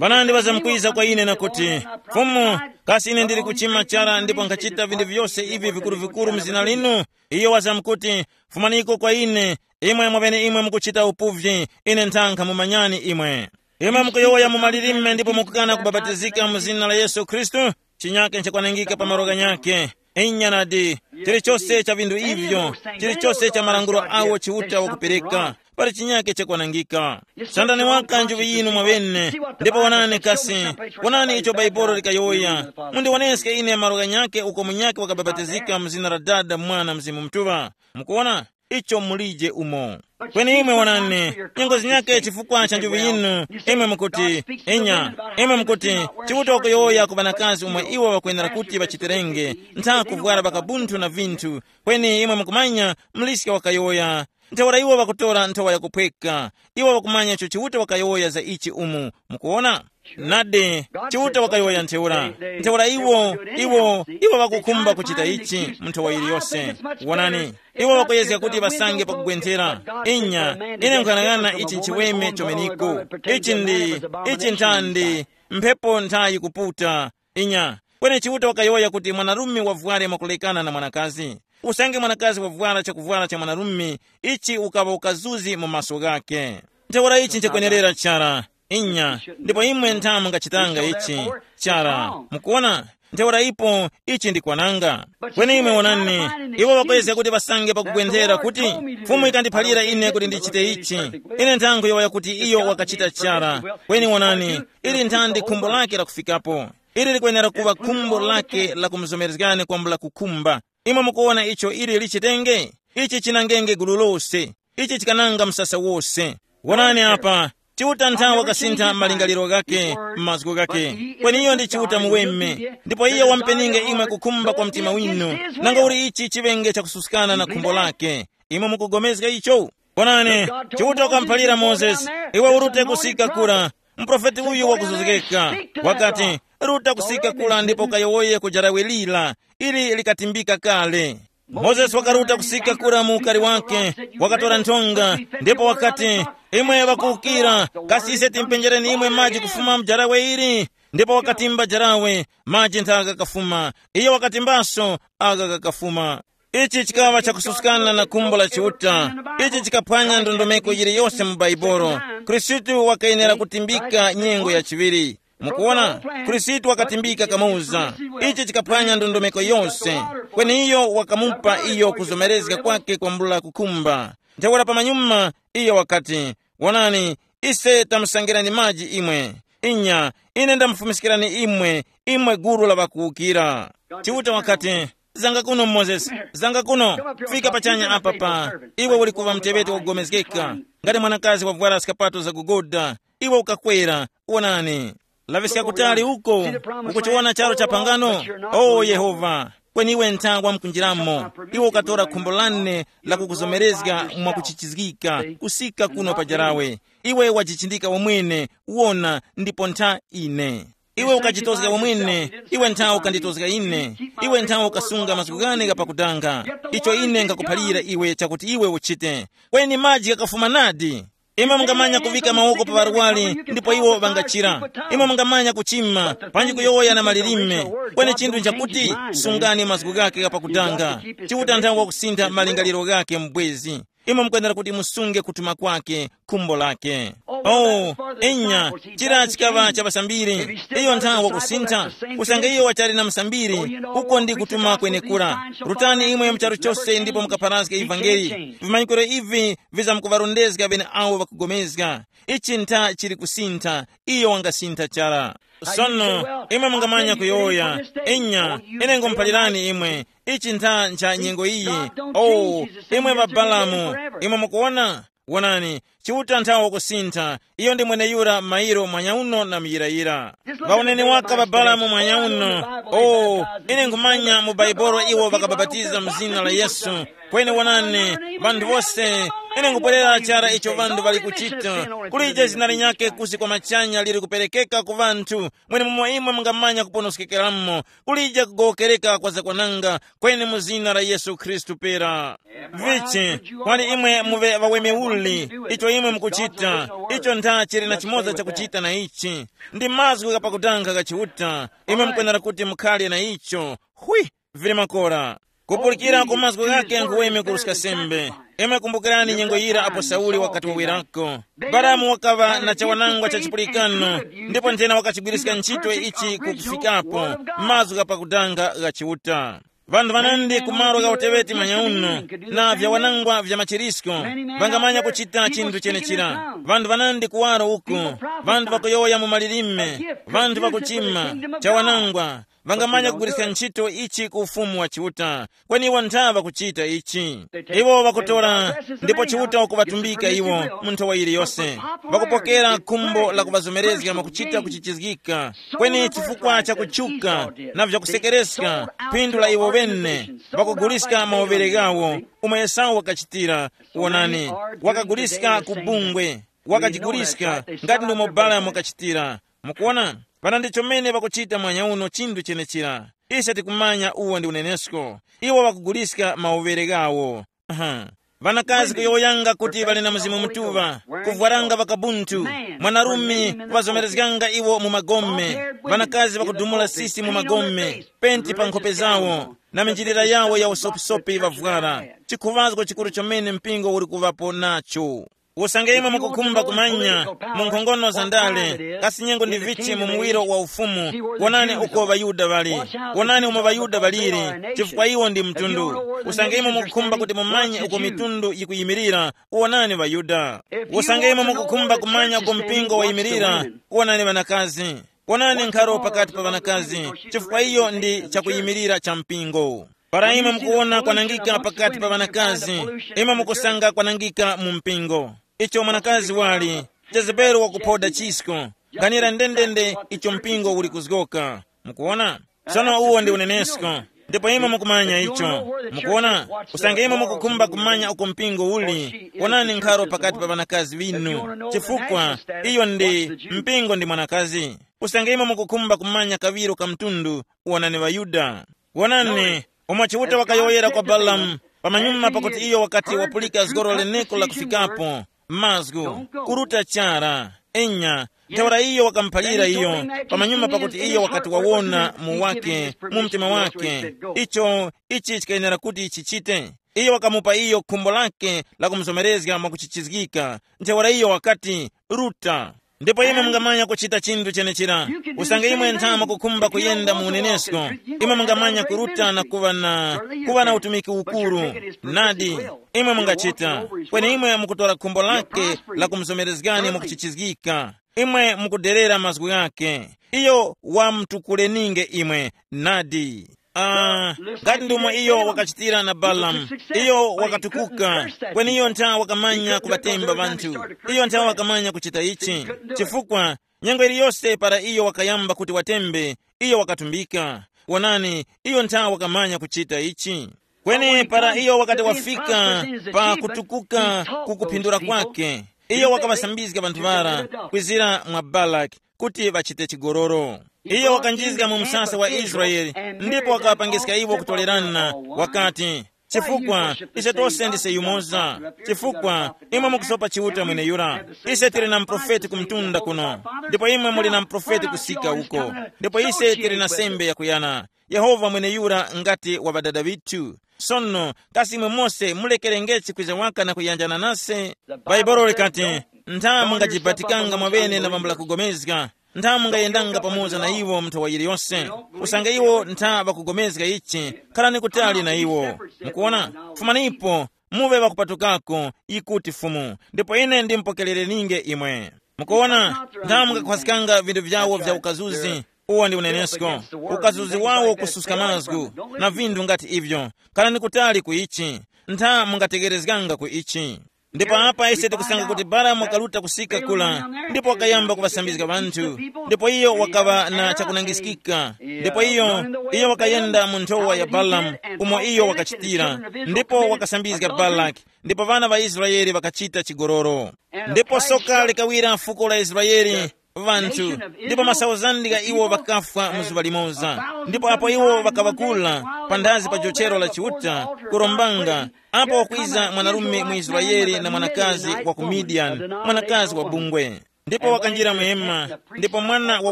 Ŵanandi ŵazamkwiza kwa ine na kuti, Fumu, kasi ine ndili kuchima chara ndipo nkhachita vinthu vyose ivi vikuru-vikuru mu zina linu? Iyo wazamkuti, fumaniko kwa ine, imwe mwaŵeneimwe mukuchita upuvyi, ine ntha nkhamumanyani imwe. Imwe mukuyowoya mu malilime ndipo mukukana kubapatizika mu zina la Yesu Khristu, chinyake nchakwanangika pa malo ghanyakhe. Inya nadi, chilichose cha vinthu ivyo, chilichose cha malangulo awo Chiuta wakupereka, pali chinyake chakwanangika. Sandani waka njuŵi yinu mwaŵene, ndipo wonani kasi, wonani icho Baibolo likayowoya. Mundiwoneske ine malo ghanyakhe uko munyakhe wakabapatizika mu zina la Dada, Mwana, Mzimu Mutuŵa. Mukuwona? Icho mulije umo. Kweni imwe wonani, nyengo zinyakhe chifukwa cha njuŵi yinu, imwe mukuti, inya, imwe mukuti, Chiuta wakuyowoya ku ŵanakazi omwe iwo ŵakwenera kuti ŵachiterenge, ntha kuvwara ŵakabunthu na vinthu, kweni imwe mukumanya, mliska wakayowoya, Ntheura iwo ŵakutora nthowa yakuphweka. Iwo ŵakumanya icho Chiuta wakayowoya za ichi umu. Mukuwona? Nadi, Chiuta wakayowoya ntheura. Ntheura iwo, iwo, iwo ŵakukhumba kuchita ichi mu nthowa yiliyose. Wonani, iwo ŵakuyezga kuti ŵasange pakugwenthera. Inya, ine nkhanang'ana ichi nchiweme chomeniko. Ichi ndi, ichi nthandi, mphepo nthayi kuputa. Inya, kweni Chiuta wakayowoya kuti mwanarume wavware mwakulekana na mwanakazi. Usange mwanakazi wavwara chakuvwara cha mwanarume, ichi ukaŵa ukazuzi mu maso ghakhe. Ntheura ichi nchakwenerera chara. Inya, ndipo imwe ntha mungachitanga ichi. Chara, mukuona? Ntheura ipo ichi ndi kwananga. Kweni imwe wonani, iwo ŵakwezga kuti ŵasange pakugwenthera kuti, Fumu ikandiphalira ine kuti ndichite ichi. Ine nthankhu yowoya kuti iyo wakachita chara. Kweni wonani, ili nthandi khumbo lake lakufikapo. Ili likwenera kuŵa khumbo lake la kumuzomerezgani kwambula kukhumba. Imwe mukuwona icho ili lichitenge? Ichi chinangenge gulu lose. Ichi chikananga msasa wose. Wonani apa, Chiuta nthawe wakasintha malingaliro ghake, mazgu ghake. Kweni iyo ndi Chiuta muweme, ndipo iyo wampeninge imwe kukhumba kwa mtima winu, nanga uli ichi chiŵenge chakususkana na khumbo lake. Imwe mukugomezga icho? Wonani, Chiuta wakamuphalira Mozesi, iwe urute kusika kura, muprofeti uyu wakuzozgeka. Wakati, ruta kusika kura ndipo ukayowoye ku jarawe lira, ili likatimbika kale. Mozesi wakaruta kusika kura mu ukari wake, wakatora nthonga, ndipo wakati, imwe ŵakuwukira, kasi ise timpenjereni imwe maji kufuma mu jarawe ili? Ndipo wakatimba jarawe, maji nthaka ghakafuma. Iyo wakatimbaso, agha ghakafuma. Ichi chikaŵa chakususkana na khumbo la Chiuta. Ichi chikaphwanya ndondomeko yiliyose mu Baibolo. Khristu wakayenera kutimbika nyengo ya chiŵiri. Mukuona, Khristu wakatimbika kamuza. Ichi chikaphwanya ndondomeko yose. Kweni iyo wakamupa iyo kuzomerezga kwake kwambula kukhumba. Ntheura pamanyuma, iyo wakati, wonani, ise tamusangirani maji imwe. Inya, ine ndamufumiskirani imwe, imwe gulu la ŵakuwukira. Chiuta wakati, zanga kuno Mozesi, zanga kuno, fika pachanya apa pa, iwe uli kuŵa muteŵeti wakugomezgeka, ngati mwanakazi wavwara skapato zakugoda, iwe ukakwera, wonani. Laŵiska kutali uko, ukuchiwona charo cha phangano? O Yehova, kweni iwe ntha wamkunjiramo, iwe ukatora khumbo lane la kukuzomerezga mwakuchichizgika kusika kuno pa jarawe. Iwe wajichindika wamwene, wona, ndipo ntha ine. Iwe ukachitozga wamwene, iwe ntha ukanditozga ine, iwe ntha ukasunga mazgu ghane ghapakudanga. Icho ine ngakuphalira iwe chakuti iwe uchite. Kweni maji ghakafuma nadi. Imwe mungamanya kuvika mawoko pa ŵarwari ndipo iwo ŵangachira. Imwe mungamanya kuchima, panji kuyowoya na malilime. Kweni chinthu nchakuti, sungani mazgu ghake ghapakudanga. Chiuta nthawe wakusintha malingaliro ghake mbwezi. Imwe mukwenera kuti musunge kutuma kwake, khumbo lake. Oh, enya, chira chikaŵa cha pasambiri. Iyo nthawe wakusintha. Usange iyo wachali na msambiri, uko ndi kutuma kwenekura. Rutani imwe mu charu chose ndipo mukapharazge ivangeli. Vimanyikiro ivi vizamkuŵarondezga ŵeneawo ŵakugomezga. Ichi ntha chili kusintha, iyo wangasintha chara. Sono, imwe mungamanya kuyowoya, enya, ine ngumuphalirani imwe, ichi ntha ncha nyengo iyi. Oh, imwe ŵa Balamu, imwe mukuwona? Wonani, Chiuta nthawe kusintha, iyo ndi mweneyura mairo mwanyauno na muyirayira. Ŵawoneni waka ŵa Balamu mwanyauno. Oh, ine nkhumanya mu Baibolo iwo ŵakabapatiza mu zina la Yesu. Kweni wonani, ŵanthu wose, ine nkupwerera chara icho ŵanthu ŵali kuchita. Kulije zina linyakhe kusi kwa machanya liri kuperekeka ku ŵanthu, mwenemumo imwe mungamanya kuponoskekeramo. Kulije kugowokereka kwa zakwananga, kweni mu zina la Yesu Khristu pera. Vichi, kwani imwe muve ŵaweme uli, icho imwe mukuchita, icho ntha chili na chimoza chakuchita na ichi. Ndi mazgu ghapakutanga gha Chiuta, imwe mukwenera kuti mukhale na icho. Hwi, vili makora. Kupulikira ku mazgu ghake nkhuweme kuruska sembe. Imwe kumbukirani nyengo yira apo Sauli wakati wawerako. Balamu wakaŵa na chawanangwa cha chipulikano, ndipo nthena wakachigwiriska ntchito ichi kukufikapo, mazgu ghapakutanga gha Chiuta. Vanthu vanandi ku malo gha uteweti manyauno, na vyawanangwa vya machirisko, vangamanya kuchita chinthu chenechira. Vanthu vanandi kuwaro uko, vanthu vakuyowoya mu malilime, vanthu vakuchima, chawanangwa, Ŵangamanya kugwiriska ntchito ichi ku ufumu wa Chiuta. Kweni iwo ntha ŵakuchita ichi. Iwo ŵakutora ndipo Chiuta wakuŵatumbika iwo mu nthowa yiliyose. Ŵakupokera khumbo la kuŵazomerezga mwakuchita kuchichizgika. Kweni chifukwa cha kutchuka na vyakusekereska phindu la iwo ŵene, ŵakuguliska mawovere ghawo, umo Esau wakachitira. Wonani, wakaguliska ku bungwe, wakajiguliska ngati ndomwe Balamu wakachitira. Mukuona, pana ndicho mene ŵakuchita mwanya uno chinthu chenechira. Ise tikumanya uwo ndi unenesko. Iwo ŵakuguliska mawovere ghawo. Aha. Ŵanakazi kuyowoyanga kuti ŵali na Mzimu Mutuŵa, kuvwaranga ŵakabuntu, mwanarume kuŵazomerezganga iwo mu magome, ŵanakazi ŵakudumula sisi mu magome, penti pa nkhope zawo, na minjilira yawo ya usopisopi ŵavwara, chikhuŵazgo chikuru chomene mpingo uli kuŵapo nacho. Usange imwe mukukhumba kumanya mu nkhongono za ndale, kasi nyengo ndi vichi mu muwiro wa ufumu, wonani uko ŵaYuda ŵali. Wonani umo ŵaYuda ŵaliri, chifukwa iwo ndi mtundu. Usange imwe mukukhumba kuti mumanye uko mitundu yikuyimirira, wonani ŵaYuda. Usange imwe mukukhumba kumanya uko mpingo wayimirira, wonani ŵanakazi. Wonani nkharo pakati pa ŵanakazi, chifukwa iyo ndi chakuyimirira cha mpingo. Para imwe mukuwona kwanangika pakati pa ŵanakazi, imwe mukusanga kwanangika mu mpingo. Icho mwanakazi wali, Jezebeli wakuphoda chisko. Ganira ndendende icho mpingo uli kuzgoka. Mukuwona? Sono uwo ndi unenesko. Ndipo imwe mukumanya icho. Mukuwona? Usange imwe mukukhumba kumanya uko mpingo uli, wonani nkharo pakati pa ŵanakazi ŵinu. Chifukwa iyo ndi mpingo ndi mwanakazi. Usange imwe mukukhumba kumanya kaŵiro ka mtundu, wonani ŵaYuda. Wonani, umo Chiuta wakayowoyera kwa Balamu, pamanyuma pakuti iyo wakati wapulika zgoro leneko la kufikapo, mazgu, kuruta chara. Enya, ntheura iyo wakamuphalira iyo, pamanyuma pakuti iyo wakati wawona mu wake, mu mtima wake, icho, ichi chikayenera kuti chichite. Iyo wakamupa iyo khumbo lake la kumuzomerezga mwakuchichizgika. Ntheura iyo wakati, Ruta. Ndipo imwe mungamanya kuchita chinthu chenechira. Usange imwe nthama kukhumba kuyenda mu unenesko, imwe mungamanya kuruta na kuŵa na kuŵa na utumiki ukuru. Nadi, imwe mungachita. Kweni imwe mukutora khumbo lake la kumuzomerezgani mukuchichizgika. Imwe mukuderera mazgu ghake. Iyo wamtukuleninge imwe. Nadi. Ah, ngati ndomwe iyo wakachitira na Balamu. Iyo wakatukuka, kweni iyo ntha wakamanya kuŵatemba ŵanthu. Iyo ntha wakamanya kuchita ichi. Chifukwa nyengo iliyose para iyo wakayamba kuti watembe, iyo wakatumbika. Wonani, iyo ntha wakamanya kuchita ichi. Kweni para iyo wakati wafika pa kutukuka ku kuphindula kwake, iyo wakaŵasambizga ŵanthu ŵara kwizira mwa Balaki kuti ŵachite chigololo. Iyo wakanjizga mu msasa wa Israele, ndipo wakaŵapangiska iwo kutolerana, wakati, chifukwa ise tose ndise yumoza. Chifukwa imwe mukusopa Chiuta mweneyura. Ise tili na muprofeti ku mtunda kuno, ndipo imwe muli na muprofeti kusika uko, ndipo ise tili na sembe yakuyana. Yehova mweneyura ngati wa ŵadada ŵithu. Sono kasi imwe mose mulekerengechi kwiza waka na kuyanjana nase? Bhaibuli likati, ntha mungajibatikanga mwaŵene na ŵambula kugomezga, ntha mungayendanga pamoza na iwo mu nthawa yiliyose. Usange iwo ntha ŵakugomezga ichi, kharani kutali na iwo. Mukuona? Fumanipo, muŵe ŵakupatukako, yikuti Fumu, ndipo ine ndimpokerereninge imwe. Mukuona? Ntha mungakhwaskanga vinthu vyawo vya ukazuzi. Uwo ndi unenesko. Ukazuzi wawo kususka mazgu na vinthu ngati ivyo. Khalani kutali ku ichi. Ntha mungategerezganga ku ichi. Ndipo apa ise tikusanga kuti Balamu wakaruta kusika kula, ndipo wakayamba kuŵasambizga ŵanthu. Ndipo iyo wakaŵa na chakunangiskika. Ndipo iyo, iyo wakayenda mu nthowa ya Balamu, umo iyo wakachitira, ndipo wakasambizga Balaki. Ndipo ŵana ŵa Israele ŵakachita chigololo. Ndipo soka likawira fuko la Israele, ŵanthu, ndipo masauzandi gha iwo ŵakafwa mu zuŵa limoza. Ndipo apo iwo ŵakaŵakula panthazi pa jochero la Chiuta, kurombanga, apo wakwiza mwanarume mu Israele na mwanakazi wa ku Midiyani, mwanakazi wa bungwe. Ndipo wakanjira muhema, ndipo mwana wa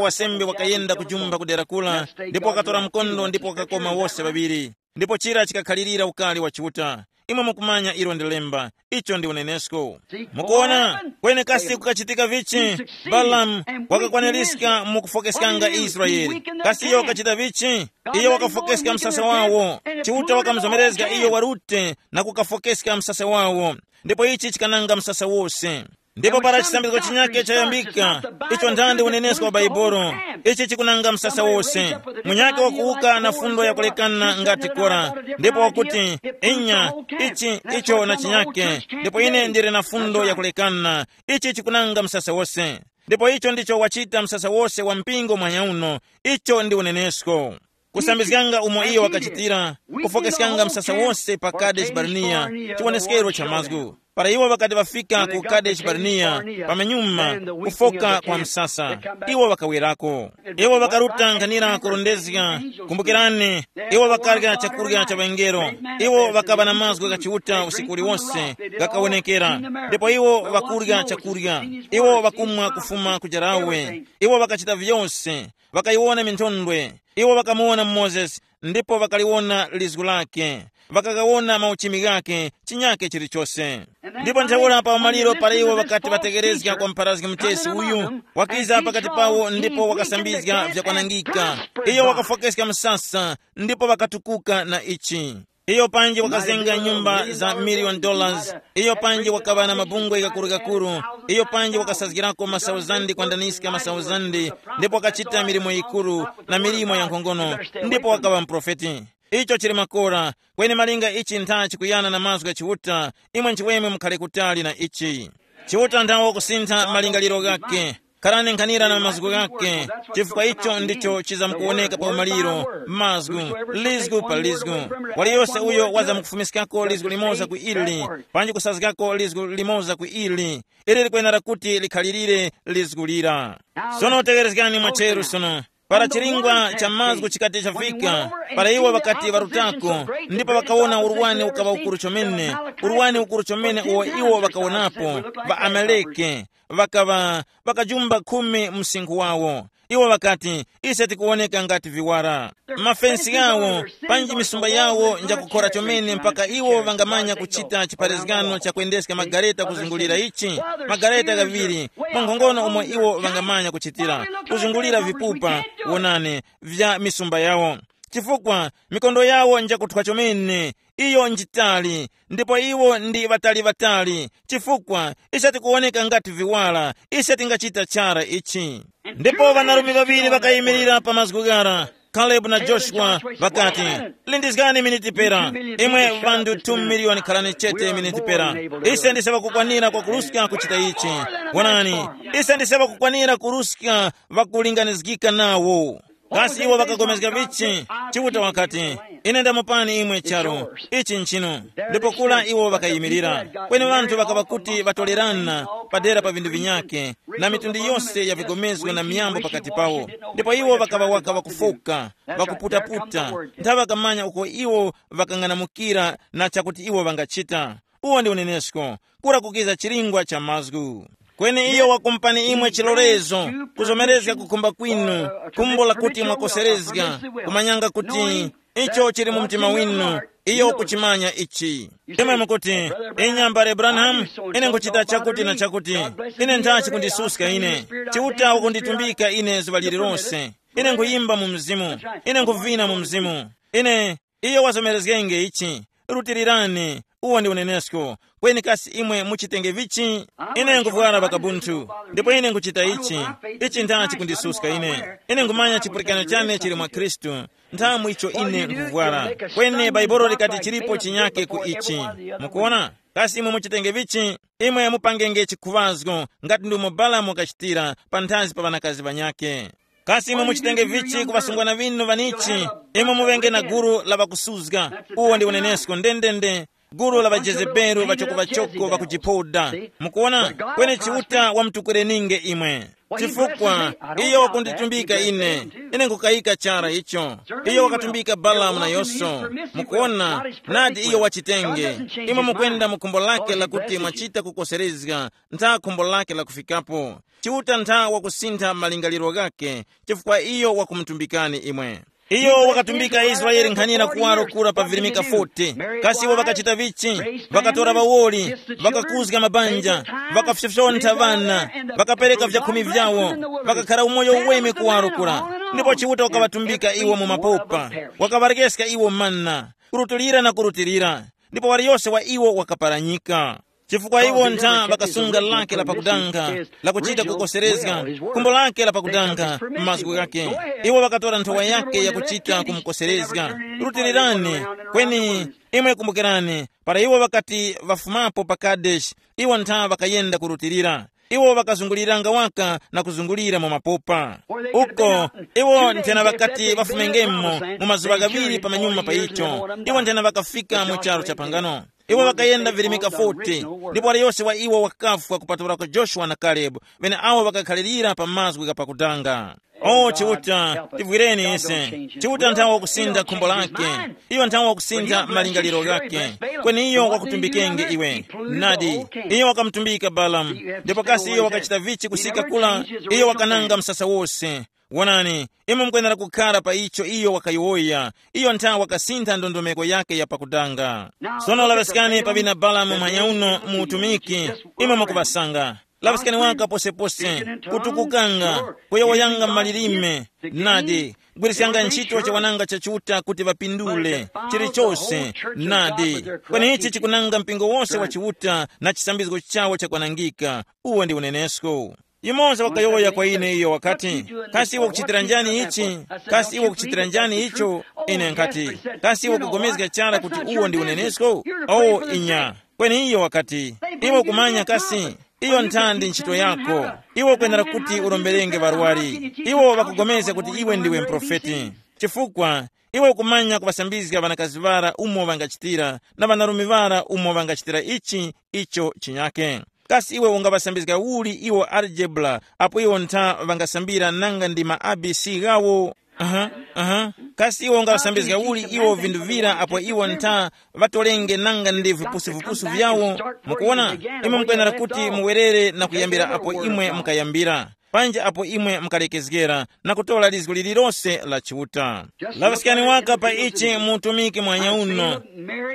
wasembe wakayenda kujumba kudera kula, ndipo wakatora mkondo ndipo wakakoma wose ŵaŵiri. Ndipo chira chikakhalirira ukali wa Chiuta. Imwe mukumanya ilo ndi lemba, icho ndi unenesko. Mukuona? Kweni kasi kukachitika vichi? Balamu wakakwaniska mu kufokeskanga Israele. Kasi iyo wakachita vichi? Iyo wakafokeska msasa wawo. Chiuta wakamuzomerezga iyo warute na kukafokeska msasa wawo. Ndipo ichi chikananga msasa wose. Ndipo para chisambizgo chinyake chayambika, icho nthandi unenesko wa Baibolo, ichi chikunanga msasa wose. Munyake wakuwuka na fundo yakulekana ngati Kora, ndipo wakuti, inya, ichi icho na chinyake, ndipo ine ndili na fundo yakulekana. Ichi chikunanga msasa wose. Ndipo icho ndicho wachita msasa wose wa mpingo mwanyauno. Icho ndi unenesko. Kusambizganga umo iyo wakachitira, kufokeskanga msasa wose pa Kadeshi Barnea, chiwoneskero cha mazgu. Para iwo ŵakati ŵafika ku Kadeshi Barnea, pamenyuma, kufoka kwa msasa, iwo ŵakawerako. Iwo ŵakaruta nkhanira kurondezga. Kumbukirani, iwo ŵakarya chakurya cha ŵangelo. Iwo ŵakaŵa na mazgu gha Chiuta usiku uliwonse, ghakawonekera. Ndipo iwo ŵakurya chakurya, iwo ŵakumwa kufuma ku jarawe. Iwo ŵakachita vyose, ŵakayiwona minthondwe. Iwo ŵakamuwona Mozesi, ndipo ŵakaliwona lizgu lake, ŵakagawona mauchimi ghake, chinyake chilichose. Ndipo ntheura pa umaliro para iwo ŵakati ŵategerezga kwa mpharazgi muchesi uyu, wakiza pakati pawo ndipo wakasambizga vyakwanangika. Iyo wakafokeska msasa, ndipo ŵakatukuka na ichi. Iyo panji wakazenga nyumba za million dollars. Iyo panji wakaŵa na mabungwe gakuru-gakuru. Iyo panji wakasazgirako masauzandi kwandaniska masauzandi, ndipo wakachita milimo yikuru na milimo ya nkhongono, ndipo wakaŵa muprofeti. Icho chili makora. Kweni malinga ichi ntha chikuyana na mazgu gha Chiuta, imwe nchiweme mukhale kutali na ichi. Chiuta nthawo kusintha malingaliro ghake. Kharani nkhanira na mazgu ghake, chifukwa icho ndicho chizamkuwoneka pa umaliro. Mazgu, lizgu pa lizgu. Waliyose uyo wazamkufumiskako lizgu limoza ku ili, panji kusazgako lizgu limoza ku ili, ili likwenera kuti likhalirire lizgu lira. Sono tegherezgani mwacheru sono. Para chilingwa cha mazgu chikati chafika, para iwo ŵakati ŵarutako, ndipo ŵakawona urwani ukaŵa ukuru chomene, urwani ukuru chomene uwo iwo ŵakawonapo, ŵa Amaleke, ŵakaŵa, ŵakajumba khumi msinkhu wawo. Iwo ŵakati, ise tikuwoneka ngati viwara. Mafensi ghawo, panji misumba yawo njakukhora chomene mpaka iwo ŵangamanya kuchita chipharizgano cha kwendeska magareta kuzungulira ichi, magareta ghaŵiri, mwa nkhongono umo iwo ŵangamanya kuchitira, kuzungulira vipupa, wonani, vya misumba yawo. Chifukwa mikondo yawo njakuthwa chomene, iyo njitali, ndipo iwo ndi ŵatali-ŵatali, chifukwa ise tikuwoneka ngati viwala, ise tingachita chara ichi. Ndipo ŵanarume ŵaŵiri ŵakayimirira pa mazgu ghara, Kalebu na Joshua, ŵakati, lindizgani miniti pera, imwe ŵanthu two miliyoni khalani chete miniti pera. Ise ndise ŵakukwanira kwakuruska kuchita ichi. Wonani, ise ndise ŵakukwanira kuruska ŵakulinganizgika nawo. Kasi iwo ŵakagomezga vichi? Chiuta wakati, ine ndamupani imwe charu, ichi nchinu. Ndipo kula iwo ŵakayimirira. Kweni ŵanthu ŵakaŵa kuti ŵatolerana padera pa vinthu vinyakhe, na mitundu yose ya vigomezgo na miyambo pakati pawo. Ndipo iwo ŵakaŵa waka ŵakufoka, ŵakuputaputa, nthawe ŵakamanya uko iwo ŵakang'anamukira na chakuti iwo ŵangachita. Uwo ndi unenesko, kura kukiza chilingwa cha mazgu. Kweni iyo wakumpani imwe chilolezo, kuzomerezga kukhumba kwinu, khumbo lakuti mwakoserezga, kumanyanga kuti icho chili mu mtima winu, iyo ukuchimanya ichi. Imwe mukuti, inya mbale Branham, ine nkuchita chakuti na chakuti, ine nthachi kundisuska ine, Chiuta wakunditumbika ine zuŵa lililonse, ine nkuyimba mu mzimu, ine nkuvina mu mzimu, ine, iyo wazomerezgenge ichi. Rutilirani, uwo ndi unenesko. Kweni kasi imwe muchitenge vichi? Ine nkuvwara vakabunthu, ndipo ine nkuchita ichi. Ichi nthachi kundisuska ine. Ine nkumanya chipulikano chane chili mwa Khristu, nthamu icho ine nkuvwara. Kweni Baibolo likati chilipo chinyake ku ichi. Mukuona? Kasi imwe muchitenge vichi? Imwe mupangenge chikhuŵazgo, ngati ndumo Balamu wakachitira panthazi pa ŵanakazi ŵanyakhe. Kasi imwe muchitenge vichi ku ŵasungwana ŵinu ŵanichi? Imwe muŵenge na gulu la ŵakusuzga. Uwo ndi unenesko ndendende. Gulu la ŵaJezebeli ŵachokoŵachoko ŵakujiphoda. Mukuona? Kweni Chiuta wamutukwireninge imwe. Chifukwa iyo wakunditumbika ine, ine nkukayika chara icho. Iyo wakatumbika Balamu na Yoso. Mukuona? Nadi iyo wachitenge. Imwe mukwenda mu khumbo lake lakuti mwachita kukoserezga, ntha khumbo lake lakufikapo. Chiuta ntha wakusintha malingaliro ghakhe, chifukwa iyo wakumutumbikani imwe. Iyo wakatumbika Israele nkhanira kuwaro kura pa virimika forty. Kasi iwo ŵakachita vichi? Ŵakatora ŵawoli, ŵakakuzga mabanja, ŵakafyofyontha ŵana, ŵakapereka vyakhumi vyawo, ŵakakhara umoyo uweme kuwaro kura. Ndipo Chiuta wakaŵatumbika iwo mu mapopa, wakaŵarekeska iwo manna, kurutulira na kurutilira, ndipo waliyose wa iwo wakaparanyika. Chifukwa iwo ntha ŵakasunga lake la pakudanga, lakuchita kukoserezga, khumbo lake la pakudanga, mazgu ghake. Iwo ŵakatora nthowa yake yakuchita kumukoserezga. Rutirirani. Kweni, imwe kumbukirani, para iwo ŵakati ŵafumapo pa Kadeshi, iwo ntha ŵakayenda kurutilira. Iwo ŵakazunguliranga waka na kuzungulira mu mapopa. Uko, iwo nthena ŵakati ŵafumengemo mu mazuŵa ghaŵiri pamanyuma pa icho. Iwo nthena ŵakafika mu charu cha pangano. Iwo ŵakayenda virimika forty, ndipo waliyose wa iwo wakafwa kupatulako Joshua na Kalebu, ŵeneawo ŵakakhalirira pa mazgu gha pakudanga. O Chiuta, tivwireni ise. Chiuta nthawe wakusintha khumbo lake. Iyo nthawe wakusintha malingaliro ghake. Kweni iyo wakutumbikenge iwe. Nadi, iyo wakamutumbika Balamu. Ndipo kasi iyo wakachita vichi kusika kula? Iyo wakananga msasa wose. Wonani, imwe mukwenera kukhara pa icho iyo wakayowoya. Iyo nthawe wakasintha ndondomeko yake ya pakudanga. Sono laŵaskani pa vina Balamu mwanyauno mu utumiki. Imwe mukuŵasanga. Laŵiskani waka posepose, kutukukanga, kuyowoyanga malilime. Nadi, gwirisyanga ntchito chawananga cha Chiuta kuti ŵapindule chilichose. Nadi, kweni ichi chikunanga mpingo wose wa Chiuta na chisambizgo chawo chakwanangika. Uwo ndi unenesko. Yumoza wakayowoya kwa ine, iyo wakati, kasi iwe ukuchitira njani ichi? Kasi iwe ukuchitira njani icho? Ine nkati, kasi iwe ukugomezga chara kuti uwo ndi unenesko? O inya. Kweni iyo wakati, iwe ukumanya kasi, iyo nthandi ntchito yako. Iwe ukwenera kuti uromberenge ŵarwari. Iwo ŵakugomezga kuti iwe ndiwe mprofeti. Chifukwa iwe ukumanya kuŵasambizga ŵanakazi ŵara umo ŵangachitira, na ŵanarume ŵara umo ŵangachitira ichi, icho chinyake. Kasi iwe ungaŵasambizga uli iwo algebra apo iwo ntha ŵangasambira nanga ndi ma A B C ghawo? Aha, aha. Kasi iwe ungaŵasambizga uli iwo vinthu vira apo iwo ntha ŵatolenge nanga ndi vipusuvipusu vyawo? Mukuwona, imwe mukwenera kuti muwerere na kuyambira apo imwe mukayambira, panja apo imwe mukalekezgera na kutora lizgu lililose la Chiuta. Laŵaskani waka pa ichi mu utumiki mwanya uno.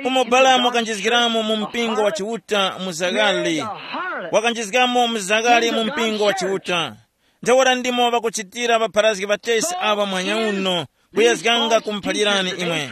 Umo Balamu wakanjizgiramo mu mpingo wa Chiuta mu Zagali. Wakanjizgamo mu Zagali mu mpingo wa Chiuta. Ntheura ndimo ŵakuchitira ŵapharazgi ŵatesi aŵa mwanya uno, kuyezganga kumuphalirani imwe.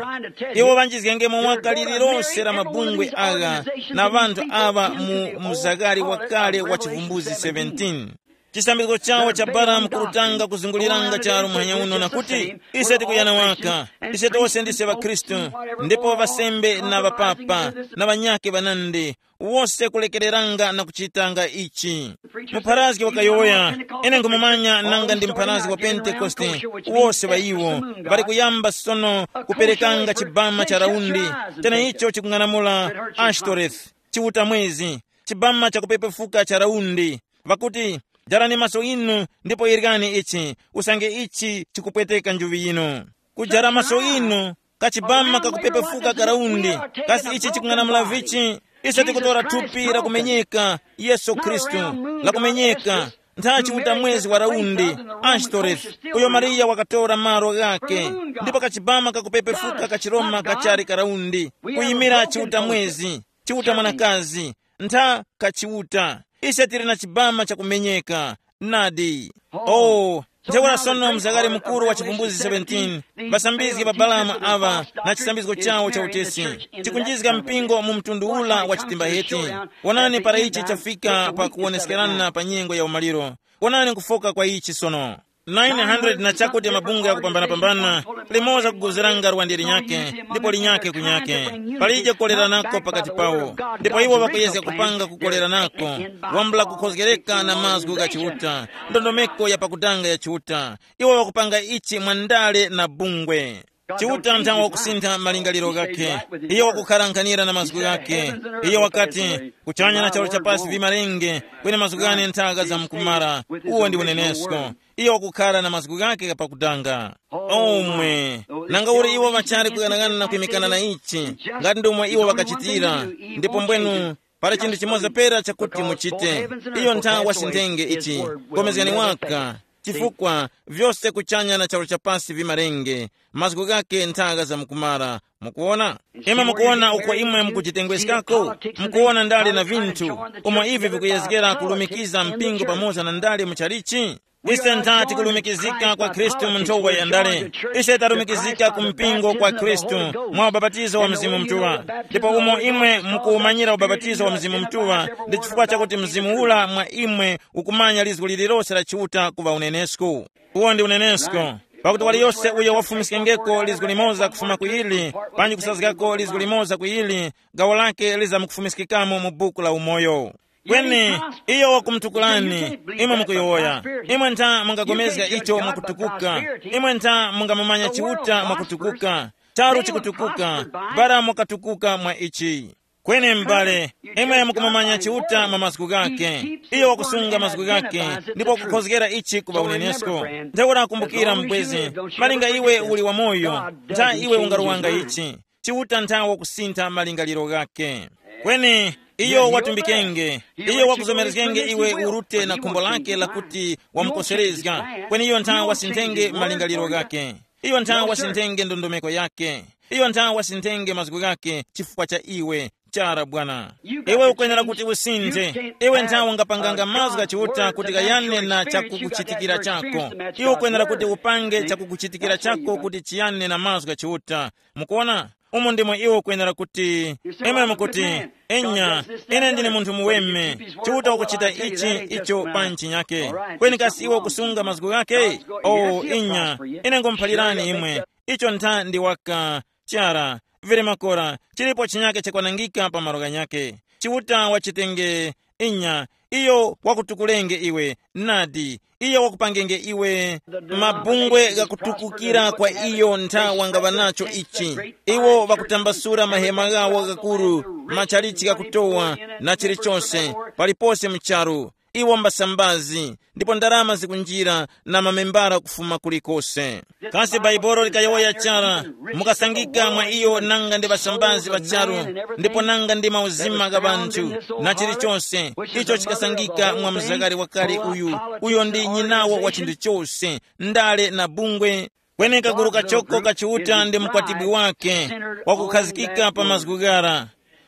Iwo ŵanjizgengemo waka lililose la mabungwe agha na ŵanthu aŵa mu muzagari wakale wa chivumbuzi seventeen. Chisambizgo chawo cha Balamu kurutanga kuzunguliranga charu muhanya uno na kuti, ise tikuyana waka, ise tose ndise ŵakhristu, ndipo ŵasembe na ŵapapa na ŵanyakhe ŵanandi, wose kulekereranga na kuchitanga ichi. Mupharazgi wakayowoya, ine nkhumumanya nanga ndi mupharazgi wa Pentekoste, wose ŵa iwo ŵali kuyamba sono kuperekanga chibama cha raundi, cheneicho chikung'anamula Ashtoreth, Chiuta mwezi, chibama chakupepefuka cha raundi. Ŵakuti, jarani maso inu ndipo yerekani ichi, usange ichi chikupweteka njuŵi yinu. Kujara maso inu, kachibama kakupepefuka ka raundi, kasi ichi chikung'anamula vichi? Ise tikutora thupi lakumenyeka, Yesu Khristu, lakumenyeka, nthachi uta mwezi wa raundi, Ashtoreth, uyo Mariya wakatora malo ghake, ndipo kachibama kakupepefuka ka Chiroma kachali ka raundi, kuyimira chiuta mwezi, chiuta mwanakazi, ntha kachiuta. Ise tili na chibama chakumenyeka. Nadi. Oh, ntheura sono mzakare mukuru wa chivumbuzi seventeen, ŵasambizgi ŵa Balamu aŵa na chisambizgo chawo cha utesi, chikunjizga mpingo mu mtundu ula wa chitimba heti. Wonani para ichi chafika pa kuwoneskerana pa nyengo ya umaliro. Wonani kufoka kwa ichi sono. nine hundred na chakuti mabungwe akupambanapambana, limoza kuguziranga lwande linyakhe, ndipo linyakhe kunyakhe. Palije kukoleranako pakati pawo, ndipo iwo ŵakuyezga kupanga kukoleranako, wambula kukhozgereka na mazgu gha Chiuta, ndondomeko ya pakutanga ya Chiuta. Iwo ŵakupanga ichi mwa ndale na bungwe. Chiuta nthawe wakusintha malingaliro ghakhe. Iyo wakukharankhanira na mazgu ghakhe. Iyo wakati, kuchanya na charu chapasi vimalenge, kweni mazgu ghane nthaga za mkumara. Uwo ndi unenesko. Iyo wakukhara na mazgu ghakhe ghapakutanga. Omwe, nanga uli iwo ŵachali kuyang'ana na kwimikana na ichi, ngati ndomwe iwo ŵakachitira, ndipo mbwenu, pali chinthu chimoza pera chakuti muchite. Iyo ntha wasinthenge ichi, komezgani waka, chifukwa vyose kuchanya na charu chapasi vimalenge, mazgu ghake nthaga za mkumara. Mukuona? Imwe mukuona uko imwe mukujitengweskako? Mukuona ndale na vinthu, umo ivi vikuyezgera kulumikiza mpingo pamoza na ndale muchalichi? Ise ntha tikulumikizika kwa Khristu mu nthowa ya ndale. Ise talumikizika ku mpingo kwa Khristu mwa ubapatizo wa Mzimu Mutuŵa. Ndipo umo imwe mukuwumanyira ubapatizo wa Mzimu Mutuŵa, ndi chifukwa chakuti Mzimu ula mwa imwe ukumanya lizgu lililose la Chiuta kuŵa unenesko. Uwo ndi unenesko. Pakuti waliyose uyo wafumiskengeko lizgu limoza kufuma ku ili, panji kusazgako lizgu limoza ku ili, gawo lake lizamukufumiskikamo mu buku la umoyo. Kweni iyo wakumutukulani, imwe mukuyowoya. Imwe ntha mungapulikana icho mwakutukuka. Imwe ntha mungamumanya Chiuta mwakutukuka. Charu chikutukuka, bara mwakatukuka mwa ichi. Kweni m'bale, imwe mukumumanya Chiuta mwa mazgu ghake. Iyo wakusunga mazgu ghake, ndipo wakukhozgera ichi kuŵa unenesko. Ntheura kumbukira mbwezi, malinga iwe uli wamoyo, ntha iwe ungarowanga ichi. Chiuta ntha wakusintha malingaliro ghake. Kweni iyo watumbikenge, iyo wakuzomerezgenge iwe urute na khumbo lake lakuti wamukoserezga. Kweni iyo ntha wasinthenge malingaliro ghake. Iyo ntha wasinthenge ndondomeko yake. Iyo ntha wasinthenge mazgu ghake chifukwa cha iwe. Chara bwana. Iwe ukwenera kuti usinthe. Iwe ntha ungapanganga mazgu gha Chiuta kuti ghayane na chakukuchitikira chako. Iwe ukwenera kuti upange chakukuchitikira chako kuti chiyane na mazgu gha Chiuta. Mukuona? Umo ndimo iwe ukwenera kuti, imwe mukuti, enya, ine ndine munthu muweme. Chiuta ukuchita ichi icho pa ntchinyake. Kweni kasi iwe ukusunga mazgu ghake? O inya, ine ngumuphalirani imwe. Icho ntha ndi waka. Chara, vili makora, chilipo chinyake chakwanangika pa malo ghanyake. Chiuta wachitenge. Inya, iyo wakutukulenge iwe. Nadi, iyo wakupangenge iwe. Mabungwe ghakutukukira kwa iyo ntha wangaŵa nacho ichi. Iwo ŵakutambasula mahema ghawo ghakuru, machalichi ghakutowa, na chilichonse, palipose mu charu. Iwo mbasambazi, ndipo ndarama zikunjira na mamembara kufuma kulikose. Kasi Baibolo likayowoya chara, mukasangika mwa iyo nanga ndi ŵasambazi ŵa charu, ndipo nanga ndi mauzima gha ŵanthu, na chilichonse icho chikasangika mwa mzakari wakale uyu, uyo ndi nyinawo wa chinthu chose, ndale na bungwe. Kweni kaguru kachoko ka Chiuta ndi mukwatibwi wake, wakukhazikika pa mazgu ghara.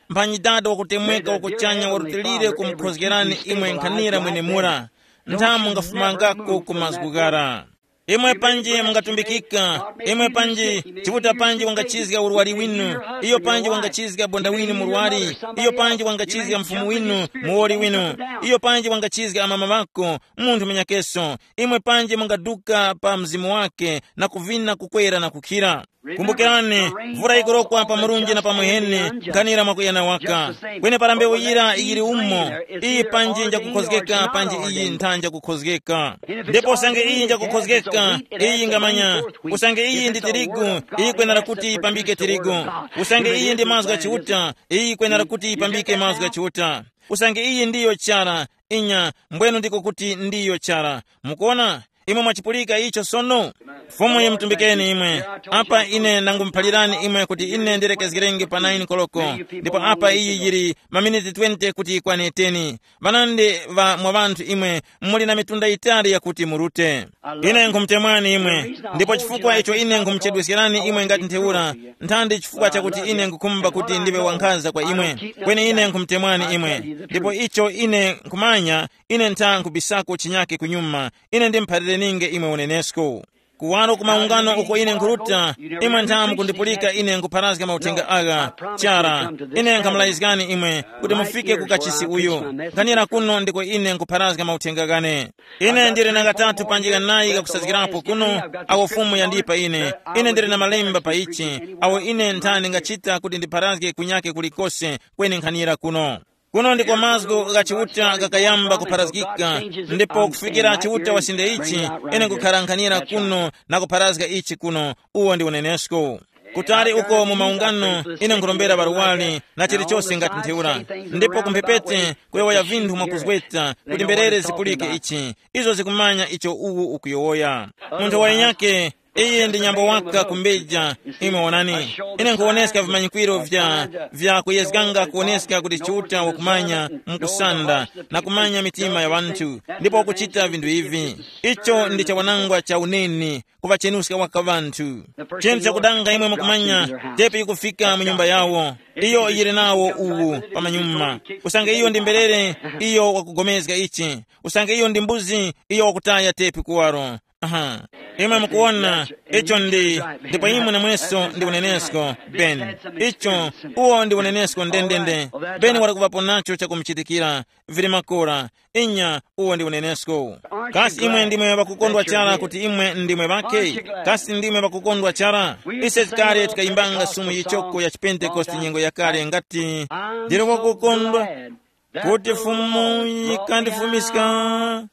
Mphanyi Dada wakutemweka wakuchanya warutilire kumukhozgerani imwe nkhanira mwenemura. Nthamu ngafumangako ku mazgu ghara. Imwe panji mungatumbikika, imwe panji, Chiuta panji wangachizga urwari winu, iyo panji wangachizga bonda winu murwari, iyo panji wangachizga mfumu winu, muwoli winu, iyo panji wangachizga amama ŵako, munthu munyakeso, imwe panji mungaduka pa mzimu wake na kuvina kukwera na kukhira. Kumbukirani, mvura yikurokwa pa murunji na pa muheni, nkhanira mwakuyana waka. Kweni para mbewu yira yili umo, iyi panji njakukhozgeka panji iyi nthanja kukhozgeka. Ndipo usange iyi njakukhozgeka, iyi ngamanya, usange iyi ndi tirigu, iyi kwenera kuti yipambike tirigu. Usange iyi ndi mazgu gha Chiuta, iyi kwenera kuti yipambike mazgu gha Chiuta. Usange iyi ndiyo chara, inya, mbwenu ndiko kuti ndiyo chara. Mukuona? Imwe mwachipulika icho sono? Fumu yimutumbikeni imwe. Apa ine ndangumuphalirani imwe kuti ine ndilekezgerenge pa nine koloko, ndipo apa iyi yili maminiti twenty kuti yikwane ten. Ŵanandi ŵa mwa ŵanthu imwe muli na mitunda yitali yakuti murute. Ine nkhumutemwani imwe, ndipo chifukwa icho ine nkhumuchedweskerani imwe ngati ntheura, nthandi chifukwa chakuti ine nkhukhumba kuti ndiŵe wankhaza kwa imwe. Kweni ine nkhumutemwani imwe, ndipo icho ine nkhumanya, ine ntha nkhubisako chinyake kunyuma. Ine ndimuphalireni'nge imwe unenesko. Kuwaro ku maungano uko ine nkhuruta, imwe ntha mukundipulika ine nkupharazga mauthenga agha. Chara, ine nkhamulayizgani imwe kuti mufike ku kachisi uyu. Nkhanira kuno ndiko ine nkupharazga mauthenga ghane. Ine ndili na ghatatu panji ghanayi ghakusazgirapo kuno, awo Fumu yandipa ine. Ine ndili na malemba pa ichi, awo ine nthani ngachita kuti ndipharazge kunyake kulikose, kweni nkhanira kuno. Kuno ndiko mazgu gha Chiuta ghakayamba kupharazgika, ndipo kufikira Chiuta wasinde ichi, ine nkukhala nkhanira kuno na kupharazga ichi kuno, uwo ndi unenesko. Kutali uko mu maungano, ine nkurombera ŵarwari na chilichose ngati ntheura, ndipo kumphepete kuyowoya vinthu mwakuzgweta kuti mberere zipulike ichi, izo zikumanya icho uwu ukuyowoya. Munthu wayinyake, Iyi ndi nyambo waka kumbeja. Imwe wonani, ine nkhuwoneska vimanyikwiro vya vya kuyezganga kuwoneska kuti Chiuta wakumanya mukusanda na kumanya mitima ya ŵanthu, ndipo wakuchita vinthu ivi. Icho ndi chawanangwa cha uneni kuŵachenuska waka ŵanthu. Chinthu chakudanga imwe mukumanya, tepi ikufika mu nyumba yawo, iyo yili nawo uwu pamanyuma. Usange iyo ndi mberere, iyo wakugomezga ichi. Usange iyo ndi mbuzi, iyo wakutaya tepi kuwaro. Aha. Imwe mukuwona, icho ndi, ndipo imwe namweso ndi unenesko, Ben. Icho, uwo ndi unenesko ndendende. Ben wali kuŵapo nacho chakumuchitikira, vili makora. Inya, uwo ndi unenesko. Kasi imwe ndimwe ŵakukondwa chara kuti imwe ndimwe ŵake? Kasi ndimwe ŵakukondwa chara? Ise tikale tikayimbanga sumu yichoko ya chipentekoste nyengo yakale ngati, ndili wakukondwa kuti Fumu yikandifumiska.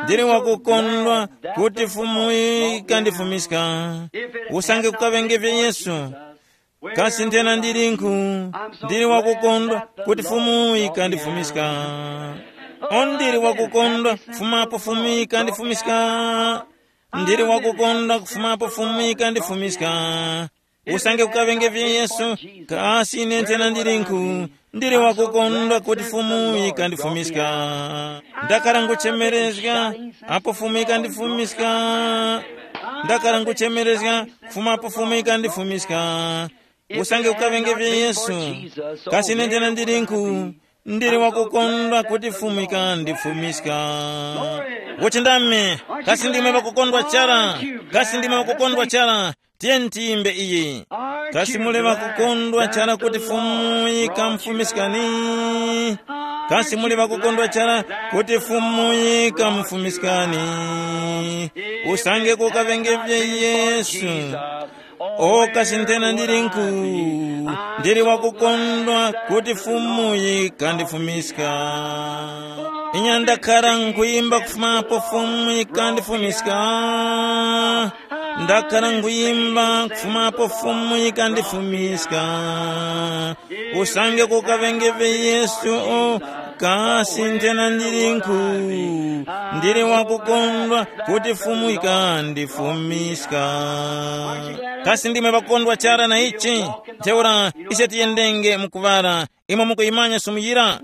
Ndili wakukondwa kuti Fumu yikandifumiska. Usange kukaŵenge vya Yesu, kasi nthena ndilinkhu? Ndili wakukondwa kuti Fumu yikandifumiska. O, ndili wakukondwa kufumapo Fumu yikandifumiska. Ndili wakukondwa kufumapo Fumu yikandifumiska. Usange kukaŵenge vya Yesu, kasi ine nthena ndilinkhu? Ndili wakukondwa kuti Fumu yikandifumiska. Ndakhala nguchemerezga apo Fumu yikandifumiska. Ndakhala nguchemerezga kufuma apo Fumu yikandifumiska. Usange kukaŵenge vya Yesu, kasi ine nthena ndilinkhu? Ndili wakukondwa kuti Fumu yikandifumiska. Wochindame, kasi ndimwe ŵakukondwa chara? Kasi ndimwe ŵakukondwa chara? Tiyeni tiyimbe iyi. Kasi muli ŵakukondwa chara kuti Fumu yikamufumiskani? Kasi muli ŵakukondwa chara kuti Fumu yikamufumiskani? Usange kukaŵenge vya Yesu, o kasi nthena ndilinkhu? Ndili wakukondwa kuti Fumu yikandifumiska. Inya ndakhala nkhuyimba kufumapo Fumu yikandifumiska. Ndakhala nkhuyimba kufumapo Fumu yikandifumiska. Usange kukaŵenge vya Yesu, o kasi nthena ndilinkhu? Ndili wakukondwa kuti Fumu yikandifumiska. Kasi ndimwe ŵakukondwa chara na ichi? Ntheura ise tiyendenge mukuŵala. Imwe mukuyimanya sumu yira?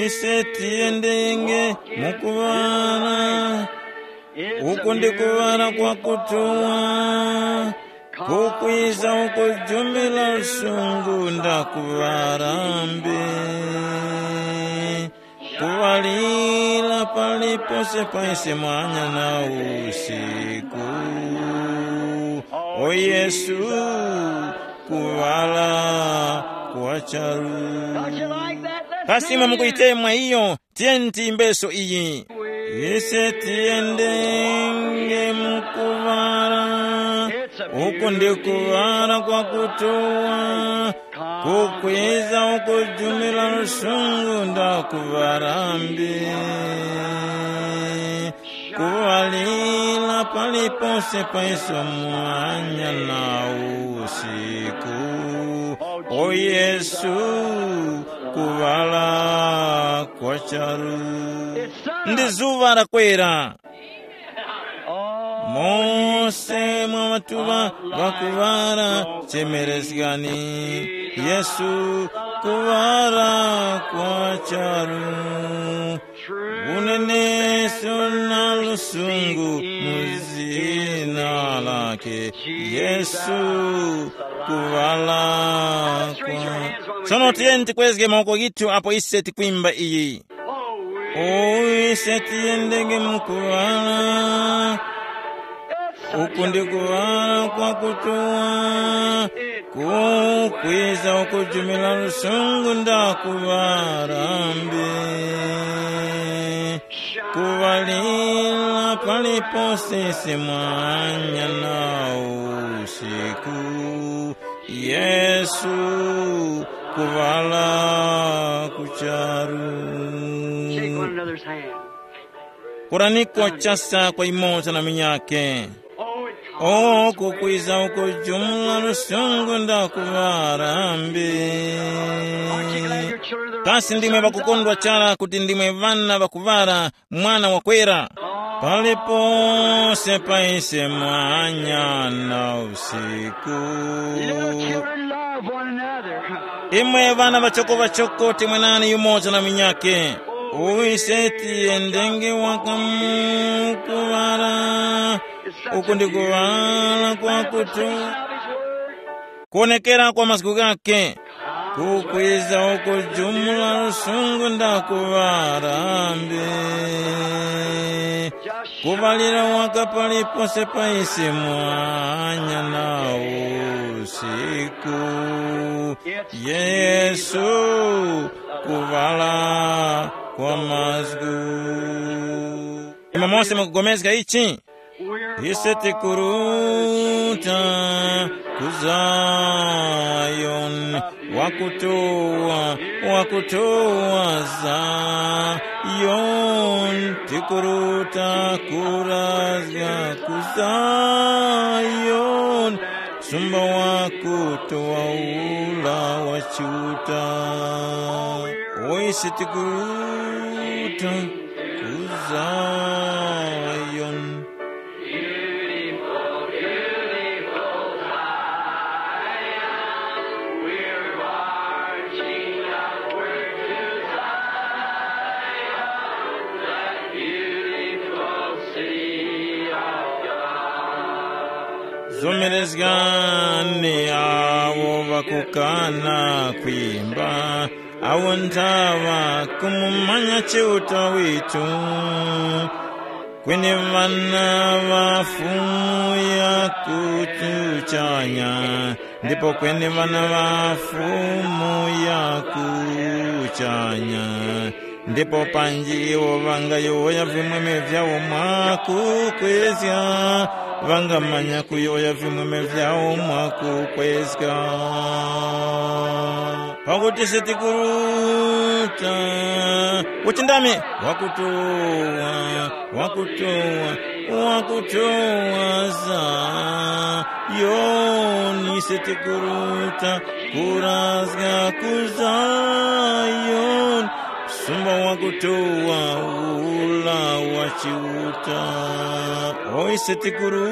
Ise tiyendenge mukuŵala. Uku ndi kuŵala kwakutuwa. Kukwiza ukujumira lusungu ndakuŵala mbi. Kuŵalira palipose paise mwanya na usiku. O Yesu, kuŵala kwa charu. Kasi imwe mukuyitemwa iyo? Tiyeni tiyimbeso iyi. Ise tiyendenge mu kuŵala. Uku ndi kuŵala kwakutuwa. Kukwiza ukujumira lusungu ndakuŵala mbi. Kuŵalira palipose paiso mwanya na usiku. O Yesu, kuŵala kwa charu. Ndi zuŵa lakwera. Mose mwa ŵatuŵa ŵakuŵala, chemerezgani. Yesu, kuŵala kwa charu. Uneneso na lusungu mu zina lake. Yesu, kuŵala kwa. Sono tiyeni tikwezge mawoko ghithu apo ise tikwimba iyi. O ise tiyendenge mu kuŵala. Uku ndi kuŵala kwakutuwa. Kukwiza ukujumira lusungu ndakuŵala mbi. Kuŵalira palipose mwanya na usiku. Yesu, kuŵala ku charu. Shake one another's hand. Kuraniko chasa kwa imoza na minyake. Oh, it comes. O kukwiza ukujumula lusungu ndakuŵala mbi. Aren't you glad your children are the sons of God? Kasi ndimwe ŵakukondwa chara kuti ndimwe ŵana ŵakuŵala mwana wakwera? Palipose pa ise mwanya na usiku. Little children, love one another. Imwe ŵana ŵachoko ŵachoko, temwenani yumoza na munyakhe. Uise tiyendenge wakamukuŵala. Uku ndi kuŵala kwakutu kuwonekera kwa mazgu ghakhe. Kukwiza ukujumula lusungu ndakuŵarambe. Kuŵalira waka palipose pa isi mwanya na usiku. Yesu, kuŵala kwa mazgu. Imwe mose mukugomezga ichi? Ise tikuruta ku Zayoni, wakutowa, wakutowa Zayoni, tikuruta kurazga ku Zayoni, sumba wakutowa ula wa Chiuta. Ise tikuruta ku Zayoni. Zomerezgani awo ŵakukana kwimba, awo nthaŵa kumumanya Chiuta witu. Kweni ŵana ŵa Fumu ya kuchanya, ndipo kweni ŵana ŵa Fumu ya kuchanya. Ndipo panji iwo ŵangayowoya vimwemwe vyawo mwakukwezga, ŵangamanya kuyowoya vimwemwe vyawo mwakukwezga. Pakuti sitikuruta, uchindami, wakutowa, wakutowa, wakutowa Zayoni, sitikuruta kurazga ku Zayoni, sumba wakutowa ula wa Chiuta. Oi, sitikuruta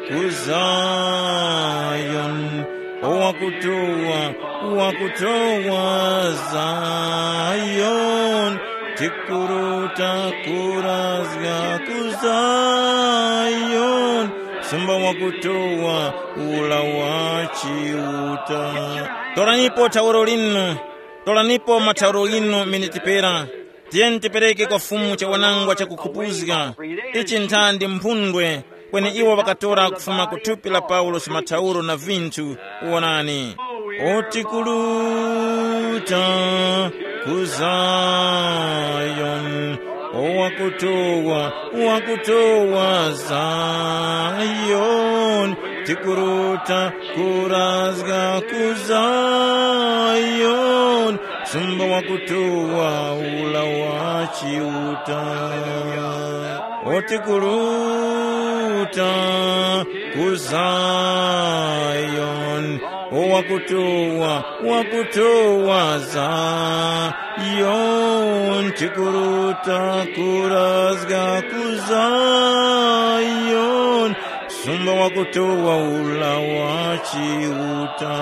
ku Zayoni, owakutowa, wakutowa Zayoni, tikuruta kurazga ku Zayoni, sumba wakutowa ula wa Chiuta. Toranipo thauro linu, toranipo mathauro ghinu miniti pera. Tiyeni tipereke kwa Fumu chawanangwa chakukhupuzga. Ichi nthandi mphundwe, kweni iwo ŵakatora kufuma ku thupi la Paulosi mathauro na vinthu. Wonani. Oti kuruta ku Zayoni, owakutowa, wakutowa Zayoni, tikuruta kurazga ku Zayoni, sumba wakutowa ula wa Chiuta. Oti kuruta ku Zayoni, owakutowa, wakutowa Zayoni, tikuruta kurazga ku Zayoni, sumba wakutowa ula wa Chiuta.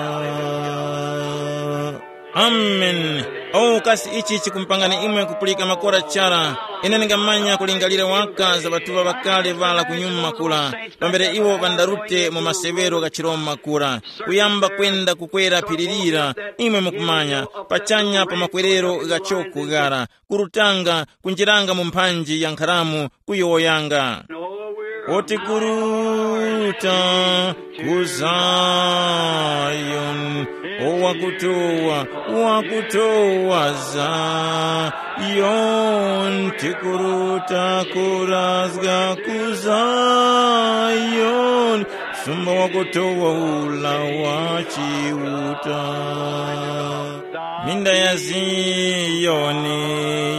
Amen. O kasi ichi chikumpangani imwe kupulika makora chara. Ine ndingamanya kulingalira waka za ŵatuŵa ŵakale ŵala kunyuma kura, pambere iwo ŵandarute mu masewero gha chiRoma kura, kuyamba kwenda kukwera phiri lira, imwe mukumanya, pachanya pa makwerero gha choko ghara, kurutanga, kunjiranga mu mphanji ya nkharamu, kuyowoyanga. Oti kuruta ku Zayoni, owakutowa, wakutowa Zayoni, tikuruta kurazga ku Zayoni, sumba wakutowa ula wa Chiuta. Minda ya Ziyoni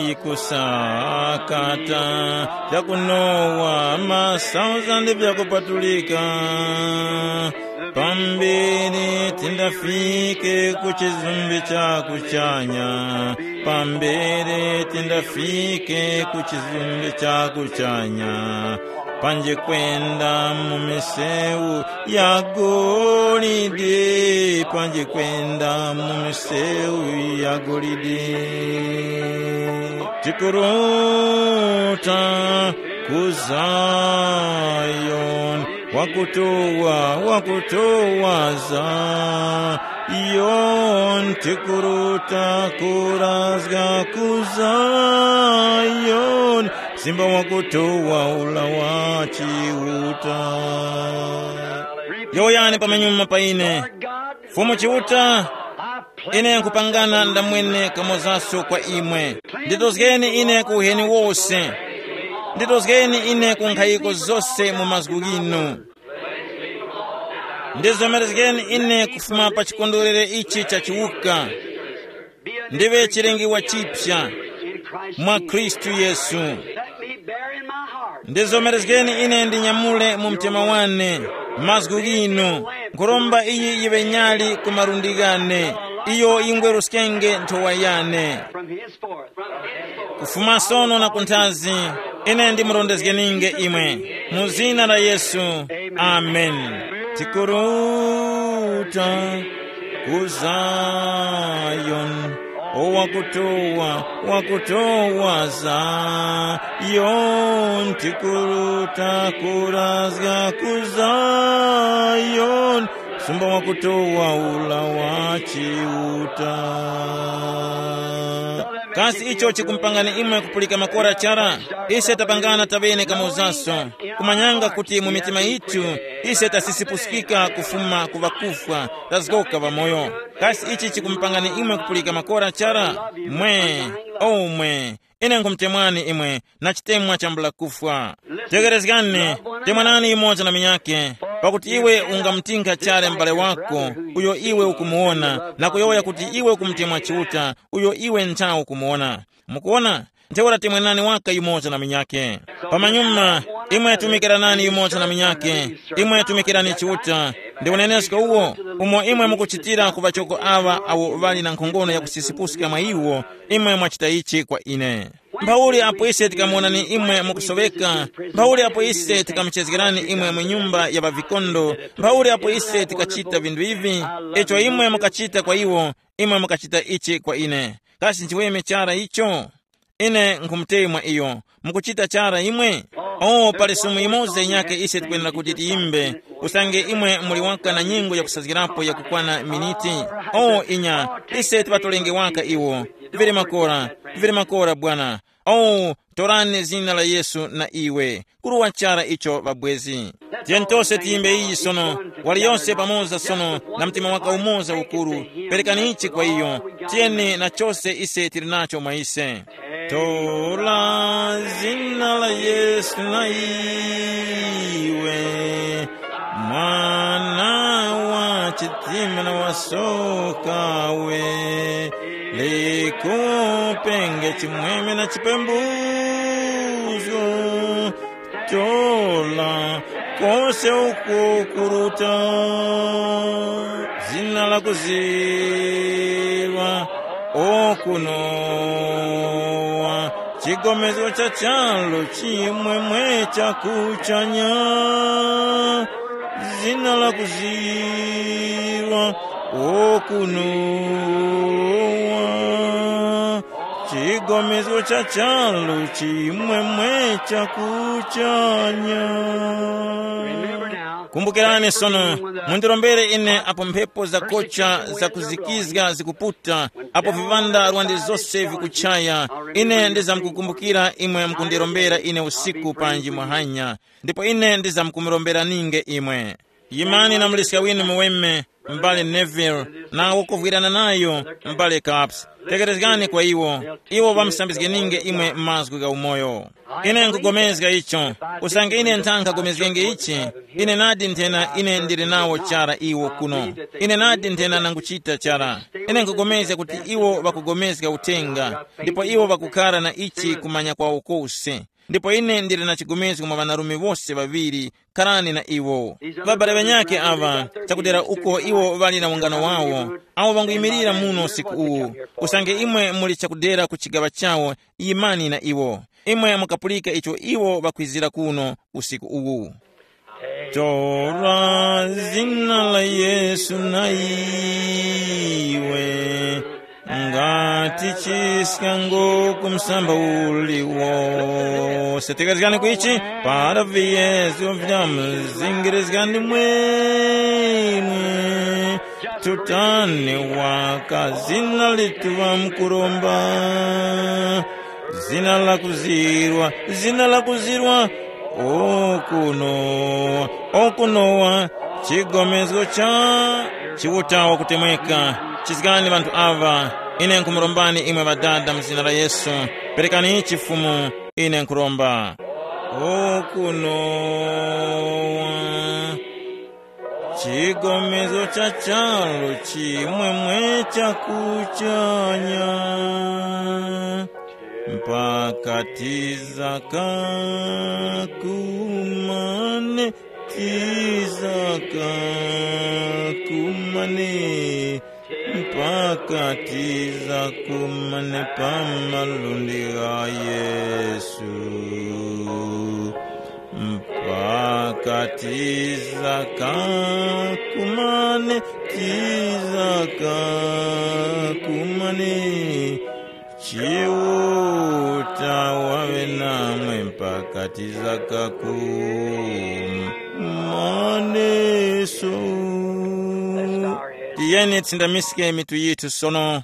yikusakata, vyakunowa masauzande vyakupatulika. Pambere tindafike ku chizumbi cha kuchanya, Pambere tindafike ku chizumbe cha kuchanya, panje kwenda mu misewu ya golide, panje kwenda mu misewu ya golide. Tikuruta ku Zayoni, wakutowa, wakutowa Zayoni, tikuruta kurazga ku Zayoni, simba wakutowa ula wa Chiuta. Yowoyani pamenyuma pa ine. Fumu Chiuta, ine nkupangana ndamwene kamozaso kwa imwe. Nditozgeni ine ku uheni wose. Nditozgeni ine ku nkhayiko zose mu mazgu ghinu. Ndizomerezgeni ine kufuma pa chikondwerere ichi cha chiwuka. Ndiŵe chilengiwa chipya mwa Khristu Yesu. Let me bear in my heart. Ndizomerezgeni ine ndinyamule mu mtima wane mazgu ghinu. Nkhuromba iyi yiŵe nyali ku malundi ghane, iyo yingweruskenge nthowa yane. From henceforth, kufuma sono na kunthazi, ine ndimurondezgeninge imwe mu zina la Yesu. Amen. Tikuruta ku Zayoni, o wakutowa, wakutowa Zayoni, tikuruta kurazga ku Zayoni, sumba wakutowa ula wa Chiuta. Kasi icho chikumpangani imwe kupulika makora chara? Ise tapangana taŵene kamozaso, kumanyanga kuti mu mitima yithu ise tasisipuskika kufuma ku ŵakufwa, tazgoka ŵamoyo. Kasi ichi chikumupangani imwe kupulika makora chara? Mwe, omwe, ine nkhumutemwani imwe na chitemwa chambula kufwa. Tegerezgani, temwanani yumoza na minyake, pakuti iwe ungamutinkha chara m'bale wako uyo iwe ukumuwona, na kuyowoya kuti iwe ukumutemwa Chiuta uyo iwe nthawe ukumuwona. Mukuwona? Ntheura temwenani waka yumoza na munyakhe. Pamanyuma, imwe tumikiranani yumoza na munyakhe. Imwe tumikirani Chiuta. Ndi unenesko uwo, umo imwe mukuchitira ku ŵachoko aŵa awo ŵali na nkhongono yakusisipuska mwa iwo, imwe mwachita ichi kwa ine. Mphauli apo ise tikamuwonani imwe mukusoweka, mphauli apo ise tikamuchezgerani imwe mu nyumba ya ŵavikondo, mphauli apo ise tikachita vinthu ivi, icho imwe mukachita kwa iwo, imwe mukachita ichi kwa ine. Kasi nchiweme chara icho? Ine nkhumutemwa iyo. Mukuchita chara imwe? Oh, pali sumu imoza inyakhe ise tikwenera kuti tiyimbe, usange imwe muli waka na nyengo yakusazgirapo yakukwana miniti. Oh, inya, ise tiŵatolenge waka iwo. Vili makora, vili makora, Bwana. Oh, torani zina la Yesu na iwe. Kuruwa chara icho ŵabwezi. Tiyeni tose tiyimbe iyi sono, waliyose pamoza sono na mtima waka umoza ukuru. Perekani ichi kwa iyo. Tiyeni na chose ise tili nacho mwa ise. Tora zina la Yesu na iwe, mwana wa chitima na wasokawe, likupenge chimwemwe na chipembuzgo. Tola kose uko kuruta, zina la kuziwa okunowa, chigomezgo cha chalo chimwemwe cha kuchanya, zina la kuziwa okunowa, chigomezgo cha chalo chimwemwe cha kuchanya. Remember now, kumbukirani sono, mundirombere ine apo mphepo zakocha zakuzikizga zikuputa, apo viŵanda rwande zose vikuchaya, ine ndizamkukumbukira imwe mukundirombera ine usiku panji mwahanya, ndipo ine ndizamkumuromberange imwe. Yimani na muliska winu muweme, m'bale Neville, na kuvwirana nayo, m'bale Capps. Tekerezgani kwa iwo, iwo ŵamusambizgeninge imwe mazgu gha umoyo. Ine nkugomezga icho, usange ine nthankha gomezgenge ichi, ine nadi nthena ine ndili nawo chara iwo kuno. Ine nadi nthena nanguchita chara. Ine nkugomezga kuti iwo ŵakugomezga uthenga, ndipo iwo ŵakukhara na ichi kumanya kwawo kose. Ndipo ine ndili na chigomezgo mwa ŵanarume wose ŵaŵiri. Kharani na iwo. Ŵabale ŵanyakhe aŵa, chakudera uko iwo ŵali na ungano wawo, awo ŵanguyimirira muno usiku uwu. Usange imwe muli chakudera ku chigaŵa chawo, yimani na iwo. Imwe mukapulika icho iwo ŵakwizira kuno usiku uwu. Tora zina la Yesu na iwe, ngati chiskango ku msamba uliwose. Tekezgani kwichi, para viyezo vya mzingirizgani mwini. Tutani waka zina lituva mkuromba. Zina la kuzirwa, zina la kuzirwa. Okunowa, okunowa. Chigomezgo cha Chiuta wakutemweka. Chizgani ŵanthu aŵa. Ine nkumurombani imwe ŵadada mu zina la Yesu. Perekani chifumu. Ine nkuromba. Okunowa. Chigomezo cha charu chimwemwe cha kuchanya. Mpaka tizaka kumane, tizaka kumane. Mpaka tiza kumane pa malundi gha Yesu. Mpaka tiza kakumane, tiza kakumane. Chiuta wawe namwe mpaka tiza kakumaneso. Tiyeni tsindamiske mitu yithu sono.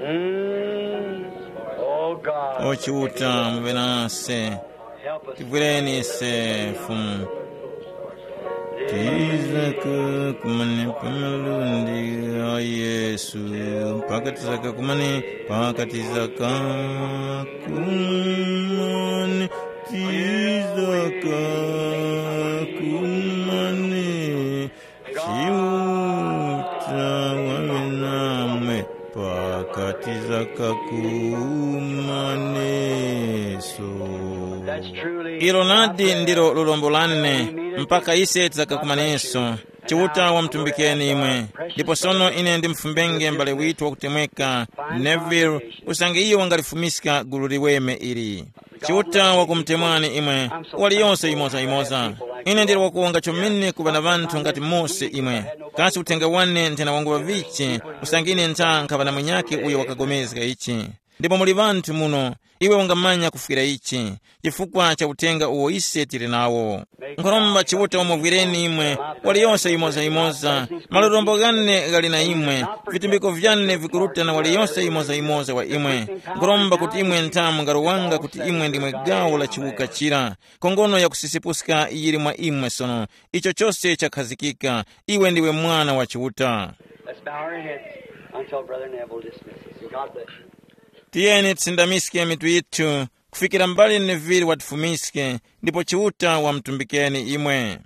Mm. Oh God. O Chiuta, muŵe nase. Help us. Tivwireni ise, Fumu. Tizaka kumane pa malundi gha Yesu, mpaka tizaka kumane, mpaka tizaka kumane, tizaka kumane. Chiuta wawe namwe pakati za kakumaneso. That's truly. Ilo nadi ndilo lulombo lane, mpaka ise tizakakumaneso. Chiuta wamutumbikeni imwe. Ndipo sono ine ndimufumbenge m'bale withu wakutemweka Neville, usange iyo wangalifumiska gulu liweme ili. Chiuta wakumutemwani imwe, waliyonse yimoza-yimoza. Ine ndili wakuwonga chomene kuŵa na ŵanthu ngati mose imwe. Kasi uthenga wane nthena wangu ŵavichi, usange ine ntha nkhaŵa na munyakhe uyo wakagomezga ichi. Ndipo muli ŵanthu muno, iwe ungamanya kufwira ichi, chifukwa cha uthenga uwo ise tili nawo. Nkhoromba Chiuta umuvwireni imwe, waliyonse yimoza-yimoza, malorombo ghane ghali na imwe, vitumbiko vyane vikuruta na waliyonse yimoza-yimoza wa imwe. Nkhoromba kuti imwe ntha mungarowanga kuti imwe ndimwe gawo la chiwuka chira. Khongono ya kusisepuska yili mwa imwe sono. Icho chose chakhazikika. Iwe ndiwe mwana wa Chiuta. Let's bow our heads until Brother Neville dismisses. God bless you. Tiyeni tisindamiske mitu yithu kufikira mbali Neville watifumiske, ndipo Chiuta wamutumbikeni imwe.